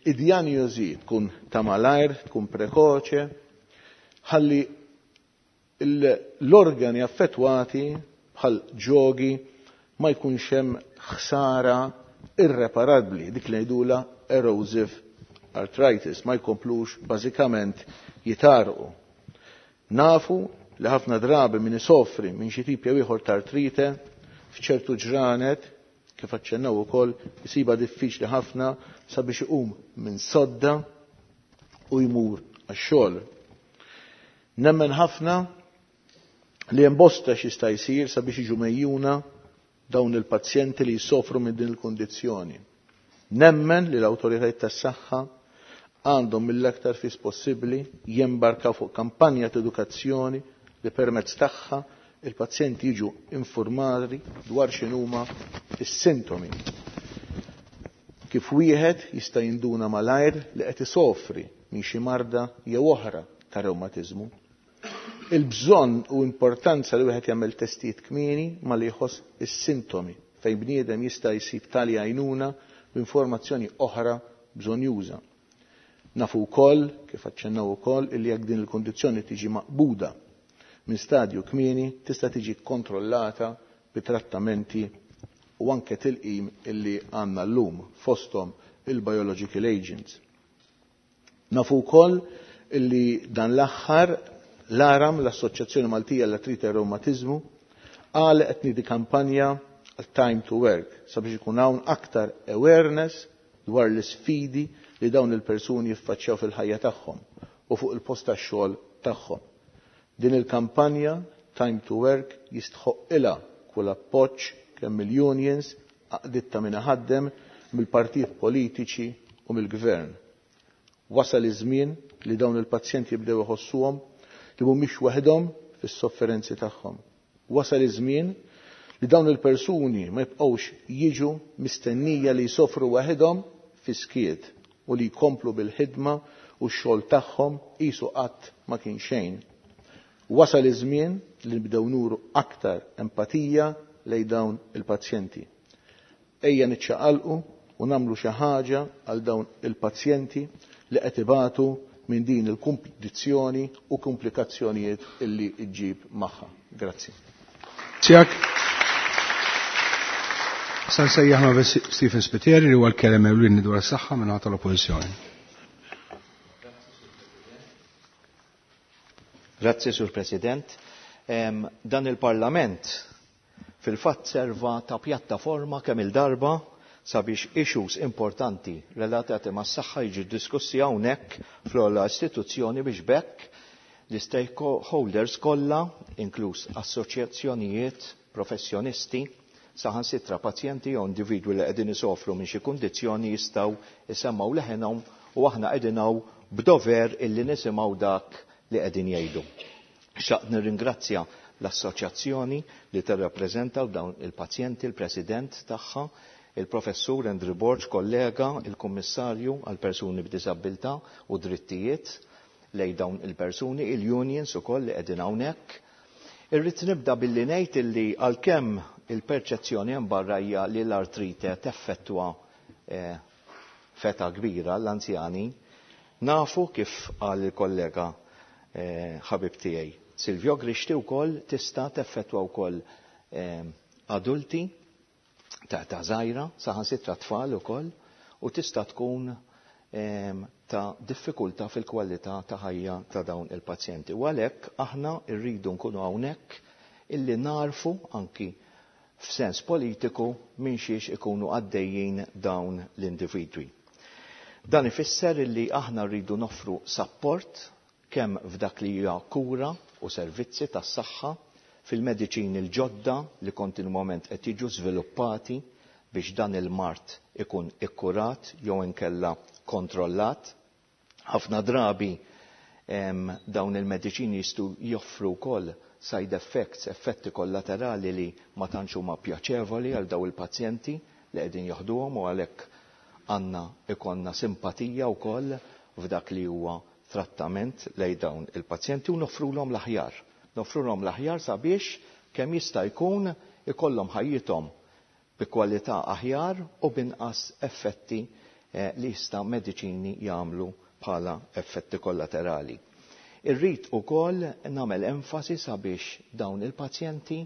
id-dijanjosi tkun ta' malajr, tkun prekoċe, ħalli l-organi affettwati bħal ġogi ma jkunx hemm ħsara irreparabbli, dik li ngħidulha erosive arthritis, ma jkomplux bażikament jitarqu. Nafu li ħafna drabi min isofri minn xi tip jew ieħor ta' artrite f'ċertu ġranet, kif aċċennaw ukoll, isibha diffiċli ħafna sabiex iqum minn sodda u jmur għax-xogħol. Nemmen ħafna li hemm bosta x'jista' jsir sabiex jiġu mejjuna dawn il-pazjenti li jsofru minn din il-kundizzjoni. Nemmen li l-awtoritajiet tas-saħħa għandhom mill-aktar fis possibbli jembarkaw fuq kampanja ta' edukazzjoni li permezz tagħha il-pazjenti jiġu informati dwar x'inhuma s-sintomi. Kif wieħed jista' jinduna malajr li qed isofri minn xi marda jew oħra ta' rewmatiżmu. Il-bżonn u importanza li wieħed jagħmel testijiet kmieni malli jħoss is-sintomi fejn bniedem jista' jsib tali għajnuna u informazzjoni oħra bżonjuża. Nafu wkoll, kif aċċennaw ukoll, illi jekk din il-kundizzjoni tiġi maqbuda minn stadju kmieni tista' tiġi kkontrollata bi trattamenti u anke tilqim illi għandna llum fosthom il-biological agents. Nafu wkoll illi dan l-aħħar l-ARAM, l-Assoċjazzjoni Maltija għall-Artrite e Rewmatiżmu, għalqet tniedi kampanja għal Time to Work sabiex ikun hawn aktar awareness dwar l-isfidi li dawn il-persuni jiffaċċjaw fil-ħajja tagħhom u fuq il-post tax-xogħol tagħhom. Din il-kampanja Time to Work jistħoqqilha kull appoġġ kemm mill-unions, għaqdiet ta' min iħaddem, mill-partijiet politiċi u mill-Gvern. Wasal iż-żmien li dawn il-pazjenti jibdew iħossuhom li mhumiex waħedhom fis-sofferenzi tagħhom. Wasal iż-żmien li dawn il-persuni ma jibqgħux jiġu mistennija li jsofru waħedhom fis-skiet u li jkomplu bil-ħidma u x-xogħol tagħhom qisu qatt ma kien xejn. Wasal iż-żmien li nibdew nuru aktar empatija lejn dawn il-pazjenti. Ejja niċċaqalqu u nagħmlu xi ħaġa għal dawn il-pazjenti li qed ibatu minn din il-kundizzjoni u komplikazzjonijiet illi ġġib magħha. Grazzi. Tiegħek. Sa nsejjaħ ma' Stephen Spiteri li huwa l-kelliem ewlieni dwar is-saħħa minn tal-Oppożizzjoni. Grazzi, Sur President. Dan il-Parlament fil-fatt serva ta' pjattaforma kemm il-darba sabiex issues importanti relatati mas-saħħa jiġu diskussi hawnhekk fl-ogħla istituzzjoni biex b'hekk l-istakeholders kollha, inkluż assoċjazzjonijiet, professjonisti, saħansitra pazjenti jew individwi li qegħdin isofru minn xi kundizzjoni jistgħu jsemmgħu leħenhom u aħna qegħdin hawn b'dover illi nisimgħu dak li qegħdin jgħidu. Xtaqt nirringrazzja l-assoċjazzjoni li tirrappreżenta dawn il-pazjenti, il-president tagħha, il-professur Andrew Borg, kollega, il-kummissarju għal persuni b'diżabbiltà u drittijiet lejn dawn il-persuni, il-unions ukoll li qegħdin hawnhekk. Irrid nibda billi ngħid illi għalkemm il-perċezzjoni hemm barra hija li l-artrite teffettwa feta kbira l-anzjani, nafu kif qal il-kollega ħabib tiegħi Silvio Grixti wkoll tista' teffettwa wkoll adulti ta' età żgħira, saħansitra tfal ukoll, u tista' tkun ta' diffikultà fil-kwalità ta' ħajja ta' dawn il-pazjenti. U għalhekk aħna rridu nkunu hawnhekk illi narfu anki f'sens politiku minn xiex ikunu għaddejjin dawn l-individwi. Dan ifisser illi aħna rridu noffru sapport kemm f'dak li hija kura u servizzi tas-saħħa, fil-mediċini l-ġodda li kontinwament qed jiġu żviluppati biex dan il-mard ikun ikkurat jew inkella kontrollat. Ħafna drabi dawn il-mediċini jistgħu joffru wkoll side effects, effetti kollaterali li ma tantx huma pjaċevoli għal dawn il-pazjenti li qegħdin joħduhom u għalhekk Għandna ikollna simpatija wkoll f'dak li huwa trattament lejn dawn il-pazjenti u noffrulhom l-aħjar. Noffrulhom l-aħjar sabiex kemm jista' jkun ikollhom ħajjithom bi kwalità aħjar u b'inqas effetti li jista' mediċini jagħmlu bħala effetti kollaterali. Irrid ukoll nagħmel enfasi sabiex dawn il-pazjenti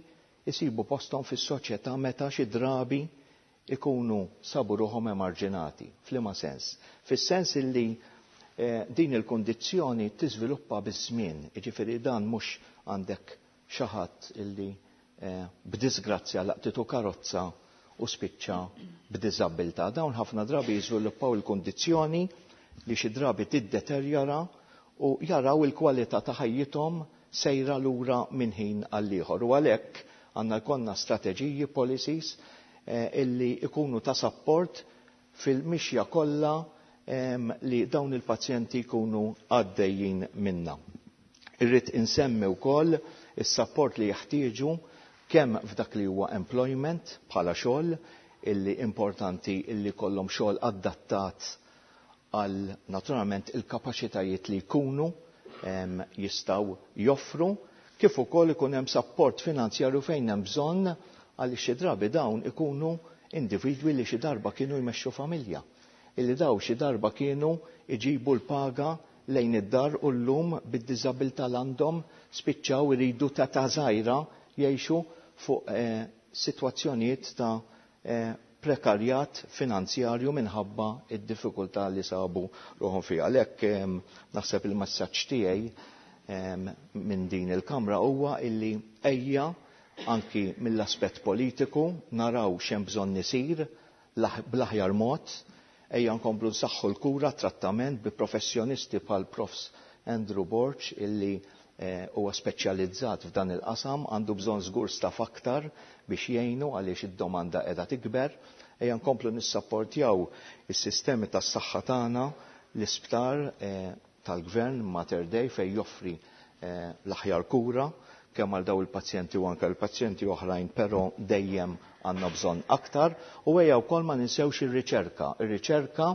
jsibu posthom fis-soċjetà meta xi drabi ikunu sabu ruħhom emarġinati. F'liema sens? Fis-sens illi din il-kundizzjoni tiżviluppa biż-żmien, jiġifieri dan mhux għandek xi ħadd illi b'disgrazzja laqtitu karozza u spiċċa b'diżabbiltà. Dawn ħafna drabi jiżviluppaw il-kundizzjoni li xi drabi tiddeterjora u jaraw il-kwalità ta' ħajjithom sejra lura minn ħin għall-ieħor. U għalhekk għandna jkollna strateġiji, policies, illi ikunu ta' sapport fil-mixja kollha li dawn il-pazjenti jkunu għaddejjin minnha. Irrid insemmi wkoll is-sapport li jeħtieġu kemm f'dak li huwa employment bħala xogħol, illi importanti illi jkollhom xogħol adattat għal naturalment il-kapaċitajiet li jkunu jistgħu joffru, kif ukoll ikun hemm sapport finanzjarju fejn hemm bżonn għaliex xi drabi dawn ikunu individwi li xi darba kienu jmexxu familja, illi daw xi darba kienu jġibu l-paga lejn id-dar u llum bid-diżabilità l għandhom spiċċaw iridu ta' ta' żgħira jgħixu fuq sitwazzjonijiet ta' prekarjat finanzjarju minħabba id-diffikultà li sabu ruħhom fiha. Għalhekk naħseb il-messaġġ tiegħi minn din il-Kamra huwa illi ejja anki mill-aspett politiku naraw x'hemm bżonn isir bl-aħjar mod, ejja nkomplu nsaħħu l-kura, trattament bi professjonisti bħal Profs Andrew Borg illi huwa speċjalizzat f'dan il-qasam, għandu bżonn żgur staff aktar biex jgħinu għaliex id-domanda qiegħda tikber. Ejja nkomplu nissapportjaw is-sistemi tas-saħħa tagħna, l-isptar tal-gvern Mater Dei fejn joffri l-aħjar kura kemm għal daw il-pazjenti u anke l-pazjenti oħrajn, però dejjem għandna bżonn aktar. U ejja wkoll ma ninsewx ir-riċerka, ir-riċerka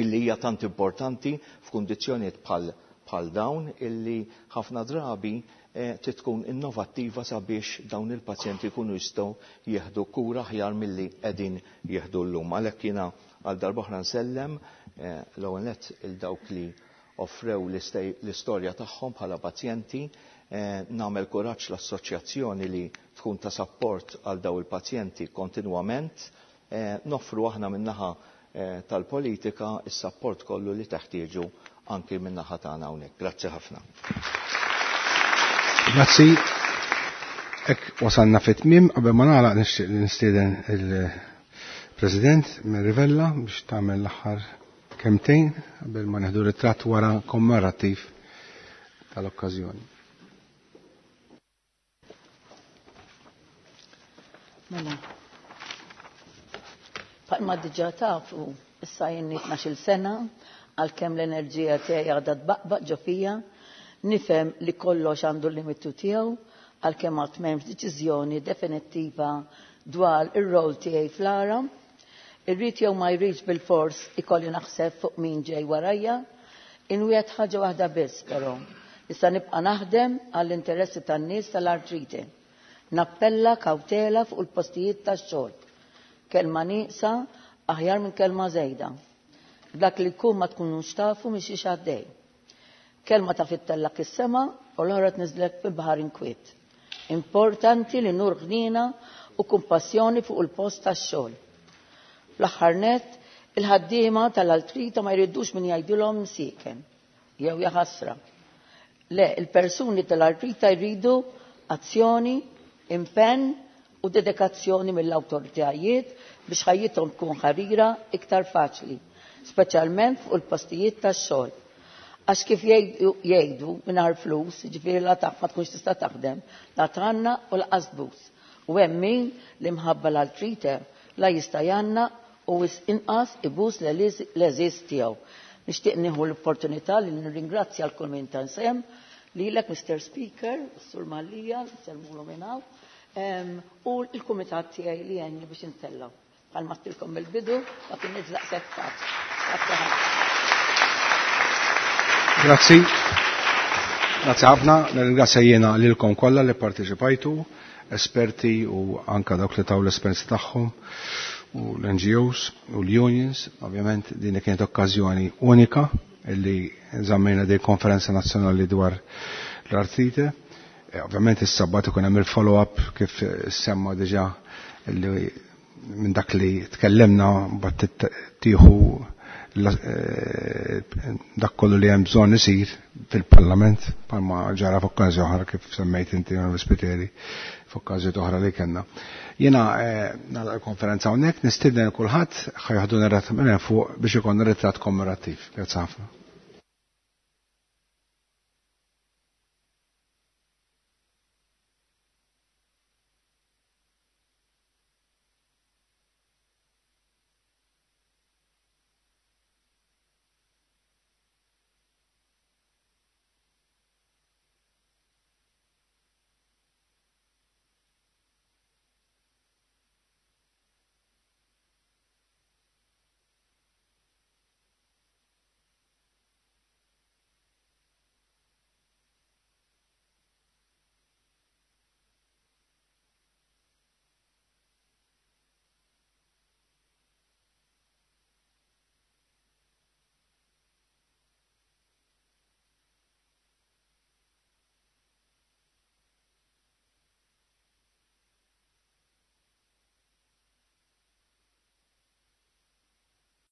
illi hija tant importanti f'kundizzjonijiet bħal dawn illi ħafna drabi trid tkun innovattiva sabiex dawn il-pazjenti jkunu jistgħu jieħdu kura aħjar milli qegħdin jieħdu llum. Għalhekk jiena għal darb'oħra nsellem l-ewwel nett il dawk li offrew l-istorja tagħhom bħala pazjenti, nagħmel kuraġġ l-assoċjazzjoni li tkun ta' sapport għal daw il-pazjenti kontinwament, noffru aħna min-naħa tal-politika is-sapport kollu li teħtieġu anki min-naħa tagħna hawnhekk. Grazzi ħafna. Grazzi. Hekk wasalna fit-tmiem, qabel ma nagħlaq nixtieq li nistieden il-President Mary Vella biex tagħmel l-aħħar kemtejn qabel ma neħdu ritratt wara kommemorattiv tal-okkażjoni. Mela. Bħalma diġà tafu, issa jenni 12-il sena, għalkemm l-enerġija tiegħi għadha tbaqbaq ġo fija, nifhem li kollox għandu l-limitu tiegħu, għalkemm għad m'hemmx deċiżjoni definittiva dwar ir-rol tiegħi fl-ara. Irrid jew ma jridx bil-fors ikolli naħseb fuq min ġej warajja. Inwiegħed ħaġa waħda biss però, issa nibqa' naħdem għall-interessi tan-nies tal-artrite. Nappella kawtela fuq il-postijiet tax-xogħol. Kelma nieqsa aħjar minn kelma żejda. Dak li jkun ma tkunux tafu mhix għaddej. Kelma ta' fittellak is-sema u l-oħra tniżlek fi baħar inkwiet. Importanti li nur ħnina u kumpassjoni fuq il-post tax-xogħol. Fl-aħħar nett, il-ħaddiema tal-altrita ma jridux min jgħidilhom msieken jew jaħasra. Le, il-persuni tal-artrita jridu azzjoni, impenn u dedikazzjoni mill-awtoritajiet biex ħajjithom tkun ħarira iktar faċli, speċjalment fuq il-postijiet tax-xogħol. Għax kif jgħidu mingħajr flus, jiġifieri la taf ma tkunx tista' taħdem, la tgħanna u lanqas tbus. U hemm min li mħabba l-artrite la jista' jgħanna u wisq inqas ibus l-għeżież tiegħu. Nixtieq nieħu l-opportunità li nirringrazzja l kull min ta sehem, lilek Mr. Speaker, Sur Mallia, nsellmulu minn hawn, u l-kumitat tiegħi li għenni biex intellgħu. Bħalma għedtilkom mill-bidu, ma kinitx daqshekk faċli. Grazzi ħafna. Grazzi. Grazzi ħafna. Nirringrazzja jiena lilkom kollha li parteċipajtu, esperti u anka dawk li taw l-esperjenza tagħhom u l-NGOs u l-unions. Ovvjament din kienet okkażjoni unika illi żammejna din konferenza nazzjonali dwar l-artrite. Ovvjament is-sabbat ikun hemm il-follow-up kif semma diġà li minn dak li tkellimna mbagħad tieħu dak kollu li hemm bżonn isir fil-Parlament bħalma ġara f'okkażjoni oħra kif semmejt inti Onorevoli Spiteri f'okkażjoni oħra li kellna. Jiena nagħlaq il-konferenza hawnhekk, nistieden kulħadd ħa jieħdu minn fuq biex ikollna ritratt kommemorattiv. Grazzi ħafna.